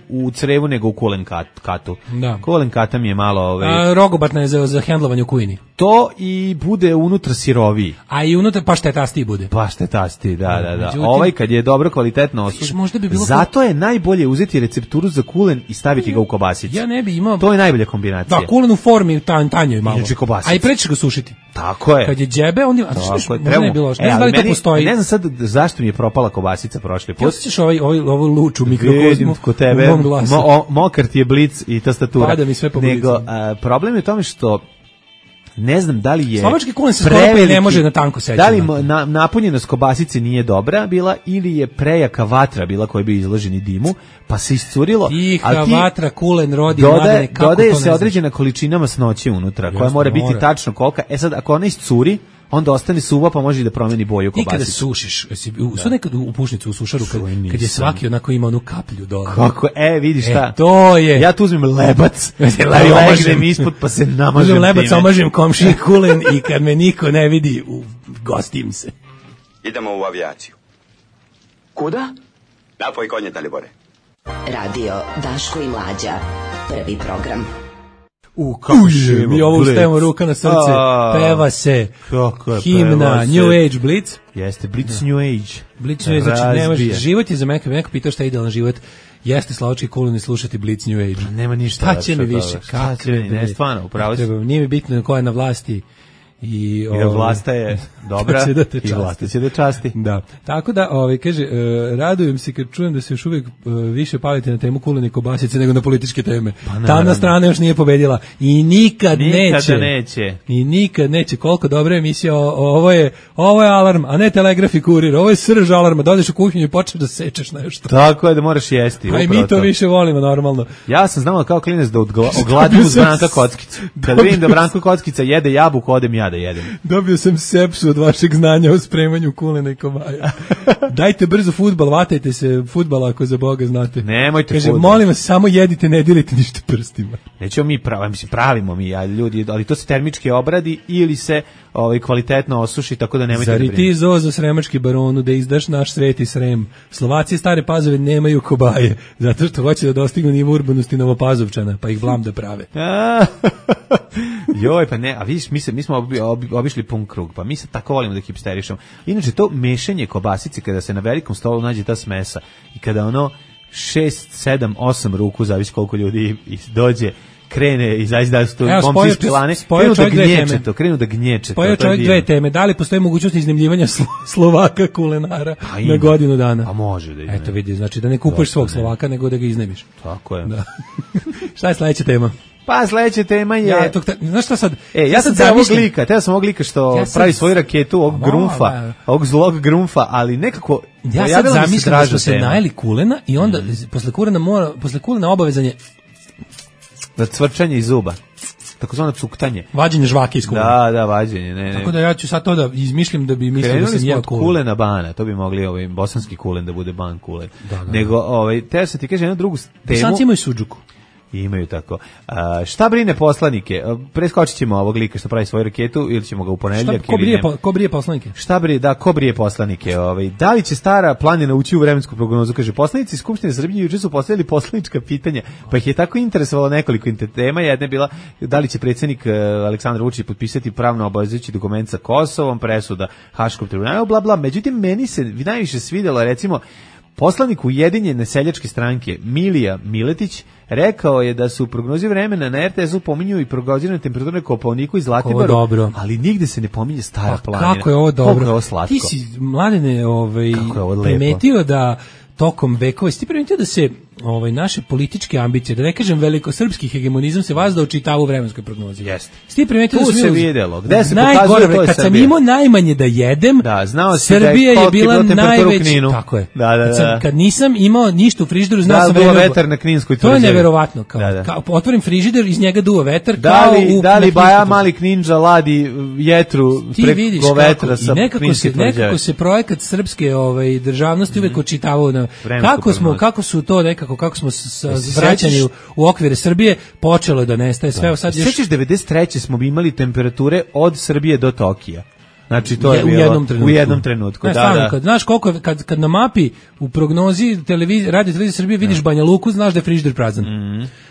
S5: u crevu nego u kulen katu.
S6: Da.
S5: Kulen kata mi je malo...
S6: Rogobatna je za hendlovanje u kujini.
S5: To i bude unutra siroviji.
S6: A i unutra paštetastiji bude.
S5: Paštetastiji, da. Međutim, kad je dobro kvalitetno osušen. Zato je najbolje uzeti recepturu za kulen i staviti ga u kobasicu.
S6: Ja ne bi imao...
S5: To je najbolja kombinacija.
S6: Da, kulen u formi tanjoj malo.
S5: Inače kobasicu.
S6: A i prećeš ga sušiti.
S5: Tako je.
S6: Kad je džebe, onda... Možda ne bilo. Ne znam da li to postoji.
S5: Ne znam sad zašto mi je propala kobasica prošli put.
S6: Osjećaš ovu luču mikrokozmu
S5: kod tebe. Mokar ti je blic i tastatura.
S6: Pada mi sve po
S5: Nego, problem je u tome što Ne znam da li je
S6: slovački kulen se skoro ne može na tanko seći.
S5: Da li napunjenost kobasice nije dobra bila ili je prejaka vatra bila koja bi izloženi dimu, pa se iscurilo.
S6: Tiha vatra, kulen rodi, mladene, kako to ne
S5: dodaje se određena količina masnoće unutra, koja mora biti tačno kolika. Sad, ako ona iscuri, onda ostane suva, pa može da promeni boju kobasice.
S6: Ti kada sušiš, sad nekad u pušnicu, u sušaru, kad je svaki onako ima onu kaplju dole.
S5: Kako, vidiš šta?
S6: To je.
S5: Ja tu uzmem lebac, ležem ispod, pa se namažem time.
S6: Uzmem lebac, omažem komšiji kulen i kad me niko ne vidi, gostim se.
S12: Idemo u avijaciju.
S13: Kuda?
S12: Napoj konje, Dalibore.
S9: Radio Daško i Mlađa, prvi program.
S6: Mi ovo ustajemo ruka na srce, peva se himna New Age Blitz.
S5: Jeste, Blitz New Age.
S6: Blitz New Age, znači nemaš, život je za mene, neko pitao šta je idealan život, jeste slovački kulen i slušati Blitz New Age.
S5: Nema ništa.
S6: Šta će mi više?
S5: Ne, stvarno, upravo si.
S6: Nije mi bitno ko je na vlasti. I
S5: vlasta je dobra i vlasta će da časti.
S6: Da. Tako da, kaže, radujem se kad čujem da se još uvijek više palite na temu kulene i kobasice nego na političke teme. Tamna strana još nije pobedila i nikad neće. I nikad neće. Koliko dobra emisija, ovo je alarm, a ne telegraf i kurir. Ovo je srž alarma. Dođeš u kuhinju i počneš da sečeš nešto.
S5: Tako je, da moraš jesti.
S6: A i mi to više volimo normalno.
S5: Ja sam znao kao klinac da ogladim uz Branka Kockicu. Kad vidim da Branko Kockica jede jabuku, odem ja da jedem.
S6: Dobio sam sepsu od vašeg znanja o spremanju kulena i kobaja. Dajte brzo fudbal, vatajte se fudbala ako za Boga znate.
S5: Nemojte
S6: fudbal. Kaže, molim vas, samo jedite, ne dilite ništa prstima.
S5: Nećemo mi pravimo mi, ljudi, ali to se termički obradi ili se kvalitetno osuši, tako da nemojte.
S6: Zari ti Zozo Sremački baronu da izdaš naš sveti Srem? Slovaci Stare Pazove nemaju kobaje, zato što hoće da dostignu nivo urbanosti Novopazovčana, pa ih blam da prave.
S5: Joj, pa ne, a vidiš, mi smo obišli pun krug, pa mi se tako volimo da hipsterišemo. Inače, to mešanje kobasice, kada se na velikom stolu nađe ta smesa i kada 6, 7, 8 ruku, zavisi koliko ljudi dođe, krene i zaista su to momci iz pilane, krenu da gnječe.
S6: Spojio čovjek dve teme. Da li postoji mogućnost iznajmljivanja Slovaka kulenara na godinu dana?
S5: Pa može da iznajmi.
S6: Eto vidi, znači da ne kupuješ svog Slovaka, nego da ga iznajmiš.
S5: Tako je.
S6: Da. Šta je sledeća tema?
S5: Pa sledeća tema je...
S6: Znaš šta sad?
S5: Ja sam ovog lika što pravi svoju raketu, ovog zlog grumfa, ali nekako...
S6: Ja sad zamislim da smo se najeli kulena i onda posle kulena obavezan je...
S5: Da cvrčanje iz zuba. Takozvano cuktanje.
S6: Vađenje žvake iz kulena.
S5: Da, vađenje.
S6: Tako da ja ću sad to da izmišljam da bi mislio da sam jeo kulen.
S5: Kulena bana, to bi mogli bosanski kulen da bude ban kulen. Nego, te se ti kaže jednu drugu temu.
S6: Bosanci imaju suđuku.
S5: Imaju tako. Šta brine poslanike? Preskočit ćemo ovog lika što pravi svoju raketu ili ćemo ga u ponedeljak?
S6: Ko brije poslanike?
S5: Ko brije poslanike? Da li će Stara planina ući u vremensku prognozu? Kaže, poslanici Skupštine Srbije juče su postavili poslanička pitanja, pa ih je tako interesovalo nekoliko tema. Jedna je bila da li će predsjednik Aleksandar Vučić potpisati pravno obavezujući dokument sa Kosovom, presuda Haškom tribunalu, bla bla. Međutim, meni se najviše svidjelo, recimo, poslanik Ujedinjene seljačke stranke Milija Miletić rekao je da su u prognozi vremena na RTS-u pominju i prognozirane temperature Kopaoniku i Zlatiboru, ali nigde se ne pominje Stara planina.
S6: Kako je ovo dobro?
S5: Kako je ovo slatko?
S6: Ti si, Mladene, primetio da tokom vekova, ti primetio da se naše političke ambicije, da ne kažem velikosrpski hegemonizam, se vazda očitava u vremenskoj prognozi.
S5: Jeste.
S6: Ti primetio da
S5: tu se vidjelo. Gde se pokazuje to je
S6: kad sam imao najmanje da jedem, Srbija je bila najveći. Tako je. Kad nisam imao ništa u frižideru, znao sam
S5: duva vetar na Kninskoj tvrđavi.
S6: To je neverovatno. Kao otvorim frižider, iz njega duva vetar.
S5: Da li Baja Mali Kninđa ladi jetru preko vetra sa Kninske tvrđave?
S6: Nekako se projekat srpske državnosti uvek očitavao na kako su to nekako, kako smo vraćani u okvire Srbije, počelo je da nestaje sve.
S5: Sećaš 93. smo imali temperature od Srbije do Tokija. Znači to je bilo u jednom trenutku.
S6: Znaš koliko kad na mapi u prognozi radio televizije Srbije vidiš Banja Luku, znaš da je frižider prazan.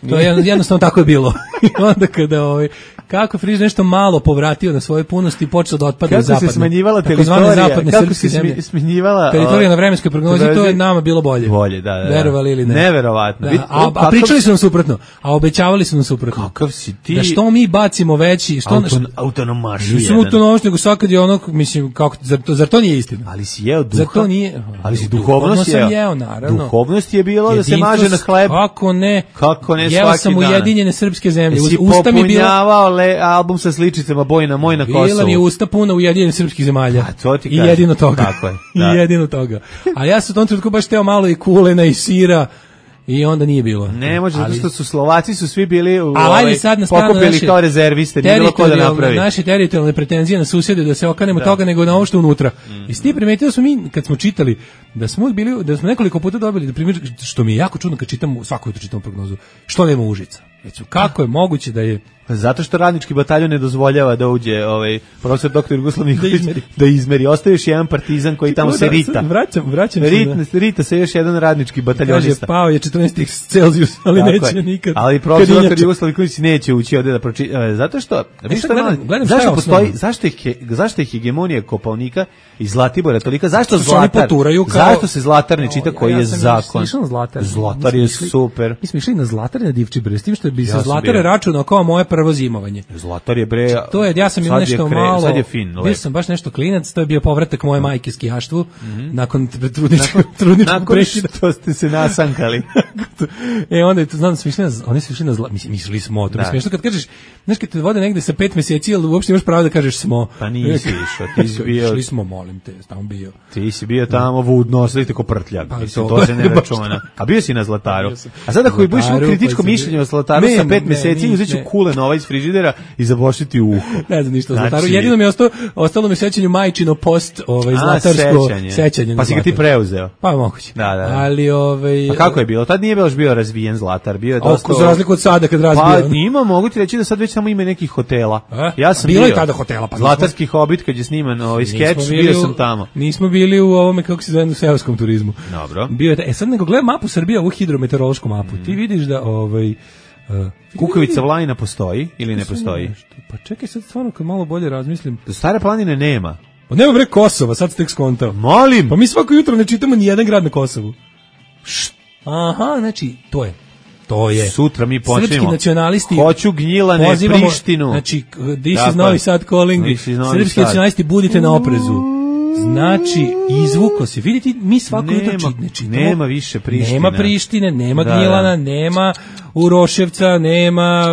S6: To je jednostavno tako je bilo. I onda kada kako frižider nešto malo povratio na svoje punosti i počeo da otpada zapadne.
S5: Kako se smanjivala
S6: teritorija na vremenskoj prognozi, to je nama bilo bolje.
S5: Da.
S6: Verovali ili ne.
S5: Neverovatno.
S6: A pričali su nam suprotno, a obećavali su nam suprotno.
S5: Kakav si ti?
S6: Da što mi bacimo veći,
S5: autonomaši.
S6: Nisu autonomaši, nego sad kad je mislim, zar to nije istina?
S5: Ali si jeo duha.
S6: Zar to nije?
S5: Ali si duhovnost jeo,
S6: naravno.
S5: Duhovnost je bilo da se maže na hleb.
S6: Kako ne?
S5: Kako ne svaki dan?
S6: Jeo sam Ujedinjene srpske zemlje.
S5: Si popunjavao album sa sličicama Bojna moj na Kosovu.
S6: Bila mi je usta puna Ujedinjenih srpskih zemalja.
S5: A to ti
S6: I jedino toga.
S5: Tako je. Da.
S6: I jedino toga. A ja sam u tom trenutku baš teo malo i kulena i sira. I onda nije bilo.
S5: Ne može, zato što su Slovaci su svi bili
S6: pokupili
S5: kao rezerviste, nije bilo ko da napravi.
S6: Naše teritorijalne pretenzije na susjede da se okanemo toga nego na ovo što unutra. I s tim primetili smo mi, kad smo čitali, da smo nekoliko puta dobili, da primjer, što mi je jako čudno kad čitamo, svako jutro čitamo prognozu, što nema Užica. Kako je moguće da je...
S5: Zato što radnički bataljon ne dozvoljava da uđe profesor dr. Jugoslav Nikolić da izmeri. Ostaje još jedan partizan koji tamo se rita.
S6: Vraćam se.
S5: Rita se još jedan radnički bataljonista.
S6: Kaže, pao je 14 Celzijus, ali tako neće nikad.
S5: Ali profesor dr. Jugoslav Nikolić neće ući ovde da pročita. Zato što... Zašto je hegemonija Kopaonika i Zlatibora tolika? Zašto Zlatar? Zašto se Zlatar ne čita koji je zakon? Zlatar je super.
S6: Mi smo išli na Zlatar na Divčibre, s tim što bi se Zlatar računao kao moje prvo zimovanje.
S5: Zlatar je bre.
S6: To je, ja sam imao nešto malo.
S5: Sad je fin.
S6: Bio sam baš nešto klinac, to je bio povratak moje majke skijaštvu nakon trudničkog prekida.
S5: Što ste se nasankali.
S6: Onda znam da smo išli na mislili smo, to je smiješno kad kažeš, znaš kad te vode negde sa 5 meseci, ali uopšte imaš pravo da kažeš smo.
S5: Pa nisi išao, ti si bio.
S6: Išli smo, molim te, tamo bio.
S5: Ti si bio tamo vudno, sedite ko prtljak. To se ne računa. A bio si na Zlataru. A sada koji budeš imao kritičko mišljenje o Zlataru sa 5 meseci, uzet ću kulen iz frižidera i zabošiti uho.
S6: Ne znam ništa o Zlataru. Jedino mi je ostalo mi sećanju majčino post zlatarsko sećanje.
S5: Pa si ga ti preuzeo.
S6: Pa moguće.
S5: Da.
S6: Ali
S5: A kako je bilo? Tad nije baš bio razvijen Zlatar, bio je dosta.
S6: Za razliku od sada kad razbio.
S5: Pa ima, mogu ti reći da sad već samo ima nekih hotela.
S6: Ja sam bilo i tada hotela, pa
S5: Zlatarski Hobit kad je sniman skeč, bio sam tamo.
S6: Nismo bili u ovome kako se zove, u seoskom turizmu.
S5: Dobro.
S6: Bio je sad nego gledam mapu Srbije, ovu hidrometeorološku mapu. Ti vidiš da
S5: Kukavica Vlajina postoji ili ne postoji?
S6: Pa čekaj sad stvarno kad malo bolje razmislim.
S5: Stare planine nema.
S6: Pa nema bre Kosova, sad ste tek skontao.
S5: Molim!
S6: Pa mi svako jutro ne čitamo ni jedan grad na Kosovu. Aha, znači to je.
S5: Sutra mi počnemo.
S6: Srpski nacionalisti.
S5: Hoću Gnjilane, Prištinu.
S6: Znači, this is Novi Sad calling. Srpski nacionalisti, budite na oprezu. Znači, izvuko se. Vidite, mi svako jutro čitamo.
S5: Nema više Prištine.
S6: Nema Prištine, nema Gnjilana, nema Uroševca, nema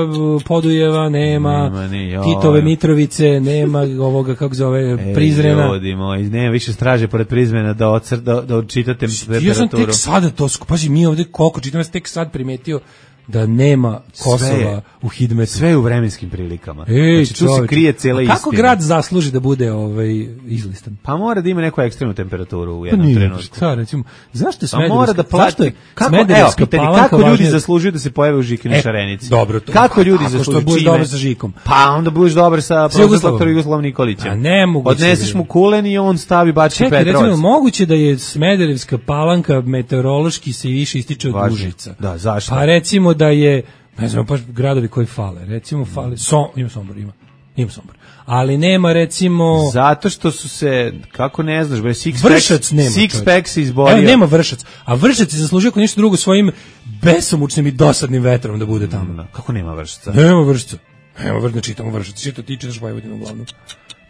S6: Podujeva, nema Titove Mitrovice, nema ovoga, kako zove, Prizrena.
S5: Ljudi moji, nema više straže pored Prizrena da odčita temperaturu.
S6: Ja sam tek sada to, pazi, mi ovde koliko čitam, ja sam tek sad primetio da nema Kosova u Hidmetu.
S5: Sve je u vremenskim prilikama. Znači, tu se krije cijela istina.
S6: Kako grad zasluži da bude izlistan?
S5: Pa mora da ima neku ekstremnu temperaturu u jednom trenutku.
S6: Pa recimo, zašto Smederevska?
S5: Pa mora da plati. Kako ljudi zaslužuju da se pojave u Žikini Šarenici?
S6: Dobro, to.
S5: Kako ljudi zaslužuju?
S6: Što budeš dobar sa Žikom?
S5: Pa onda budeš dobar sa profesorom Jugoslavom Nikolićem.
S6: A ne mogu.
S5: Odneseš mu kulen i on stavi Bački Petrovac.
S6: Čekaj, recimo, moguće da je Smederevska Palanka meteorološki se više ističe od Užica.
S5: Da, zašto?
S6: Pa recimo da je, ne znam, pa gradovi koji fale, recimo fale, ima Sombor, ima Sombor, ali nema recimo...
S5: Zato što su se, kako ne znaš,
S6: Sixpack
S5: se izborio.
S6: Evo, nema Vršac, a Vršac je zaslužio ako ništa drugo svojim besomučnim i dosadnim vetrom da bude tamo.
S5: Kako nema Vršaca?
S6: Nema Vršaca, ne čitamo Vršac, ti čitaš Vojvodinu uglavnom.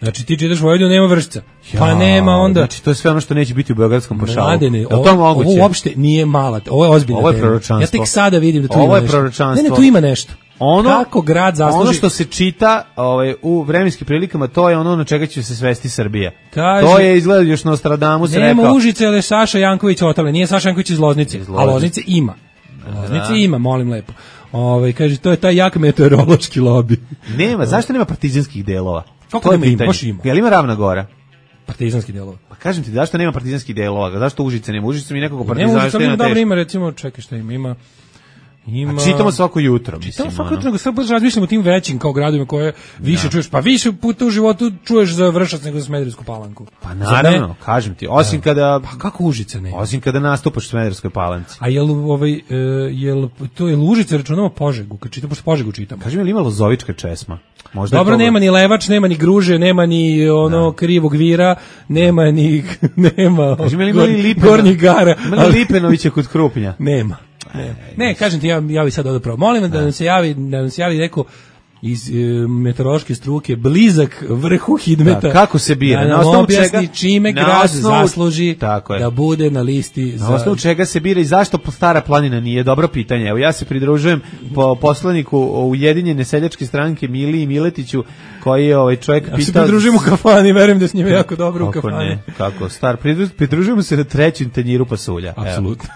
S6: Znači ti čitaš Vojvodinu, nema Vršca. Pa nema onda.
S5: Znači to je sve ono što neće biti u beogradskom pašalu.
S6: Mladene, ovo uopšte nije mala, ovo je ozbiljna tema.
S5: Ovo je proročanstvo.
S6: Ja tek sada vidim da tu ima nešto.
S5: Ovo je proročanstvo.
S6: Ne, tu ima nešto. Kako grad zasluži...
S5: Ono što se čita u vremenskim prilikama, to je ono na čega će se svesti Srbija. To je izgleda još Nostradamus rekao.
S6: Nema Užice, ali Saša Janković otale. Nije Saša Janković iz Loznice, a Loznice ima. Loznice ima, molim lepo. Kaže, to je taj jak meteorološki lobi.
S5: Nema, zašto nema partizanskih delova?
S6: Kako nema, baš ima.
S5: Jel ima Ravna Gora?
S6: Partizanski delova.
S5: Pa kažem ti, zašto nema partizanskih delova? Zašto Užice nema? Užice mi nekako partizanski.
S6: Nema Užice, ali dobro ima, recimo, čekaj šta ima.
S5: A čitamo svako jutro, mislim.
S6: Čitamo svako jutro, nego sad baš razmišljamo o tim većim kao gradovima koje više čuješ. Pa više puta u životu čuješ za Vršac nego za Smederevsku Palanku.
S5: Pa naravno, kažem ti, osim kada...
S6: Pa kako Užice nema?
S5: Osim kada nastupaš u Smederevskoj Palanci.
S6: A jel Užice računamo Požegu, kad čitamo, Požegu čitamo?
S5: Kažem, je li ima Lozovička česma?
S6: Možda dobro, nema ni Levač, nema ni Gruže, nema ni Krivog Vira, nema ni...
S5: Kažem, je li ima li
S6: Gornjih Gara?
S5: Ima li Lipenovića kod Krupnja?
S6: Nema. Ne, kažem ti, ja bi sad odapravo. Molim da nam se javi neko iz meteorološke struke blizak vrhu Hidmeta.
S5: Da, kako se bira?
S6: Na osnovu čega čime grad zasluži da bude na listi
S5: na osnovu čega se bira i zašto Stara planina nije? Dobro pitanje. Evo ja se pridružujem po poslaniku Ujedinjene seljačke stranke Miliji Miletiću koji je čovjek pitao.
S6: Ja se pridružujem u kafani, verujem da s njime jako dobro u kafani.
S5: Ne, kako star, pridružujemo se na trećem tanjiru pasulja.
S6: Apsolutno.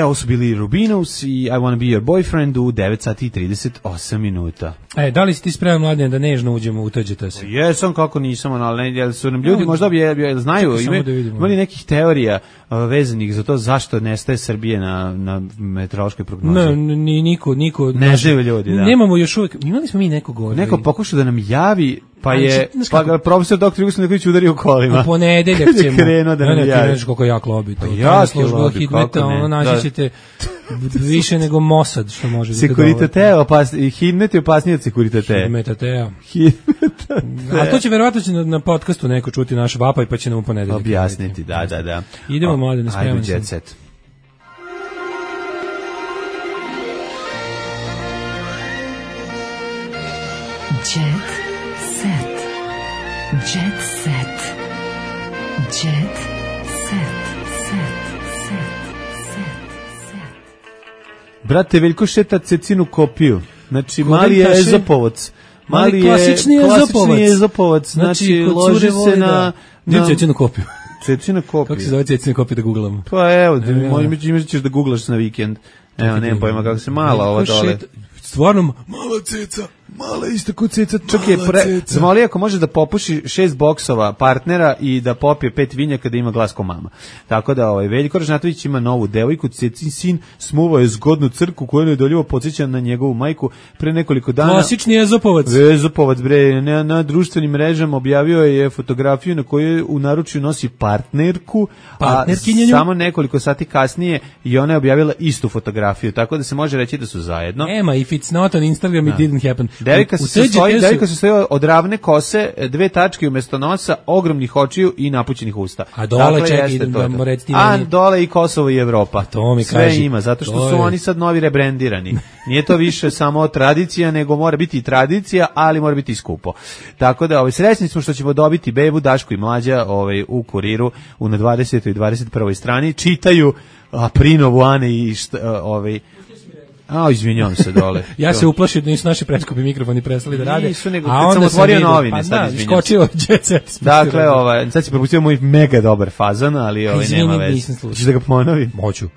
S5: Ovo su bili Rubinos i I Wanna Be Your Boyfriend u 9 sati i 38 minuta.
S6: Da li si ti spreman, Mladen, da nežno uđemo u Tuđete se?
S5: Jesam, kako nisam, ali jel su nam ljudi možda znaju, imali nekih teorija vezanih za to zašto nestaje Srbije na meteorološkoj prognozi?
S6: Niko.
S5: Ne žive ljudi, da.
S6: Nemamo još uvijek, imali smo mi nekog ovdje.
S5: Neko pokušao da nam javi, pa ga profesor dr. Jugoslav Neković udario kolima.
S6: U ponedeljak ćemo.
S5: Krenuo da nam javi.
S6: Ne, znaš koliko jak lobi to.
S5: Jak je lobi, kako ne.
S6: Naći ćete više nego Mossad, što može.
S5: Sekuritate, Hidmet je opasniji od Sekuritate.
S6: Hidmetatea. A to će verovatno na podcastu neko čuti naš vapaj, pa će nam u ponedeljak
S5: objasniti, da.
S6: Idemo, Mladen, spreman sam.
S5: Jet set.
S2: Jet set. Jet set. Jet set.
S5: Brate, Veljko šeta Cecinu kopiju. Znači, mali je Ezopovac.
S6: Mali je klasični
S5: Ezopovac. Znači, loži se na
S6: Cecinu kopiju.
S5: Cecina kopija.
S6: Kako se zove Cecina kopija da googlamo?
S5: Pa evo, imaš ćeš da googlaš na vikend. Evo, nemam pojma kako se mala ova dole.
S6: Stvarno, mala ceca.
S5: Mala isto kod ceca. Čak je zamoli ako može da popuši 6 boksova partnera i da popije 5 vinjaka da ima glas ko mama. Tako da Veljko Ražnatović ima novu devojku, Cecin sin smuvao je zgodnu crku koju nedoljivo podsjeća na njegovu majku pre nekoliko dana.
S6: Klasični Ezopovac.
S5: Ezopovac, bre, na društvenim mrežama objavio je fotografiju na kojoj u naručju nosi partnerku, a samo nekoliko sati kasnije i ona je objavila istu fotografiju, tako da se može reći da su zajedno.
S6: Ema, if it's not on Instagram, it didn't happen.
S5: Devojka se stoji od ravne kose, 2 tačke umjesto nosa, ogromnih očiju i napućenih usta.
S6: A dole čekaj,
S5: a dole i Kosovo i Evropa.
S6: To mi
S5: sve ima, zato što su oni sad novi rebrendirani. Nije to više samo tradicija, nego mora biti i tradicija, ali mora biti i skupo. Tako da srećni smo što ćemo dobiti bebu Daško i Mlađa u Kuriru na 20. i 21. strani. Čitaju Aprinovu Ane i izvinjavam se dole.
S6: Ja se uplašim da nisu naši preskupi mikrofoni prestali da rade.
S5: Nisu, nego kad sam otvorio novine, sad izvinjam se.
S6: Skočio Jet Set.
S5: Dakle, sad si propustio moj mega dobar fazon, ali nema veze. Hoćeš da ga ponovim?
S6: Moću.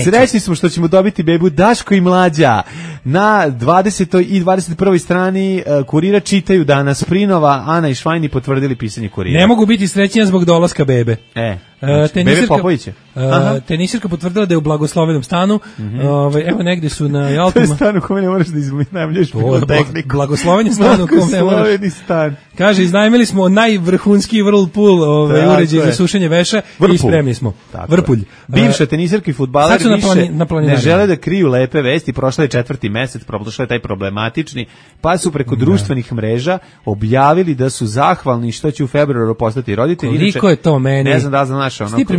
S5: Srećni smo što ćemo dobiti bebu Daško i Mlađa. Na 20. i 21. strani Kurira čitaju danas Prinova, Ana i Švajni potvrdili pisanje Kurira.
S6: Ne mogu biti srećnija zbog dolaska bebe.
S5: Bebe Popovića.
S6: Tenisirka potvrdila da je u blagoslovenom stanu. Evo negdje su na Alpima.
S5: To je stan u kome ne moraš da iznajmljuješ tehniku.
S6: Blagosloveni stan u kome ne moraš. Kaže, iznajmili smo najvrhunski Whirlpool uređaj za sušenje veša i spremni smo. Vrpulj.
S5: Bivša tenisirka i fudbaler više ne žele da kriju lepe vesti. Prošla je 4. mesec, prošla je taj problematični, pa su preko društvenih mreža objavili da su zahvalni što će u februaru postati roditelji.
S6: Koliko je to meni?
S5: Ne znam da znaš,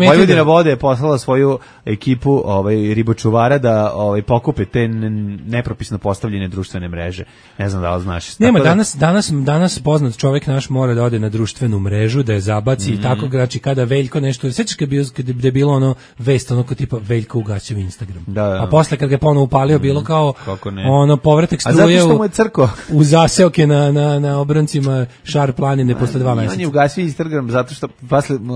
S5: Vojvodina vode je poslala svoju ekipu ribočuvara da pokupe te nepropisno postavljene društvene mreže. Ne znam da li znaš.
S6: Nema, danas poznat čovjek naš mora da ode na društvenu mrežu, da je zabaci i tako, znači kada Veljko nešto, sećaš kad je bilo ono vest, ono kao tipa Veljko ugaćao Instagram. A posle kad ga ponovo upalio bilo kao ono povratak struje u zaseoke na obrancima Šar planine posle 2 meseca.
S5: On je ugasio Instagram zato što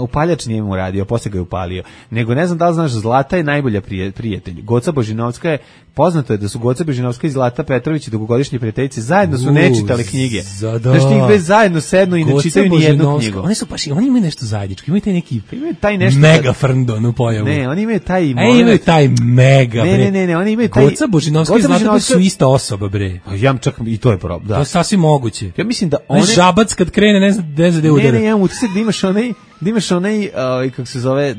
S5: upaljač nije mu radio, posle ga je upalio. Nego ne znam da li znaš, Zlata je najbolja prijatelj. Goca Božinovska je, poznato je da su Goca Božinovska i Zlata Petrović dugogodišnje prijateljice, zajedno su ne čitale knjige. Znaš, njih dve zajedno sednu i ne čitaju ni jednu knjigu.
S6: Oni imaju nešto zajedničko, imaju taj neki mega frndon u pojavu.
S5: Ne, oni imaju taj
S6: imaju taj mega, bre.
S5: Ne, oni imaju taj...
S6: Goca Božinovska i Zlata su ista osoba, bre.
S5: Ja čak i to je problem.
S6: To je sasvim moguće.
S5: Ja mislim da one...
S6: Žabac kad krene, ne znam gde udara.
S5: Ne, ja mu utisak da imaš onaj da imaš onaj, kako se zove,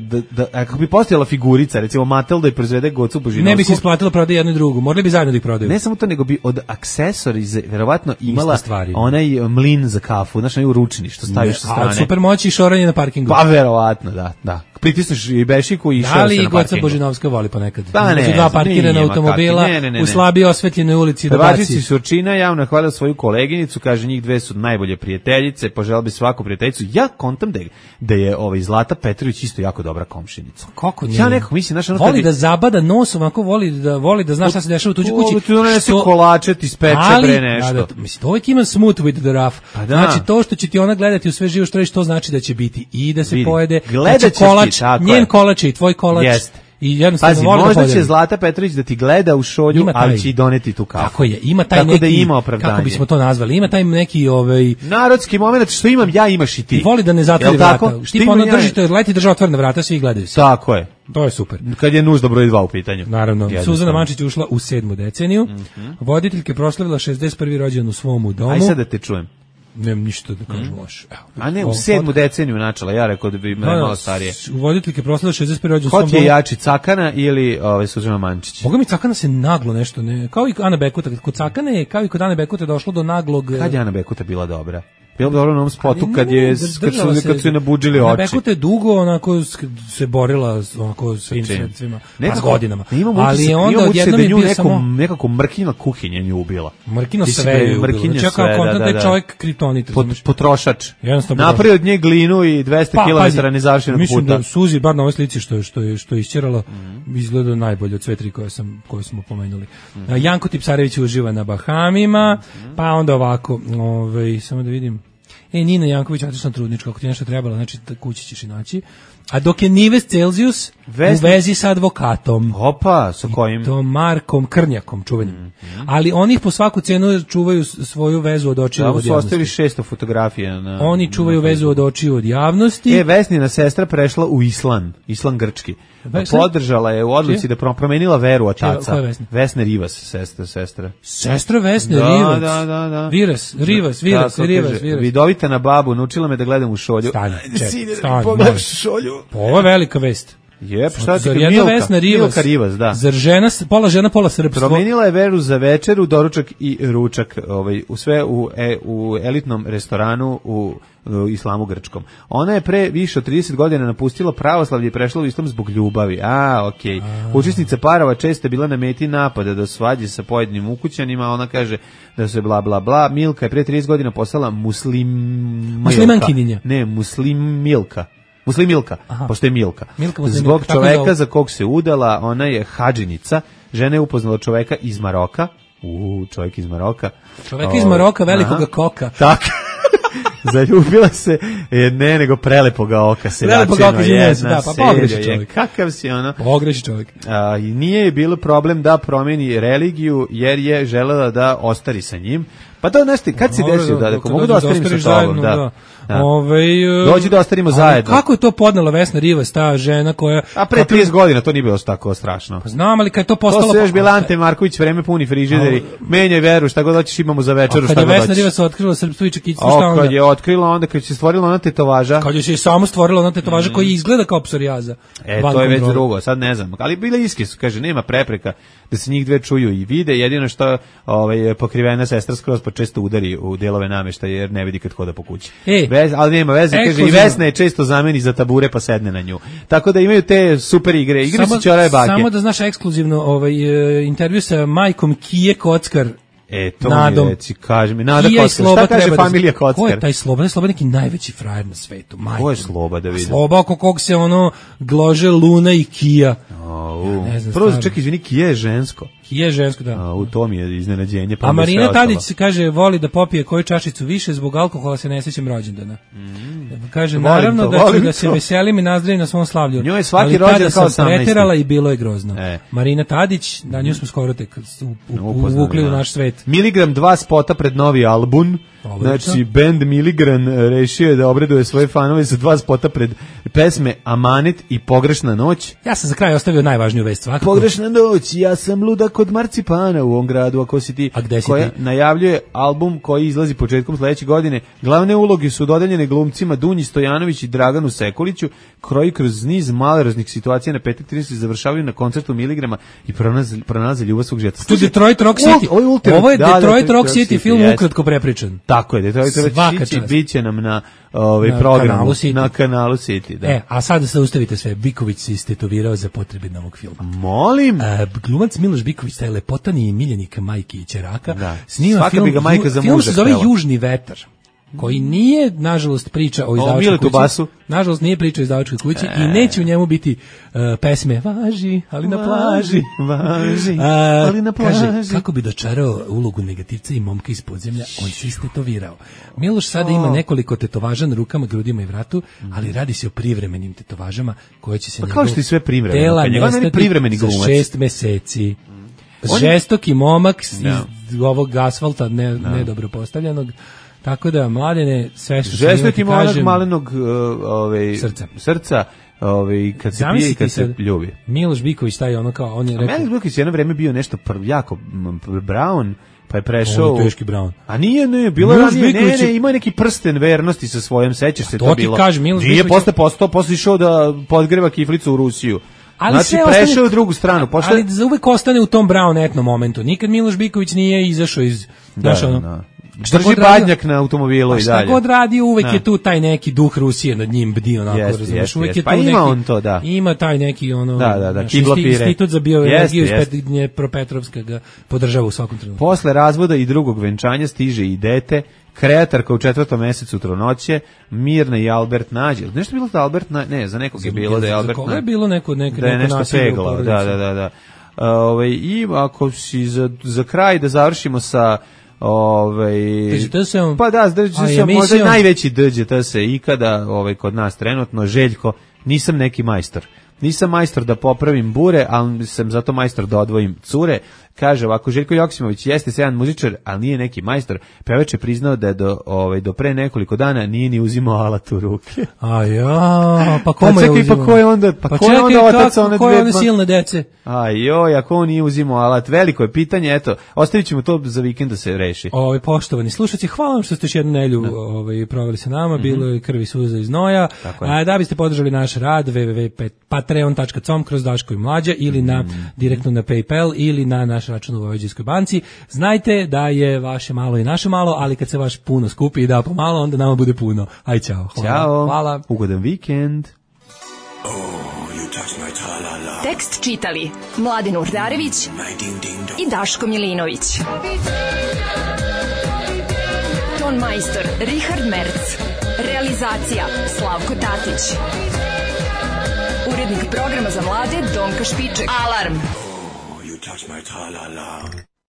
S5: kako bi postojala figurica, recimo Mattel da je proizvede Gocu Božinovsku.
S6: Ne bi se isplatilo prodati jednu i drugu, morali bi zajedno da ih prodaju.
S5: Ne samo to, nego bi od aksesoriza verovatno imala onaj mlin za kafu, znaš, onaj ručni što staviš sa strane.
S6: A super moći i šoranje na parkingu.
S5: Pa verovatno, da. Pritisneš i bešiku i šor se na parkingu.
S6: Da li Goca Božinovska voli ponekad?
S5: Pa ne,
S6: dva parkirana automobila u slabije osvetljenoj ulici do
S5: Pevačici Surčina javno hvalila svoju koleginicu, kaže njih dve su najbolje prijateljice, poželeo bi svaku prijateljicu. Ja kontam da je Zlata Petrović isto jako dobra komšinica.
S6: Kako nije?
S5: Ja nekako mislim, znaš,
S6: voli da zabada nos, ovako voli da zna šta se dešava u tuđoj kući.
S5: Što donese kolače, ti speče bre nešto.
S6: Da, mislim, uvijek ima smooth with the rough. Znači, to što će ti ona gledati u sve živo što reći, to znači da će biti i da se pojede.
S5: Gledat
S6: kolač, njen kolač i tvoj kolač.
S5: Jeste.
S6: I jednostavno
S5: pazi, možda će Zlata Petrović da ti gleda u šolju, ali će i doneti tu kafu.
S6: Tako je, ima taj neki,
S5: da ima opravdanje.
S6: Kako bismo to nazvali, ima taj neki
S5: narodski moment, što imam ja, imaš i ti.
S6: I voli da ne zatvori vrata. Tipa ono držite, leti država otvorena vrata, svi gledaju se.
S5: Tako je.
S6: To je super.
S5: Kad je nužda broj 2 u pitanju.
S6: Naravno. Suzana Mančić ušla u 7. deceniju. Voditeljka proslavila 61. rođendan u svom domu.
S5: Aj sad da te čujem.
S6: Nemam ništa da kažem loše.
S5: A ne, u 7. deceniju načela, ja rekao da bi malo starije.
S6: Voditeljke proslavila 61. rođendan u svom domu.
S5: Ko ti je jači, Cakana ili Suzana Mančić?
S6: Boga mi Cakana se naglo nešto, ne, kao i Ana Bekuta. Kod Cakane je, kao i kod Ane Bekuta, došlo do naglog...
S5: Kad je Ana Bekuta bila dobra? Bilo dobro u onom spotu kad su je nabuđili oči.
S6: Bekuta je dugo onako se borila onako s tim sredstvima, s godinama. Ali onda odjednom je bio samo...
S5: Nekako mrkina kuhinja nju ubila.
S6: Mrkina sve je ubila. Čekao kontent da je čovjek kritonit.
S5: Potrošač. Napravio od nje glinu i 200 km nezavršenog puta.
S6: Mislim da Suzi, bar na ovoj slici što je isćerala, izgleda najbolje od sve tri koje smo pomenuli. Janko Tipsarević uživa na Bahamima, pa onda ovako, samo da vidim. Nina Janković, otišla trudnička, ako ti nešto trebalo, znači kući ćeš i naći. A dok je Nives Celzijus u vezi sa advokatom.
S5: Opa, sa kojim?
S6: I to Markom Krnjakom, čuvenim. Ali oni po svaku cenu čuvaju svoju vezu od očiju od javnosti.
S5: Ovo su ostavili 600 fotografija.
S6: Oni čuvaju vezu od očiju od javnosti.
S5: Vesnina sestra prešla u Islam grčki. Podržala je u odluci da promenila veru otaca. Vesna Rivas, sestra.
S6: Sestra Vesne Rivas?
S5: Da.
S6: Rivas.
S5: Vidovita na babu, naučila me da gledam u šolju.
S6: Stani.
S5: Pogledaš šolju.
S6: Ovo je velika vest.
S5: Zar
S6: jedna Vesna Rivas,
S5: da.
S6: Zar pola žena, pola srpstvo.
S5: Promenila je veru za večeru, doručak i ručak, u sve u elitnom restoranu u islamu grčkom. Ona je pre više od 30 godina napustila pravoslavlje i prešla u islam zbog ljubavi. Okej. Učesnica parova često je bila na meti napada do svađe sa pojedinim ukućanima, ona kaže da se bla bla bla. Milka je pre 30 godina postala
S6: muslimankinja.
S5: Ne, Muslimilka, pošto je Milka. Zbog čoveka za kog se udala, ona je hadžinica. Žena je upoznala čoveka iz Maroka. Čovjek iz Maroka.
S6: Čoveka iz Maroka, velikoga koka.
S5: Tako. Zaljubila se, nego prelepoga oka se
S6: prelepoga oka jedna
S5: pogreši čovjek. Kakav si ono?
S6: Pogreši čovjek.
S5: Nije je bilo problem da promeni religiju, jer je želela da ostari sa njim. Pa to nešto, kad si desio da mogu da ostarim sa tobom, da. Dođi da ostarimo zajedno.
S6: Kako je to podnela Vesna Rivas, ta žena koja...
S5: A pre 30 godina to nije bilo tako strašno.
S6: Pa znam, ali kad je to postalo...
S5: To se još bila Ante Marković, vreme puni frižideri, menjaj veru, šta god hoćeš imamo za večeru, šta god hoćeš.
S6: Kad je Vesna Rivas otkrila srpstvo i čekicu, šta onda?
S5: Kad je otkrila, onda kad se stvorila ona tetovaža.
S6: Kad je se samo stvorila ona tetovaža koja izgleda kao psorijaza.
S5: To je već drugo, sad ne znam. Ali bila iske su, kaže, nema prepreka da se njih dve čuju i vide, jedino što pokrivena sestra skroz pa često udari u delove nameštaja jer ne vidi kad hoda po kući. Ali nema veze, kaže, i Vesna je često zameni za tabure pa sedne na nju. Tako da imaju te super igre su ćoraje bake.
S6: Samo da znaš ekskluzivno intervju sa majkom Kije Kockar.
S5: To mi reci, kaži mi, Nada Kockar, šta kaže familija Kockar?
S6: Ko je taj Sloba? Sloba je neki najveći frajer na svetu.
S5: Ko je Sloba, da vidim?
S6: Sloba oko kog se glože Luna i Kija.
S5: Prvo, čekaj, izvini, Kija je žensko.
S6: Kija je žensko, da.
S5: U tom je iznenađenje.
S6: A Marina Tadić se kaže, voli da popije koju čašicu više, zbog alkohola se ne sjećam rođendana. Kaže, naravno da se veselim i nazdravim na svom slavlju.
S5: Njoj je svaki rođendan kao 18.
S6: Ali tada sam preterala i bilo je grozno. Marina Tadić, da nju smo skoro tek uvukli u naš svet.
S5: Miligram 2 spota pred novi album. Znači, band Miligran rešio je da obraduje svoje fanove sa 2 spota pred pesme Amanet i Pogrešna noć.
S6: Ja sam za kraj ostavio najvažniju vest svakako.
S5: Pogrešna noć, ja sam luda kod marcipana u ovom gradu, ako si ti.
S6: A gde si
S5: koja
S6: ti?
S5: Najavljuje album koji izlazi početkom sledeće godine. Glavne uloge su dodeljene glumcima Dunji Stojanović i Draganu Sekuliću, koji kroz niz maleroznih situacija na petak 30 završavaju na koncertu Miligrama i pronalaze ljubav svog žeta.
S6: To je Detroit Rock City. Ovo je Detroit Rock City, film ukratko prepričan.
S5: Tako je, Detroit Rock City biće nam na programu, na kanalu City. Da.
S6: A sada se ustavite sve. Biković se istetovirao za potrebe novog filma.
S5: Molim?
S6: Glumac Miloš Biković, taj lepotani miljenik majke i ćeraka,
S5: da.
S6: snima film se zove Južni vetar, koji nije, nažalost, priča o izdavačkoj kući. Nažalost, nije priča o izdavačkoj kući i neće u njemu biti pesme Važi, ali na plaži.
S5: Važi, ali na plaži.
S6: Kaže, kako bi dočarao ulogu negativca i momka iz podzemlja, on se istetovirao. Miloš sada ima nekoliko tetovaža na rukama, grudima i vratu, ali radi se o privremenim tetovažama koje će se
S5: kao što i sve privremeno.
S6: Tela nestati za 6 meseci. Žestoki momak iz ovog asfalta nedobro postavljenog. Tako da, Mladene, sve što
S5: žestoki monak malenog srca, kad se pije i kad se ljubi.
S6: Miloš Biković, taj ono kao, on je rekao...
S5: Miloš Biković jedno vreme bio nešto jako brown, pa je prešao...
S6: teški brown.
S5: A nije, bilo ranije, ima neki prsten vernosti sa svojom, sećaš se to bilo.
S6: To ti kaže, Miloš
S5: Biković... Nije posle išao da podgreva kiflicu u Rusiju.
S6: Ali
S5: znači prešao u drugu stranu.
S6: Ali za uvek ostane u tom brown etno momentu. Nikad Miloš Biković nije izašao iz...
S5: Drži badnjak na automobilu i dalje.
S6: Šta god radi, uvek je tu taj neki duh Rusije nad njim bdi, onako, razumiješ, uvek je tu neki...
S5: Pa ima on to, da.
S6: Ima taj neki, ono...
S5: Da,
S6: institut za bioenergiju iz Dnjepropetrovska ga podržava u svakom trenutku.
S5: Posle razvoda i drugog venčanja stiže i dete, kreatorka u 4. mesecu trudnoće, Mirna i Albert Nađe. Nešto bilo da Albert ne, za nekog je bilo da je Albert
S6: Nađe. Za koga je bilo neko
S5: nešto pegla, da. I ako si za kraj da završimo sa pa da, možda najveći DŽTS ikada kod nas trenutno, Željko, nisam neki majstor. Nisam majstor da popravim bure, ali sam zato majstor da odvojim cure. Kaže ovako, Željko Joksimović jeste sjajan muzičar, ali nije neki majstor. Pevač je priznao da je do pre nekoliko dana nije ni uzimao alat u ruke.
S6: Pa kome je uzimao?
S5: Pa ko je onda otac one dve?
S6: Ko je one silne dece?
S5: Ako on nije uzimao alat, veliko je pitanje, eto, ostavit ćemo to za vikend da se reši.
S6: Poštovani slušaoci, hvala vam što ste još jednu nelju proveli sa nama, bilo je krvi, suza i znoja. Da biste podržali naš rad, www.patreon.com/Daško i Mlađa ili direktno na PayPal ili na naš račun u Vojvođanskoj banci. Znajte da je vaše malo i naše malo, ali kad se vaš puno skupi i da pomalo, onda nama bude puno. Aj, čao. Hvala.
S5: Ugodan vikend.
S2: Tekst čitali Mladen Urdarević i Daško Milinović. Ton majstor Richard Merc. Realizacija Slavko Tatić. Urednik programa za mlade Donka Špiček. Alarm! You touch my tra-la-la.